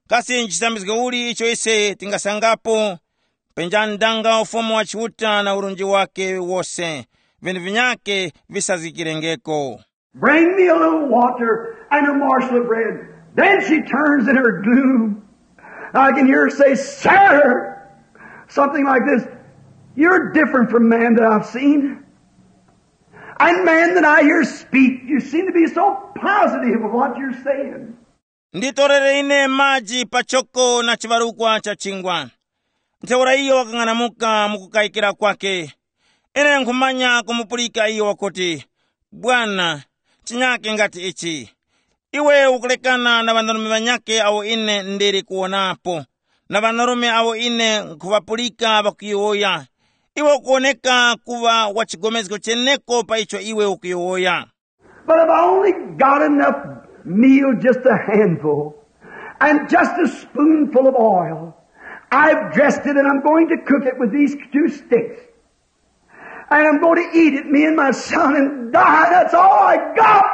Kasi nchisambizgo uli icho ise tingasangapo? Penjani ndanga ufumu wa Chiuta na urunji wake wose, vinthu vinyake visazgikirengeko. "Bring me a little water and a morsel of bread." Then she turns in her gloom. I can hear her say, "Sir," something like this, "you're different from man that I've seen. And man that I hear speak, you seem to be so positive of what you're saying." "Nditorere ine maji pachoko na chibarukwa cha chingwa." Ntheura iyo wakang'anamuka mu kukayikira kwake. Ine nkhumanya kumupulika iyo wakuti, "Bwana, chinyake ngati ichi. Iwe ukulekana na ŵanarume ŵanyake awo ine ndili kuwonapo, na ŵanarume awo ine nkhuŵapulika ŵakuyowoya. Iwe ukuwoneka kuŵa wa chigomezgo cheneko pa icho iwe ukuyowoya." But if I only got enough meal, just a handful, and just a spoonful of oil, I've dressed it and I'm going to cook it with these two sticks. And I'm going to eat it, me and my son, and die. That's all I got.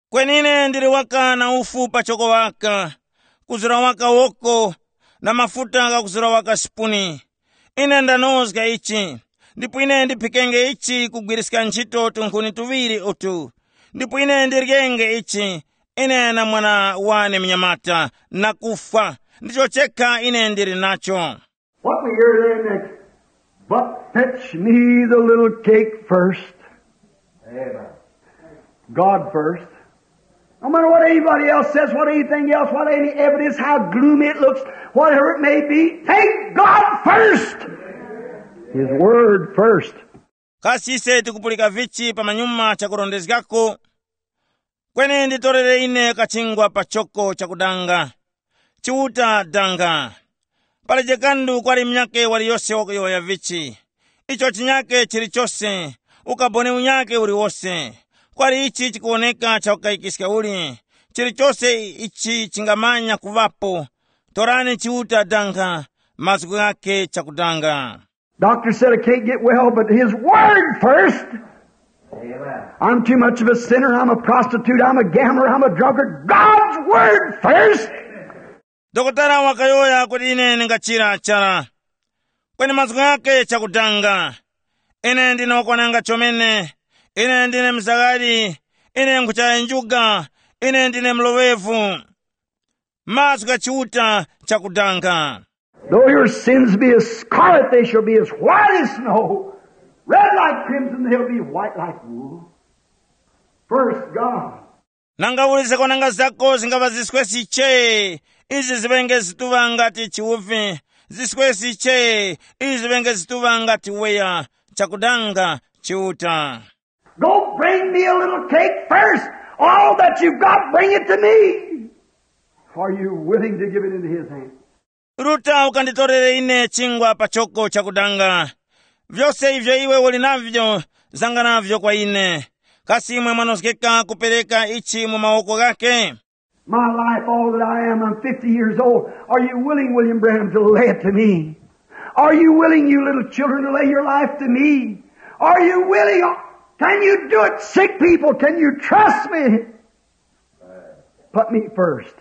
Kwenine ndili waka na ufu pachoko waka, kuzura waka woko, na mafuta ghakuzura waka sipuni. Ine ndanozga ichi, ndipo ine ndiphikenge ichi kugwiriska ntchito tunkhuni tuŵiri utu, ndipo ine ndiryenge ichi, ine na mwana wane munyamata, na kufwa. Ndicho chekha ine ndili nacho. What we hear there next? But fetch me the little cake first. Amen. God first. No matter what anybody else says, what anything else, what any evidence, how gloomy it looks, whatever it may be, take God first. His word first. Kasi ise tikupulika vichi pamanyuma chakurondezgako? Kweni nditorere ine kachingwa pachoko chakudanga. Chiuta danga. Pali jekandu kwali munyakhe waliyose wakuyowoya vichi. Icho chinyakhe chilichose, ukaboni unyakhe uliwose. Kwali ichi chikuwoneka chakukayikiska uli, chilichose ichi chingamanya kuŵapo. Torani Chiuta danga, mazgu ghakhe chakudanga. Doctor said I can't get well, but his word first. Amen. I'm too much of a sinner. I'm a prostitute. I'm a gambler. I'm a drunkard. God's word first. Dokotala wakayowoya kuti ine ndingachira chara. Kweni mazgu ghakhe chakudanga. Ine ndine wakwananga chomene. Ine ndine mzaghali. Ine nkhuchaya njuga. Ine ndine mloŵevu. Mazgu gha Chiuta chakudanga. Though your sins be as scarlet, they shall be as white as snow. Red like crimson, they'll be white like wool. First God. Nanga uli zakwananga zako zingava ziswesi che, izi ziŵenge zituŵa ngati chiwuvi, ziswesi che, izi ziŵenge zituŵa ngati weya, chakudanga Chiuta. Go bring me a little cake first. All that you've got, bring it to me. Are you willing to give it into his hands? Ruta ukanditorere ine chingwa pachoko chakudanga. Vyose ivyo iwe uli navyo, zanga navyo kwa ine. Kasi imwe mwanozgeka kupereka ichi mu mawoko ghakhe? My life, all that I am, I'm fifty years old. Are you willing, William Branham, to lay it to me? Are you willing, you little children, to lay your life to me? Are you willing? Can you do it, sick people? Can you trust me? Put me first.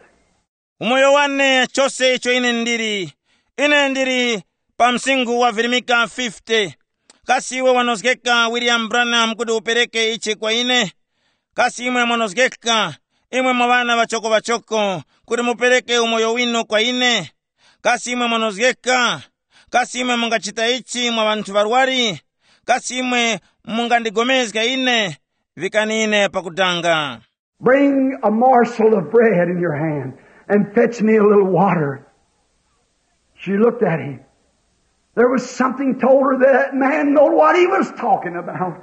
Umoyo wane, chose icho ine ndili. Ine ndili pa msinkhu wa virimika fifty. Kasi iwe wanozgeka William Branham kuti upereke ichi kwa ine? Kasi imwe mwanozgeka, imwe mwa ŵana ŵachoko-ŵachoko, kuti mupereke umoyo winu kwa ine? Kasi imwe mwanozgeka? Kasi imwe mungachita ichi mwa ŵanthu ŵarwari? Kasi imwe mungandigomezga ine? Vikani ine pakudanga. Bring a morsel of bread in your hand and fetch me a little water. She looked at him. There was something told her that man knowed what he was talking about.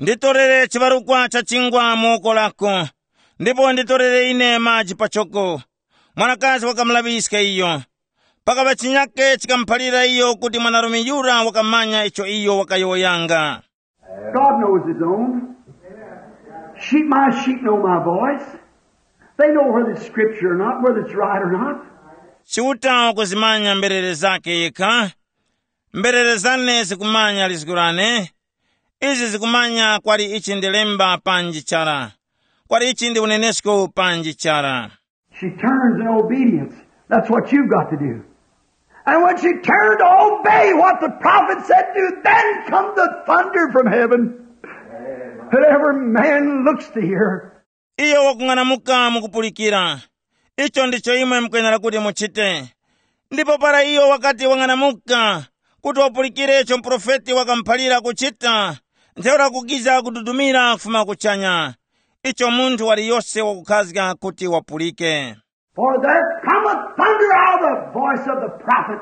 Nditorere chibarukwa cha chingwa mu woko lako, ndipo nditorere ine maji pachoko. Mwanakazi wakamulaŵiska iyo. Pakaŵa chinyake chikamuphalira iyo kuti mwanarume yura wakamanya icho iyo wakayowoyanga. God knows his own. Sheep, my sheep know my voice. They know whether it's scripture or not, whether it's right or not. Chiuta wakuzimanya mberere zake yekha. Mberere zane zikumanya lizgu lane. Izi zikumanya kwali ichi ndi lemba panji chara, kwali ichi ndi unenesko panji chara. She turns in obedience. That's what you've got to do. And when she turned to obey what the prophet said do, then come the thunder from heaven. And every man looks to hear. Iyo wakung'anamuka mukupulikira. Icho ndicho imwe mukwenera kuti muchite. Ndipo para iyo wakati wang'anamuka, kuti wapulikire icho muprofeti wakamuphalira kuchita, ntheura kukiza kududumira kufuma kuchanya. Icho munthu waliyose wakukhazga kuti wapulike. For there cometh thunder out of the voice of the prophet,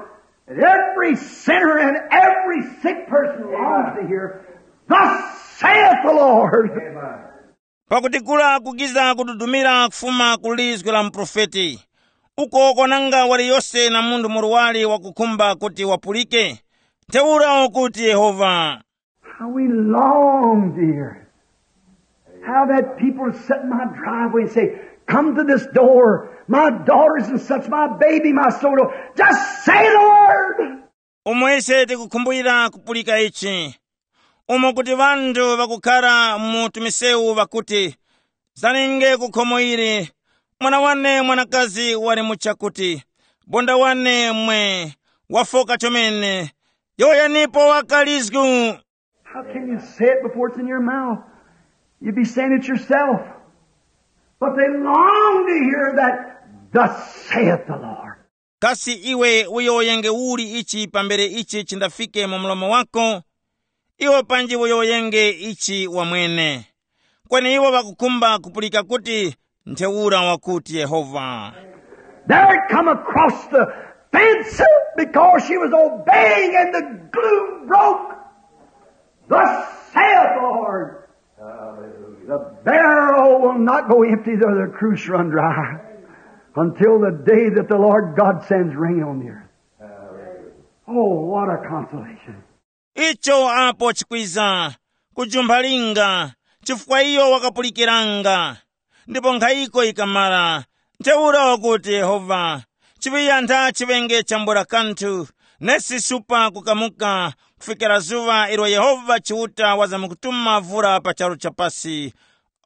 and every sinner and every sick person longs to hear, "Thus saith the Lord." Pakuti kula kukiza kududumira kufuma ku lizgu la muprofeti. Uko kwananga waliyose na munthu murwari wakukhumba kuti wapulike. Ntheura ukuti Yehova. How we long to hear it. I've had people sit in my driveway and say, "Come to this door, my daughters and such, my baby, my soul, just say the word." Umo ise tikukhumbulira kupulika ichi, umo kuti ŵanthu ŵakukhara mu tumisewu ŵakuti, "Zanenge ku khomo ili, mwana wane mwanakazi wali mu chakuti, bonda wane mwe, wafoka chomene, yowoyanipo wakalizgu." How can you say it before it's in your mouth? You'd be saying it yourself. But they long to hear that, "Thus saith the Lord." Kasi iwe uyowoyenge uli ichi pambere ichi chindafike mu mlomo wako? Iwe panji uyowoyenge ichi wamwene. Kweni iwo ŵakukhumba kupulika kuti, "Ntheura wakuti Yehova." There it come across the fence because she was obeying and the glue broke. "Thus saith the Lord, the barrel will not go empty, though the cruse run dry, until the day that the Lord God sends rain on the earth." Oh, what a consolation. Icho apo chikwiza, kujumpha linga, chifukwa iyo wakapulikiranga. Ndipo nkhayiko ikamara, ntheura wakuti Yehova, chiŵiya ntha chiŵenge chambula kanthu, nesi supa kukamuka, kufikira zuŵa ilo Yehova Chiuta wazamkutuma vura pa charu cha pasi.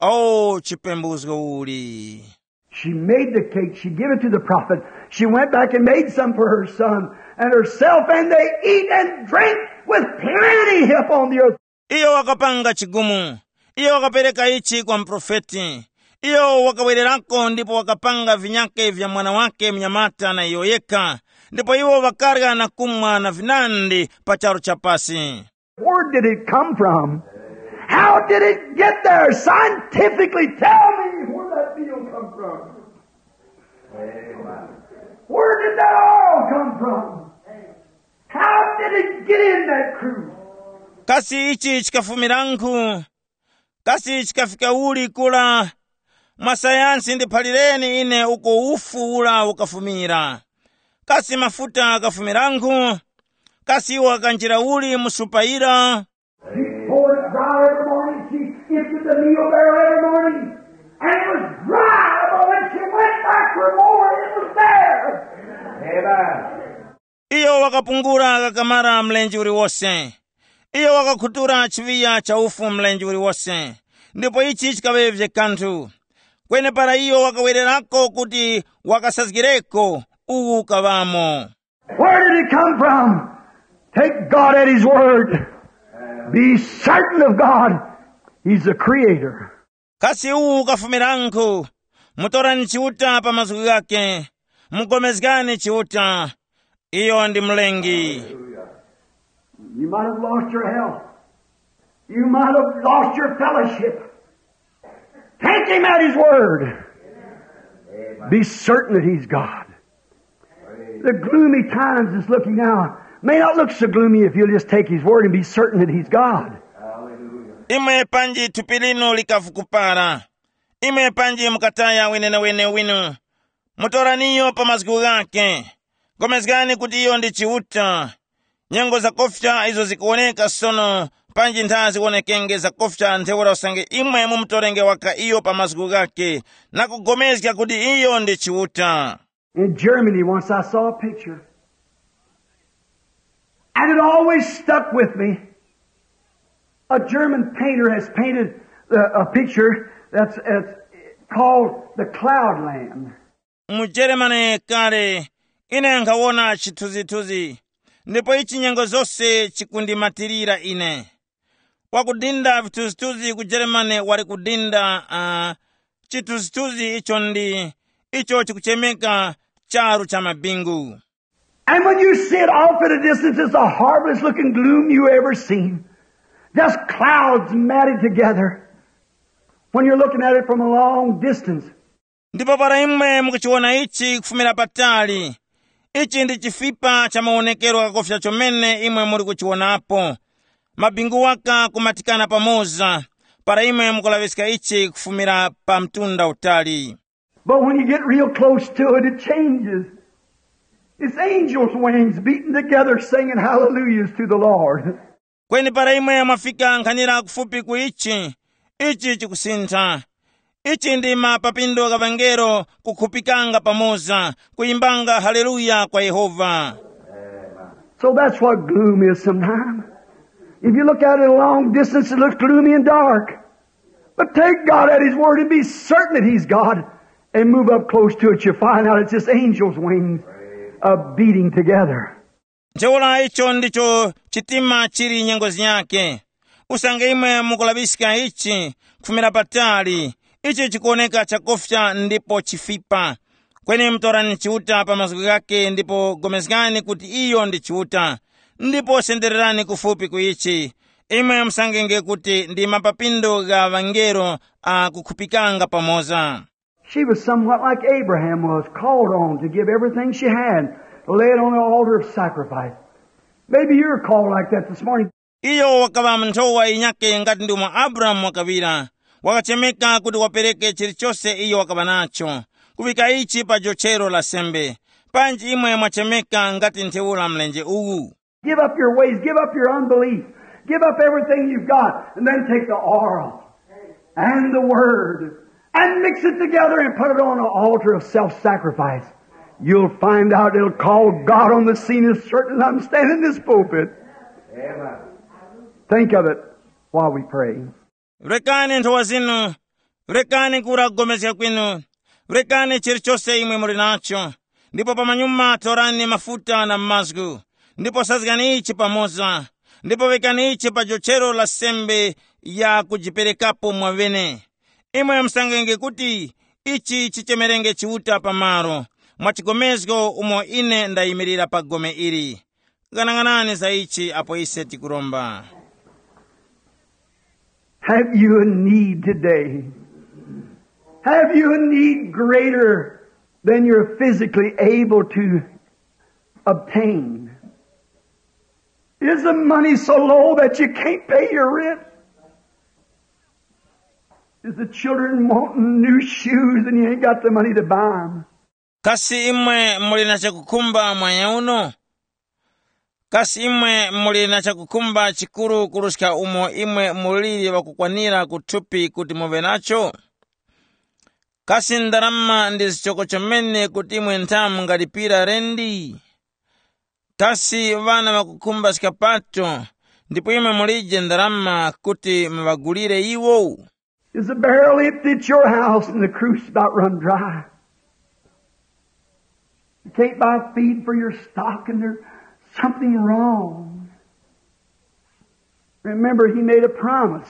O chipembuzgo uli! She made the cake, she gave it to the prophet. She went back and made some for her son and herself, and they eat and drink with plenty upon the earth. Iyo wakapanga chigumu. Iyo wakapereka ichi kwa mprofeti. Iyo wakawererako ndipo wakapanga vinyake vya mwana wake mnyamata na iyo yekha, ndipo iwo ŵakarya na kumwa na vinandi pa charu cha pasi. Where did it come from? How did it get there? Scientifically, tell me where that meal come from. Where did that oil come from? How did it get in that cruise? Kasi ichi chikafumiranku? Kasi chikafika uli kula? Mwa sayansi ndiphalireni ine uko ufu ula ukafumira. Kasi mafuta ghafumiranku? Kasi iwo ghakanjira uli mu supa yira? She poured it dry every morning. She emptied the meal barrel every morning. And it was dry, but when she went back for more, it was there. Amen. Iyo wakapungula ghakamara mlenje uliwose. Iyo wakakhutura chiŵiya cha ufu mlenje uliwose, ndipo ichi chikaŵevye kanthu. Kweni para iyo wakawererako kuti wakasazgireko, uwu ukaŵamo. Where did it come from? Take God at His word. Be certain of God. He's the Creator. Kasi uwu ukafumiranku? Mutorani Chiuta pa mazgu ghakhe. Mugomezgani Chiuta. Iyo ndi Mlengi. You might have lost your health. You might have lost your fellowship. Take Him at His word. Be certain that He's God. The gloomy times that's looking now may not look so gloomy if you'll just take His word and be certain that He's God. Imwe panji thupi linu likavukupara, imwe panji mukataya wenewene winu, mutoraniyo pa mazgu ghakhe. Gomezgani kuti iyo ndi Chiuta. Nyengo zakofya izo zikuwoneka sono, panji ntha ziwonekenge zakofya ntheura usange imwe mumutorenge waka iyo pa mazgu ghakhe, na kugomezga kuti iyo ndi Chiuta. In Germany, once I saw a picture, and it always stuck with me. A German painter has painted uh, a picture that's, that's called the Cloud Land. Mu Jeremane kale, ine nkhawona chithunzithunzi, ndipo ichi nyengo zose chikundimatirira ine. Wakudinda vithunzithunzi ku Jeremane wali kudinda uh, chithunzithunzi icho ndi icho chikuchemeka charu cha mabingu. And when you see it off at a distance, it's the horriblest looking gloom you ever seen. Just clouds matted together when you're looking at it from a long distance. Ndipo para imwe mukuchiwona ichi kufumira patali, ichi ndi chifipa cha mawonekero ghakofya chomene imwe muli kuchiwonapo. Mabingu waka kumatikana pamoza, para imwe mukulaŵiska ichi kufumira pa mtunda utali. But when you get real close to it, it changes. It's angels' wings beating together singing hallelujahs to the Lord. Kweni para imwe mwafika nkhanira kufupi ku ichi, Ichi chikusintha. Ichi ndi mapapindo gha ŵangelo kukhupikanga pamoza, kuyimbanga haleluya kwa Yehova. So that's what gloom is sometimes. If you look at it a long distance, it looks gloomy and dark. But take God at His word and be certain that He's God and move up close to it. You'll find out it's just angels' wings uh, beating together. Ntheura icho ndicho chitima chili nyengo yake. Usange imwe mukulaŵiska ichi kufumira patali, ichi chikuwoneka chakufya ndipo chifipa. Kweni mutorani Chiuta pa mazgu ghake ndipo pulikani kuti iyo ndi Chiuta, ndipo sendererani kufupi ku ichi. Imwe musangenge kuti ndi mapapindo gha ŵangelo a kukhupikanga pamoza. She was somewhat like Abraham was, called on to give everything she had, to lay it on the altar of sacrifice. Maybe you're called like that this morning. Iyo wakaŵa nthowa yinyakhe ngati ndi umo Abrahamu wakaŵira, wakachemeka kuti wapereke chilichose iyo wakaŵa nacho, kuŵika ichi pa jochero la sembe. Panji imwe mwachemeka ngati ntheura mlenje uwu. Give up your ways, give up your unbelief, give up everything you've got, and then take the oil and the word and mix it together and put it on an altar of self-sacrifice. You'll find out it'll call God on the scene as certain as I'm standing in this pulpit. Amen. Think of it while we pray. Rekani nthowa zinu, rekani kura kugomezga kwinu, rekani chilichose imwe muli nacho, ndipo pamanyuma torani mafuta na mazgu, ndipo sazgani ichi pamoza, ndipo ŵekani ichi pa jochero la sembe ya kujiperekapo mwaŵene. Imwe musangenge kuti ichi chichemerenge Chiuta pamalo, mwa chigomezgo umo ine ndayimirira pa gome ili. Ghanaghanani za ichi apo ise tikuromba. Have you a need today? Have you a need greater than you're physically able to obtain? Is the money so low that you can't pay your rent? Is the children wanting new shoes and you ain't got the money to buy them? Kasi imwe muli na chakukhumba mwanya uno? Kasi imwe muli na chakukhumba chikuru kuruska umo imwe muliri ŵakukwanira kuthupi kuti muŵe nacho? Kasi ndarama ndi zichoko chomene kuti imwe ntha mungalipira rendi? Kasi ŵana ŵakukhumba skapato, ndipo imwe mulije ndarama kuti muŵagulire iwo? Is the barrel empty at your house and the cruise about run dry? You can't buy feed for your stock and there's something wrong. Remember, he made a promise.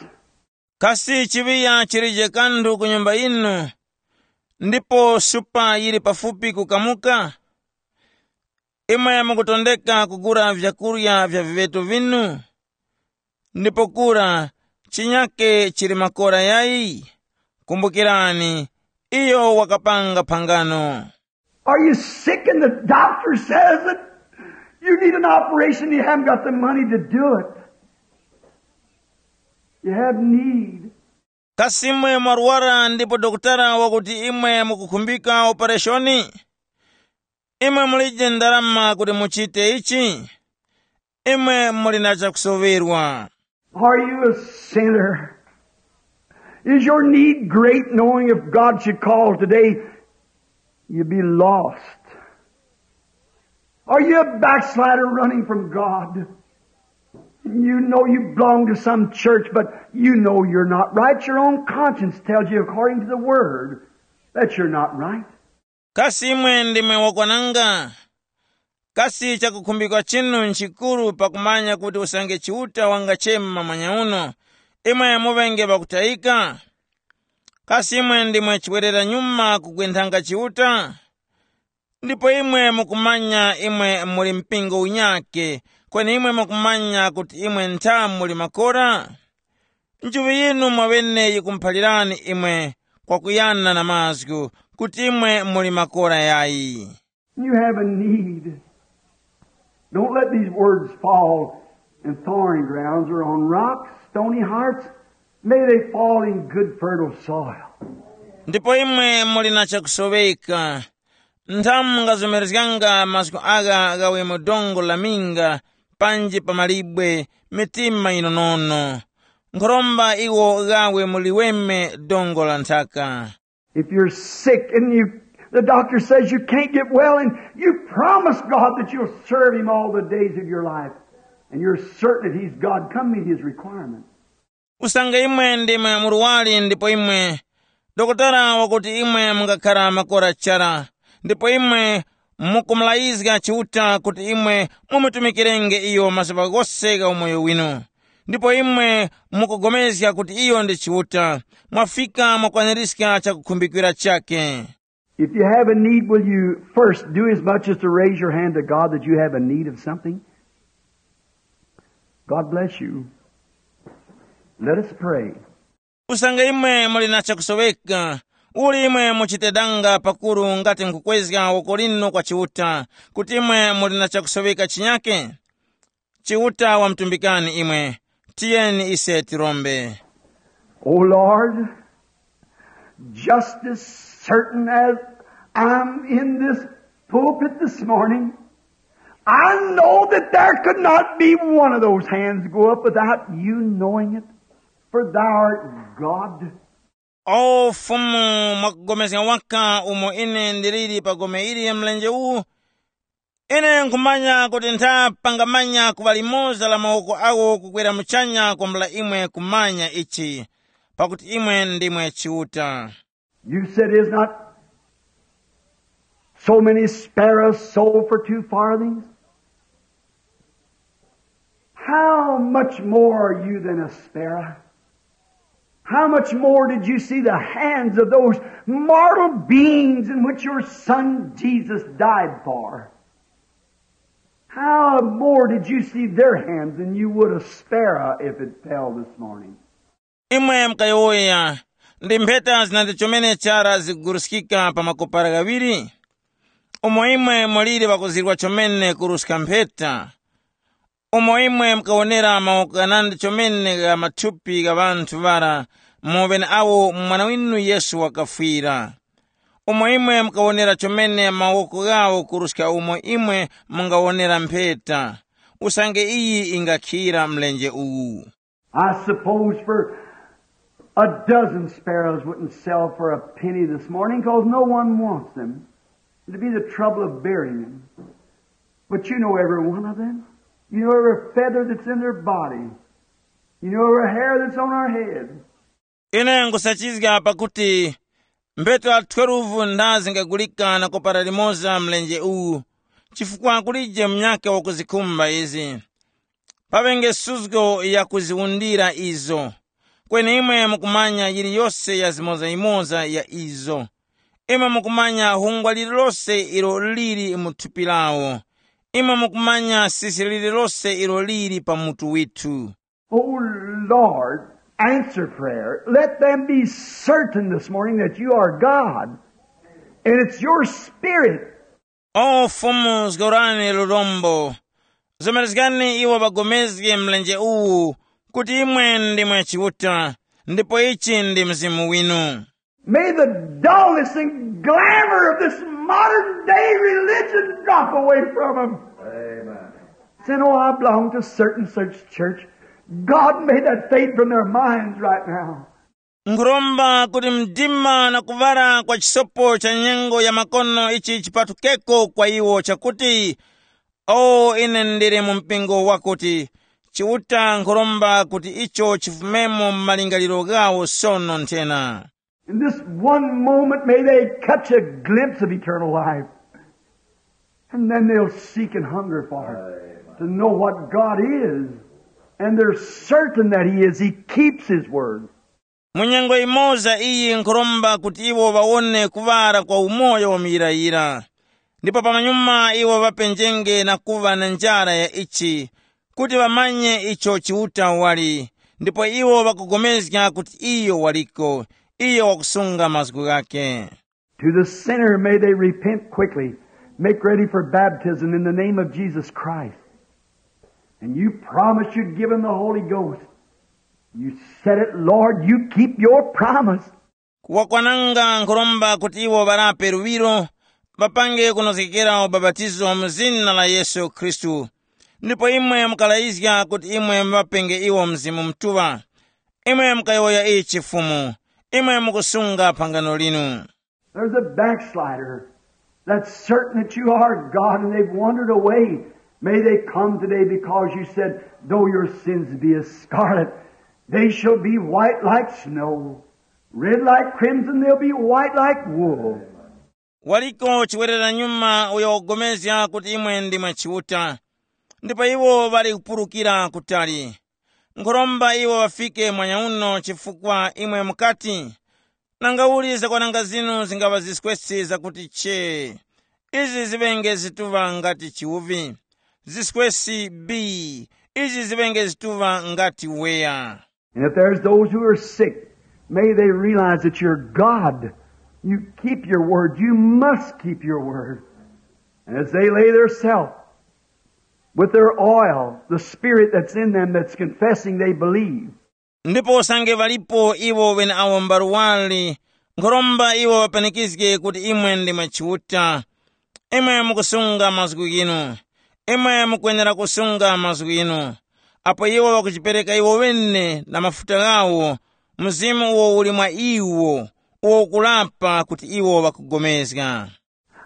Kasi chiŵiya chilije kanthu ku nyumba yinu, ndipo supa yili pafupi kukamuka? Imwe mukutondeka kugula vyakurya vya viŵeto vinu? Ndipo kura chinyake chili makora yayi? Kumbukirani, iyo wakapanga phangano. Are you sick and the doctor says that you need an operation and you haven't got the money to do it? You have need. Kasi imwe mwarwara ndipo dokotala wakuti imwe mukukhumbika opereshoni? Imwe mulije ndarama kuti muchite ichi? Imwe muli na chakusoŵerwa. Are you a sinner? Is your need great, knowing if God should call today, you'd be lost? Are you a backslider running from God? You know you belong to some church, but you know you're not right. Your own conscience tells you, according to the Word, that you're not right. Kasi imwe ndimwe wakwananga? Kasi chakukhumbika chinu nchikuru pakumanya kuti usange Chiuta wangachema mwanya uno, imwe muŵenge ŵakutayika? Kasi imwe ndimwe chiwerera nyuma kugwenthanga Chiuta? Ndipo imwe mukumanya imwe muli mpingo unyakhe, kweni imwe mukumanya kuti imwe ntha muli makora? Nchuŵi yinu mwaŵene yikumuphalirani imwe kwakuyana na mazgu kuti imwe muli makora yayi. You have a need. Don't let these words fall in thorny grounds or on rocks, stony hearts. May they fall in good fertile soil. Ndipo imwe muli na chakusoweka, nthamu mungazomerezganga mazgu agha ghawe mu dongo la minga, panji pa malibwe, mitima yinonono. nkhoromba iwo ghawe muliweme dongo la nthaka. If you're sick and you, the doctor says you can't get well, and you promise God that you'll serve Him all the days of your life, and you're certain that He's God, come meet His requirements. Usange imwe ndimwe murwari ndipo imwe dokotala wakuti imwe mungakhara makora chara, ndipo imwe mukumulayizga Chiuta kuti imwe mumutumikirenge iyo mazuŵa ghose gha umoyo winu, ndipo imwe mukugomezga kuti iyo ndi Chiuta, mwafika mwakwaniska chakukhumbikira chakhe. If you have a need, will you first do as much as to raise your hand to God that you have a need of something? God bless you. Let us pray. Usange imwe muli na chakusoweka, uli imwe muchite danga pakuru ngati nkukwezga woko linu kwa Chiuta, kuti imwe muli na chakusoweka chinyake? Chiuta wamutumbikani imwe. Tiyeni ise tirombe. O Lord, just as certain as I'm in this pulpit this morning, I know that there could not be one of those hands go up without you knowing it, for thou art God. O Fumu, mwakugomezga waka umo ine ndiliri pa gome ili mlenje uwu, ine nkhumanya kuti ntha pangamanya kuŵa limoza la mawoko awo kukwera muchanya kwambula imwe kumanya ichi, pakuti imwe ndimwe Chiuta. You said, is not so many sparrows sold for two farthings? How much more are you than a sparrow? How much more did you see the hands of those mortal beings in which your son Jesus died for? How more did you see their hands than you would a sparrow if it fell this morning? Imwe mukayowoya, ndi mpheta zinandi chomene chara zikuguruskika pa makopara ghaŵiri? Umo imwe muliri ŵakuzirwa chomene kuruska mpheta, umo imwe mukawonera mawoko ghanandi chomene gha mathupi gha ŵanthu ŵara mu ŵeneawo mwana winu Yesu wakafwira, umo imwe mukawonera chomene mawoko ghawo kuruska umo imwe mungawonera mpheta, usange iyi ingakhira mlenje uwu. I suppose for a dozen sparrows wouldn't sell for a penny this morning, 'cause no one wants them. It'd be the trouble of burying them. But you know every one of them. You know every feather that's in their body. You know every hair that's on our head. Ine nkusachizga pakuti mpheta twelve ndha zingagulika na kopara limoza mlenje uwu, chifukwa kulije munyakhe wakuzikhumba izi. Paŵenge suzgo yakuziwundira izo. Kweni imwe mukumanya yiliyose ya zimozayimoza ya izo. Imwe mukumanya hungwa lililose ilo lili mu thupi lawo. Imwe mukumanya sisi lililose ilo lili pa mutu withu. Oh Lord, answer prayer. Let them be certain this morning that you are God. And it's your spirit. O Fumu, zgorani lurombo. Zomerezgani iwo ŵagomezge mlenje uwu, kuti imwe ndimwe Chiuta, ndipo ichi ndi Mzimu winu. May the dullness and glamour of this modern day religion drop away from them. Amen. Saying, oh, I belong to certain such church. God, may that fade from their minds right now. Nkhuromba kuti mdima na kuŵala kwa chisopo cha nyengo ya makono ichi chipatukeko kwa iwo chakuti, o ine ndili mu mpingo wakuti, Chiuta nkhuromba kuti icho chifumemo mu malingaliro ghawo sono nthena. In this one moment, may they catch a glimpse of eternal life. And then they'll seek and hunger for it, to know what God is. And they're certain that He is. He keeps His word. Mu nyengo imoza iyi nkhuromba kuti iwo ŵawone kuŵala kwa umoyo wa muyirayira. Ndipo pamanyuma iwo ŵapenjenge na kuŵa na njara ya ichi, kuti ŵamanye icho Chiuta wali, ndipo iwo ŵakugomezga kuti iyo waliko, iyo wakusunga mazgu ghakhe. To the sinner, may they repent quickly, make ready for baptism in the name of Jesus Christ. And you promised you'd give them the Holy Ghost. You said it, Lord, you keep your promise. Kuwakwananga nkhuromba kuti iwo ŵarape luŵiro, ŵapange kunozgekera ubapatizo mu zina la Yesu Khristu. Ndipo imwe mukalayizga kuti imwe muŵapenge iwo Mzimu Mutuŵa. Imwe mukayowoya ichi Fumu, imwe mukusunga phangano linu. There's a backslider that's certain that you are God and they've wandered away. May they come today because you said, "Though your sins be as scarlet, they shall be white like snow. Red like crimson, they'll be white like wool." Waliko chiwerera nyuma uyo wakupulikana kuti imwe ndimwe Chiuta, ndipo iwo ŵali kupulukira kutali. Nkhoromba iwo ŵafike mwanyauno chifukwa imwe mukati, "Nangauli zakwananga zinu zingaŵa ziskwesi zakuti chee. Izi ziŵenge zituŵa ngati chiwuvi. Ziskwesi bii. Izi ziŵenge zituŵa ngati weya." And if there's those who are sick, may they realize that you're God. You keep your word. You must keep your word. And as they lay their self with their oil, the spirit that's in them that's confessing they believe, ndipo usange ŵalipo iwo ŵeneawo mbarwari, nkhoromba iwo ŵapanikizge kuti imwe ndimwe Chiuta. Imwe mukusunga mazgu ghinu, imwe mukwenera kusunga mazgu inu. Apo iwo ŵakujipereka iwo ŵene na mafuta ghawo, Mzimu uwo uli mwa iwo, uwo ukulapa kuti iwo ŵakugomezga.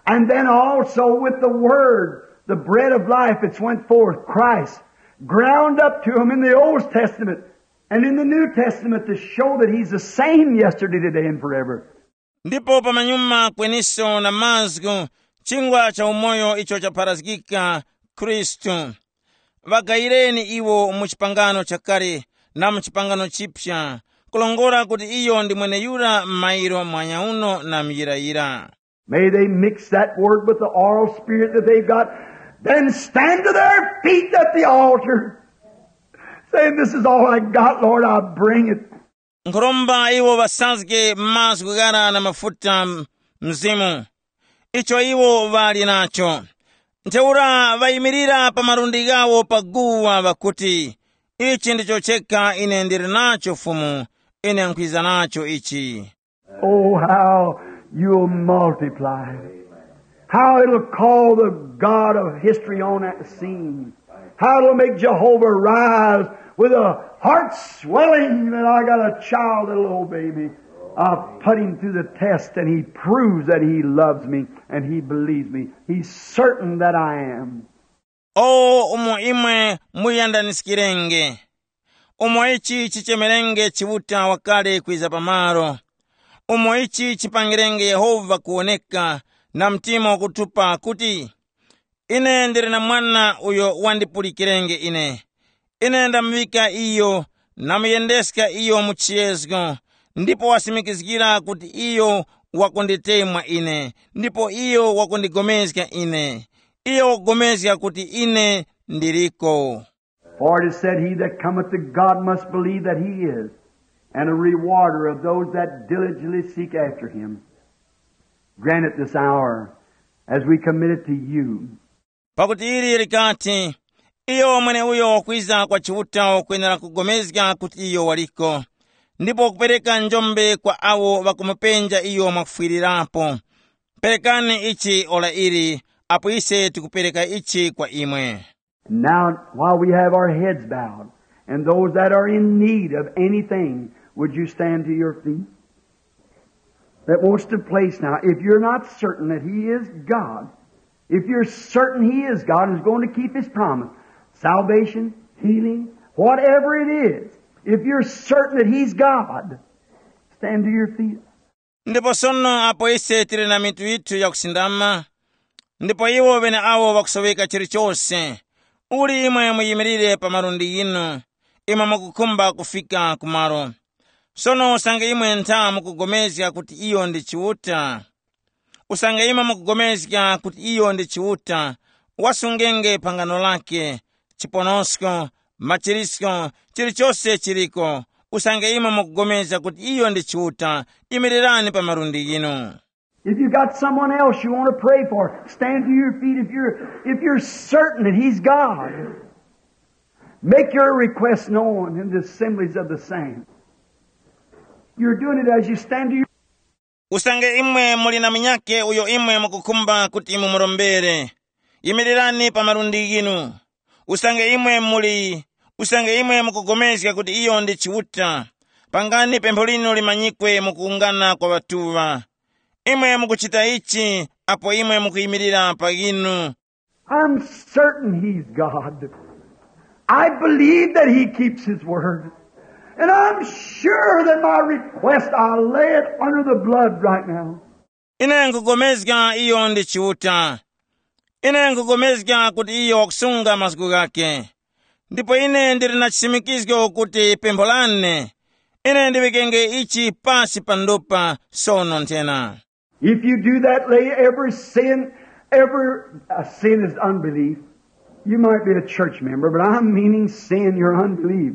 And then also with the word, the bread of life that's went forth, Christ, ground up to him in the Old Testament and in the New Testament to show that he's the same yesterday, today, and forever. Ndipo pamanyuma kweniso na mazgu, chingwa cha umoyo icho chapharazgika, Khristu. Ŵagayireni iwo mu chipangano chakale na mu chipangano chipya, kulongora kuti iyo ndi mweneyura mairo mwanyauno na muyirayira. May they mix that word with the oral spirit that they've got, then stand to their feet at the altar, saying, "This is all I got, Lord, I bring it." Nkhoromba iwo ŵasazge mazgu ghara na mafuta m-, Mzimu, icho iwo ŵali nacho. Ntheura ŵayimirira pa malundi ghawo pa guwa ŵakuti, "Ichi ndicho chekha ine ndili nacho Fumu, ine nkhwiza nacho ichi." Oh, how you'll multiply. How it'll call the God of history on that scene. How it'll make Jehovah rise with a heart swelling that I got a child that'll obey me. I've put him through the test and he proves that he loves me and he believes me. He's certain that I am. O umo imwe muyandaniskirenge, umo ichi chichemerenge Chiuta wakale kwiza pamalo, umo ichi chipangirenge Yehova kuwoneka na mtima wakutupa kuti, "Ine ndili na mwana uyo wandipulikirenge ine. Ine ndamuŵika iyo, namuyendeska iyo mu chiyezgo, ndipo wasimikizgira kuti iyo wakunditemwa ine, ndipo iyo wakundigomezga ine. Iyo wakupulikana kuti ine ndiliko." For it is said, "He that cometh to God must believe that he is, and a rewarder of those that diligently seek after him." Grant it this hour as we commit it to you. Pakuti ili likati, "Iyo mweneuyo wakwiza kwa Chiuta wakwenera kugomezga kuti iyo waliko, ndipo kupereka njombe kwa awo ŵakumupenja iyo mwakufwirirapo. Perekani ichi ora ili, apo ise tikupereka ichi kwa imwe." Now, while we have our heads bowed, and those that are in need of anything, would you stand to your feet? That wants to place now. If you're not certain that he is God, if you're certain he is God and is going to keep his promise, salvation, healing, whatever it is, if you're certain that he's God, stand to your feet. Ndipo sono apo ise tili na mitu yithu yakusindama, ndipo iwo ŵeneawo ŵakusoweka chilichose, uli imwe muyimirire pa malundi ghinu, imwe mukukhumba kufika kumalo. Sono usange imwe ntha mukugomezga kuti iyo ndi Chiuta, usange imwe mukugomezga kuti iyo ndi Chiuta, wasungenge phangano lake, chiponosko, machirisko, chilichose chiliko. Usange imwe mukugomezga kuti iyo ndi Chiuta, yimirirani pa malundi ghinu. If you got someone else you want to pray for, stand to your feet. If you're, if you're certain that he's God, make your request known in the assemblies of the saints. You're doing it as you stand to your Usange imwe muli na munyakhe uyo imwe mukukhumba kuti mumurombere, yimirirani pa malundi ghinu. Usange imwe muli, usange imwe mukugomezga kuti iyo ndi Chiuta, Pangani pempho linu limanyikwe mu kuwungana kwa ŵatuŵa. Imwe mukuchita ichi apo imwe mukuyimirira pa inu. I'm certain he's God. I believe that he keeps his word. And I'm sure that my request, I'll lay it under the blood right now. Ine nkupulikana iyo ndi Chiuta. Ine nkupulikana kuti iyo wakusunga mazgu ghakhe. Ndipo ine ndili na chisimikizgo kuti pempho lane, ine ndiŵikenge ichi pasi pa ndupa sono nthena. If you do that, lay every sin, every uh, sin is unbelief. You might be a church member, but I'm meaning sin, your unbelief.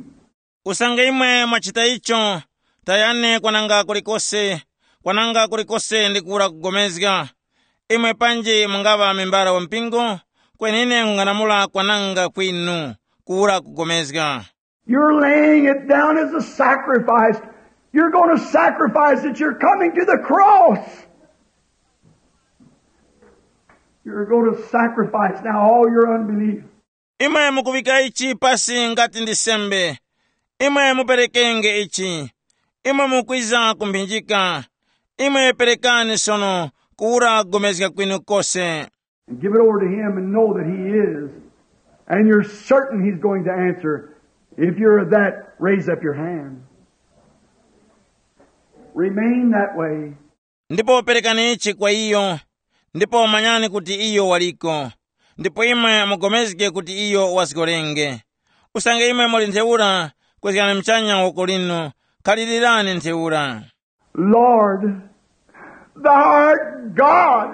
Usange imwe mwachita icho, tayani kwananga kulikose, kwananga kulikose ndi kuwura kugomezga. Imwe panji mungaŵa membara wa mpingo, kweni ine nkung'anamula kwananga kwinu, kuwura kugomezga. You're laying it down as a sacrifice. You're going to sacrifice it. You're coming to the cross. You're going to sacrifice now all your unbelief. Imwe mukuŵika ichi pasi ngati ndi sembe. Imwe muperekenge ichi. Imwe mukwiza kumphinjika. Imwe perekani sono kuwura kugomezga kwinu kose. And give it over to him and know that he is. And you're certain he's going to answer. If you're that, raise up your hand. Remain that way. Ndipo perekani ichi kwa iyo, ndipo manyani kuti iyo waliko, ndipo imwe mugomezge kuti iyo wazgorenge. Usange imwe muli ntheura, kwezgani muchanya woko linu, khalilirani ntheura. Lord, thou art God.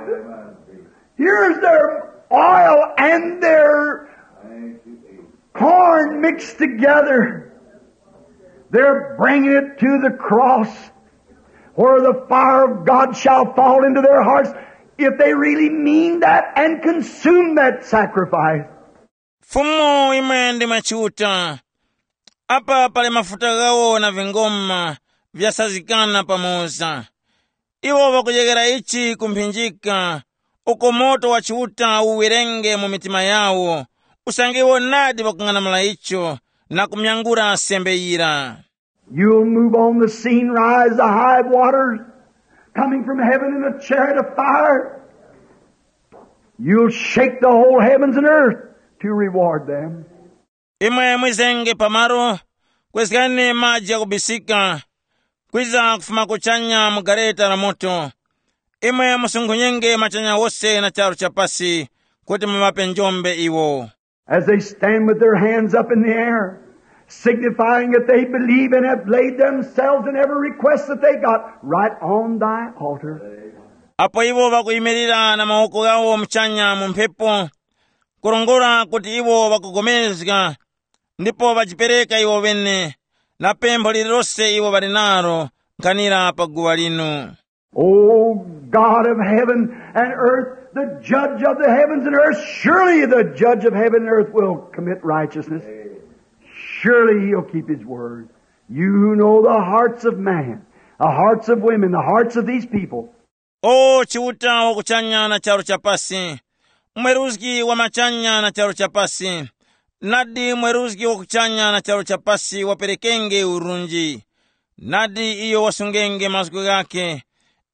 Here's their oil and their corn mixed together. They're bringing it to the cross where the fire of God shall fall into their hearts if they really mean that and consume that sacrifice. Fumu imwe ndi machiuta. Apa pali mafuta ghawo na vingoma vyasazikana pamoza. Iwo ŵakudyekera ichi ku mphinjika, uko moto wa Chiuta uwerenge mu mitima yawo, usange iwo nadi ŵakung'anamula icho na kumyangula sembe yira. You'll move on the scene, rise the high waters, coming from heaven in a chariot of fire. You'll shake the whole heavens and earth to reward them. Imwe mwizenge pamalo, kwezgani maji ghakubisika, kwiza kufuma kuchanya mu gareta la moto. Imwe musunkhunyenge machanya wose na charu cha pasi, kuti muŵape njombe iwo. As they stand with their hands up in the air, signifying that they believe and have laid themselves and every request that they got right on thy altar. Apo iwo ŵakuyimirira na mawoko ghawo muchanya mu mphepo, kurongora kuti iwo ŵakugomezga, ndipo ŵajipereka iwo ŵene, na pempho lililose iwo ŵali nalo nkhanira pa guwa linu. O God of heaven and earth, the judge of the heavens and earth, surely the judge of heaven and earth will commit righteousness. Surely he'll keep his word. You who know the hearts of man, the hearts of women, the hearts of these people. O Chiuta wa kuchanya na charu cha pasi, mweruzgi wa machanya na charu cha pasi, nadi mweruzgi wa kuchanya na charu cha pasi waperekenge urunji. Nadi iyo wasungenge mazgu ghakhe.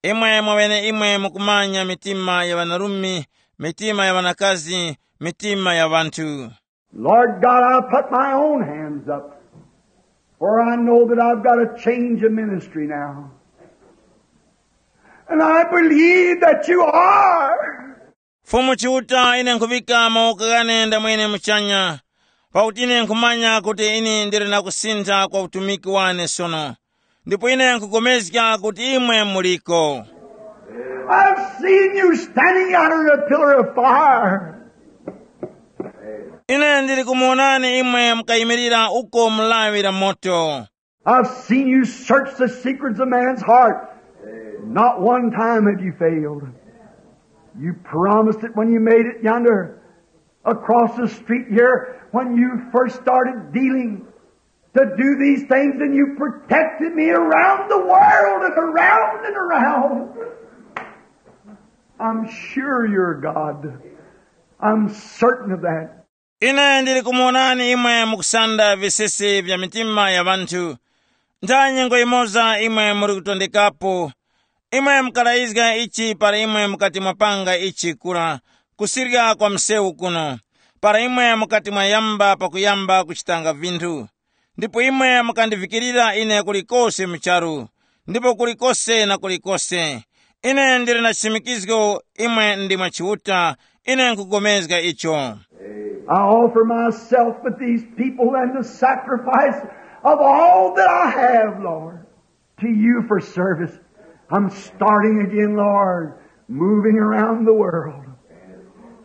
Imwe mwaŵeneimwe mukumanya mitima ya ŵanarume, mitima ya ŵanakazi, mitima ya ŵanthu. Lord God, I put my own hands up, for I know that I've got a change of ministry now. And I believe that you are. Fumu Chiuta, ine nkhuŵika mawoko ghane ndamwene muchanya, pakuti ine nkhumanya kuti ine ndili na kusintha kwa utumiki wane sono. Ndipo ine nkhupulikana kuti imwe muliko. I've seen you standing out in a pillar of fire. Ine ndili kumuwonani imwe mukayimirira uko mu lawi la moto. I've seen you search the secrets of man's heart. Not one time have you failed. You promised it when you made it yonder across the street here when you first started dealing to do these things, and you protected me around the world and around and around. I'm sure you're God. I'm certain of that. Ine ndili kumuwonani imwe mukusanda visisi vya mitima ya ŵanthu. Ntha nyengo yimoza imwe muli kutondekapo. Imwe mukalayizga ichi para imwe mukati mwapanga ichi kura kusirya kwa msewu kuno, para imwe mukati mwayamba pakuyamba kuchitanga vinthu. Ndipo imwe mukandivikirira ine kulikose mu charu, ndipo kulikose na kulikose. Ine ndili na chisimikizgo imwe ndimwe Chiuta, ine nkugomezga icho. I offer myself with these people and the sacrifice of all that I have, Lord, to you for service. I'm starting again, Lord, moving around the world.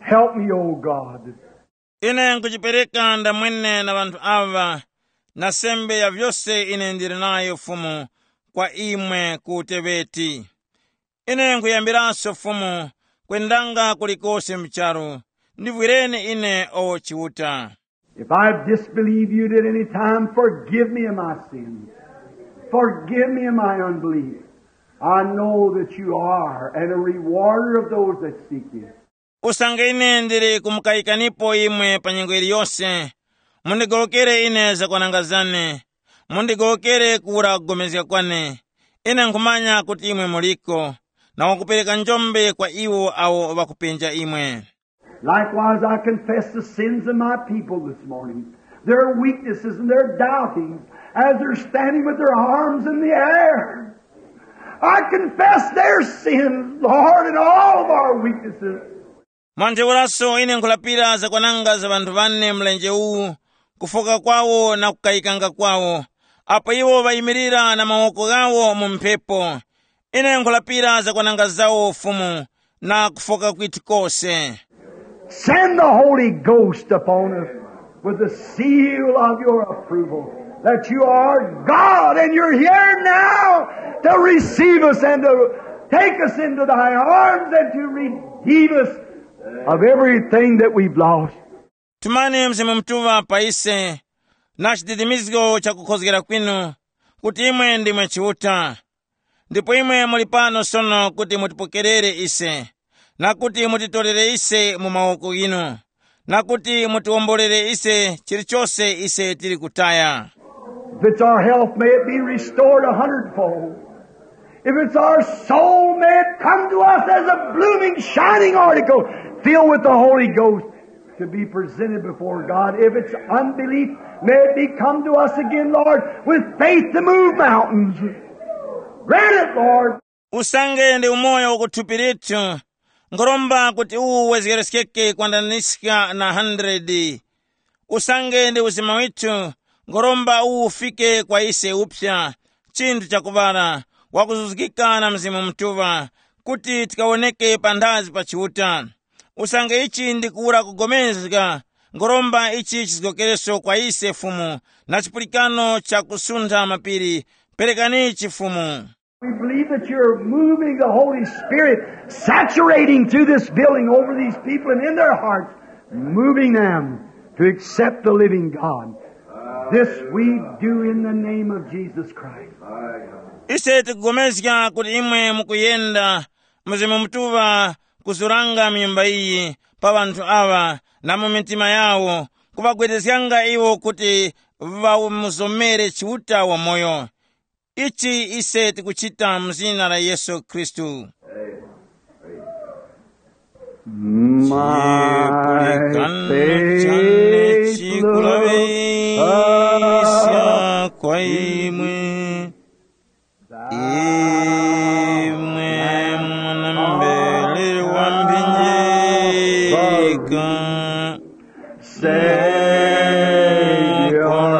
Help me, O God. Ine nkuchipereka ndamwene na ŵanthu aŵa, na sembe ya vyose ine ndili nayo Fumu, kwa imwe ku uteŵeti. Ine nkuyambiranso Fumu, kwendanga kulikose mu charu. Ndivwireni ine, o Chiuta. If I've disbelieved you at any time, forgive me of my sins. Forgive me of my unbelief. I know that you are and a rewarder of those that seek you. Usange ine ndili kumukayikanipo imwe pa nyengo yiliyose, mundigowokere ine zakwananga zane, mundigowokere kuwura kugomezga kwane. Ine nkhumanya kuti imwe muliko, na wakupereka njombe kwa iwo awo ŵakupenja imwe. Likewise, I confess the sins of my people this morning, their weaknesses and their doubtings, as they're standing with their arms in the air. I confess their sins, Lord, and all of our weaknesses. Mwantheuraso ine nkhulapira zakwananga za ŵanthu ŵane mlenje uwu, kufoka kwawo na kukayikanga kwawo, apo iwo ŵayimirira na mawoko ghawo mu mphepo. Ine nkhulapira zakwananga zawo Fumu, na kufoka kwithu kose. Send the Holy Ghost upon us with the seal of your approval, that you are God and you're here now to receive us and to take us into thy arms and to redeem us of everything that we've lost. Tumani Mzimu Mutuŵa pa ise, na chididimizgo cha kukhozgera kwinu, kuti imwe ndimwe Chiuta. Ndipo imwe muli pano sono kuti mutipokerere ise, na kuti mutitorere ise mu mawoko ghinu, na kuti mutiwomborere ise chilichose ise tili kutaya. If it's our health, may it be restored a hundredfold. If it's our soul, may it come to us as a blooming, shining article, filled with the Holy Ghost, to be presented before God. If it's unbelief, may it be come to us again, Lord, with faith to move mountains. Grant it, Lord. Usange ndi umoyo wa kuthupi lithu, ngoromba kuti uwu wezgereskeke kwandaniska na hundred. Usange ndi uzima withu, ngoromba uwu ufike kwa ise upsa, chinthu chakuŵala, wakuzuzgika na Mzimu Mutuŵa, kuti tikawoneke panthazi pa Chiuta. Usange ichi ndi kuwura kugomezga, ngoromba ichi chizgokereso kwa ise Fumu, na chipulikano cha kusuntha mapiri, perekani ichi Fumu. We believe that you're moving the Holy Spirit, saturating through this building over these people and in their hearts, moving them to accept the living God. This we do in the name of Jesus Christ. Ise tikugomezga kuti imwe mukuyenda Mzimu Mutuŵa kuzuranga mu nyumba iyi pa ŵanthu aŵa na mu mitima yawo, kuŵagwedezganga iwo kuti ŵamuzomere Chiuta wamoyo. Ichi ise tikuchita mu zina la Yesu Khristu. My faith looks chikulaŵiska kwa imwe, imwe mwana mbere wa mphinjika. Savior,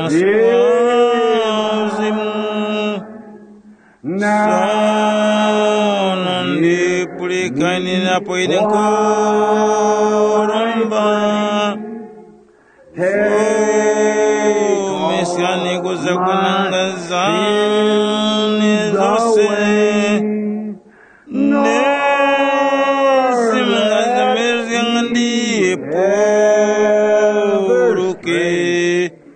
Mzimu, now sono ndipulikani napo ine nkhoromba. Take fumiskani kuza kunanga zane zose. Nesi mungazembezganga ndipuruke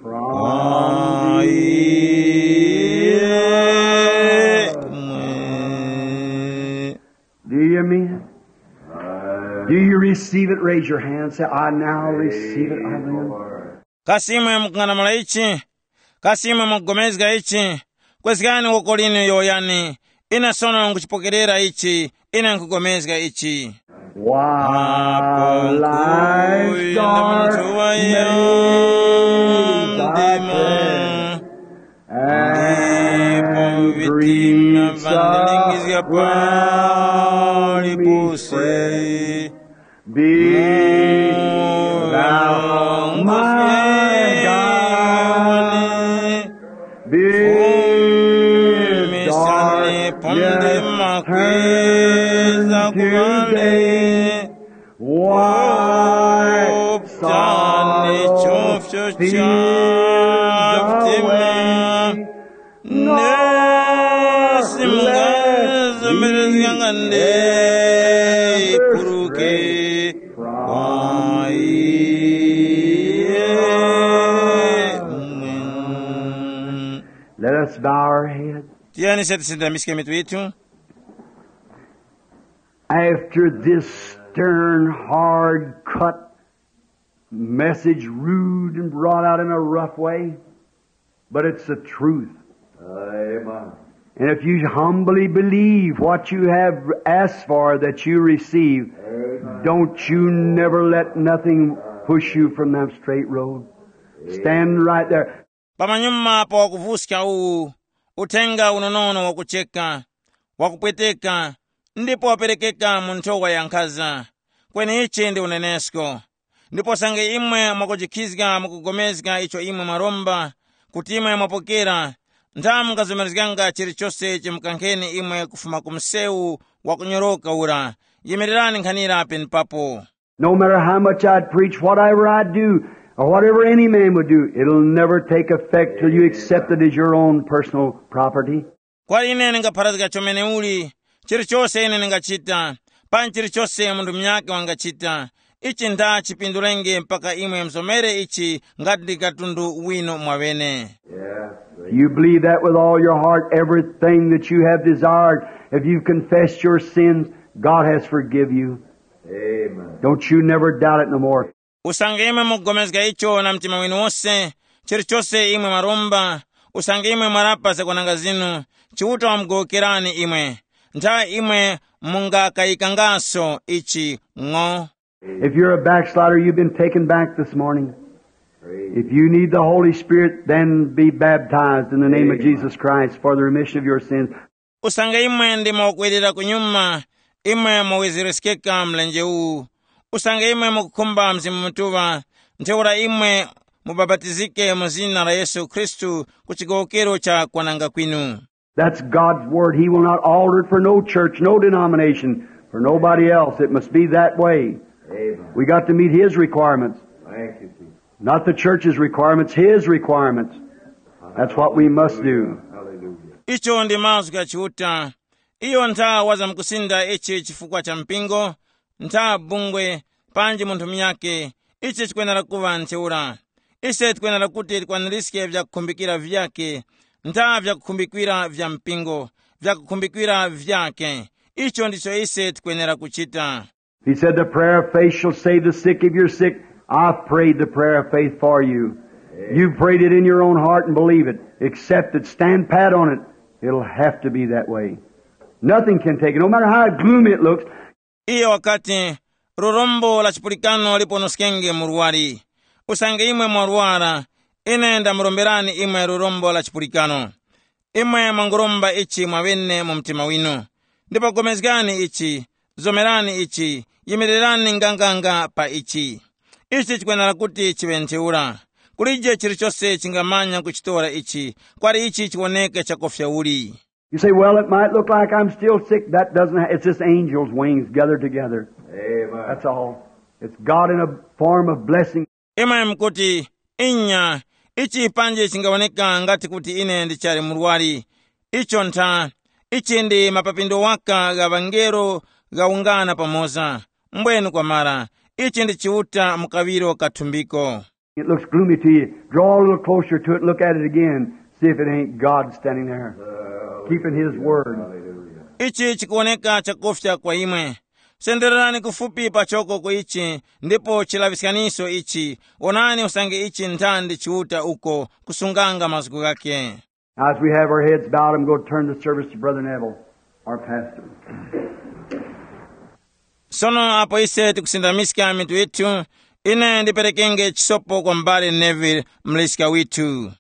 kwa imwe. Do you mean it? Do you receive it? Raise your hand. Say, "I now receive it. I believe." Kasi imwe mukung'anamula ichi? Kasi imwe mukugomezga ichi? Kwezgani woko linu yowoyani, ine sono nkhuchipokerera ichi, ine nkhupulikana ichi. While life's dark maze I pass, and griefs of world me fret, be thou my guide, be darkness turn to day. Wipe sorrow, fears away. Nesi mungazomerezganga ndeyipuruke kwa iye. Let us bow our heads. Tiyeni se tisindamiske mitu yithu. After this stern, hard cut message, rude and brought out in a rough way, but it's the truth. Amen. And if you humbly believe what you have asked for, that you receive, amen, don't you never let nothing push you from that straight road. Stand right there. Pamanyuma pa wakuvuska uwu, uthenga unonono wakucheka, wakupweteka, ndipo waperekeka mu nthowa ya nkhaza. Kweni ichi ndi unenesko. Ndipo sange imwe mwakujikhizga mukugomezga icho imwe mwaromba, kuti imwe mwapokera, ntha mungazomerezganga chilichose chimukankheni imwe kufuma ku msewu wakunyoroka ura. Yimirirani nkhanira penepapo. No matter how much I'd preach, whatever I'd do, or whatever any man would do, it'll never take effect till you accept it as your own personal property. Kwa ine ningapharazga chomene uli, chilichose ine ningachita, panji chilichose munthu munyakhe wangachita, ichi ntha chipindulenge mpaka imwe mzomere ichi ngati ndi katundu winu mwaŵene. You believe that with all your heart, everything that you have desired, if you've confessed your sins, God has forgive you. Amen. Don't you never doubt it no more. Usange imwe mukugomezga icho na mtima winu wose, chilichose imwe mwaromba, usange imwe mwarapa zakwananga zinu, Chiuta wamugowokerani imwe. Ntha imwe mungakayikangaso ichi ng'o. If you're a backslider, you've been taken back this morning. If you need the Holy Spirit, then be baptized in the name of Jesus Christ for the remission of your sins. Usange imwe ndimo kwerera kunyuma, imwe muwezereskeka mlenje uwu. Usange imwe mukukhumba Mzimu Mutuŵa, ntheura imwe mubapatizike mu zina la Yesu Khristu ku chigowokero cha kwananga kwinu. That's God's word. He will not alter it for no church, no denomination, for nobody else. It must be that way. Amen. We got to meet his requirements. Thank you, Jesus. Not the church's requirements, his requirements. That's what we must do. Hallelujah. Icho ndi mazgu gha Chiuta. Iyo ntha wazamkusinda ichi chifukwa cha mpingo, ntha bungwe, panji munthu munyakhe, ichi chikwenera kuŵa ntheura. Ise tikwenera kuti tikwaniske vyakukhumbikira vyakhe, ntha vyakukhumbikira vya mpingo, vyakukhumbikira vyakhe. Icho ndicho ise tikwenera kuchita. He said, "The prayer of faith shall save the sick." If you're sick, I've prayed the prayer of faith for you. You've prayed it in your own heart and believe it. Accept it. Stand pat on it. It'll have to be that way. Nothing can take it. No matter how gloomy it looks, Iyo wakati, "Lurombo la chipulikano liponoskenge murwari. Usange imwe mwarwara, ine ndamuromberani imwe lurombo la chipulikano." Imwe mwanguromba ichi mwaŵene mu mtima winu. Ndipo pulikani ichi, zomerani ichi, yimirirani nganganga pa ichi. Ichi chikwenera kuti chiŵe ntheura. Kulije chilichose chingamanya kuchitora ichi, kwali ichi chiwoneke chakufya uli. You say, "Well, it might look like I'm still sick." That doesn't, ha-, it's just angels' wings gathered together. Amen. That's all. It's God in a form of blessing. Imwe mukuti, "Inya, ichi panje chingawoneka ngati kuti ine ndichali murwari." Icho ntha, ichi ndi mapapindo waka gha ŵangelo ghawungana pamoza. Mbwenu kwamara, ichi ndi Chiuta mu kaŵiro kathumbiko. It looks gloomy to you. Draw a little closer to it and look at it again. See if it ain't God standing there, keeping his word. Ichi chikuwoneka chakufya kwa imwe. Sendererani kufupi pachoko ku ichi, ndipo chilaŵiskaniso ichi. Onani usange ichi nthandi Chiuta uko kusunganga mazgu ghakhe. Now, as we have our heads bowed, I'm going to turn the service to Brother Neville, our pastor. Sono apo ise tikusindamiska mitu yithu, ine ndiperekenge chisopo kwa m'bale Neville, mleska withu.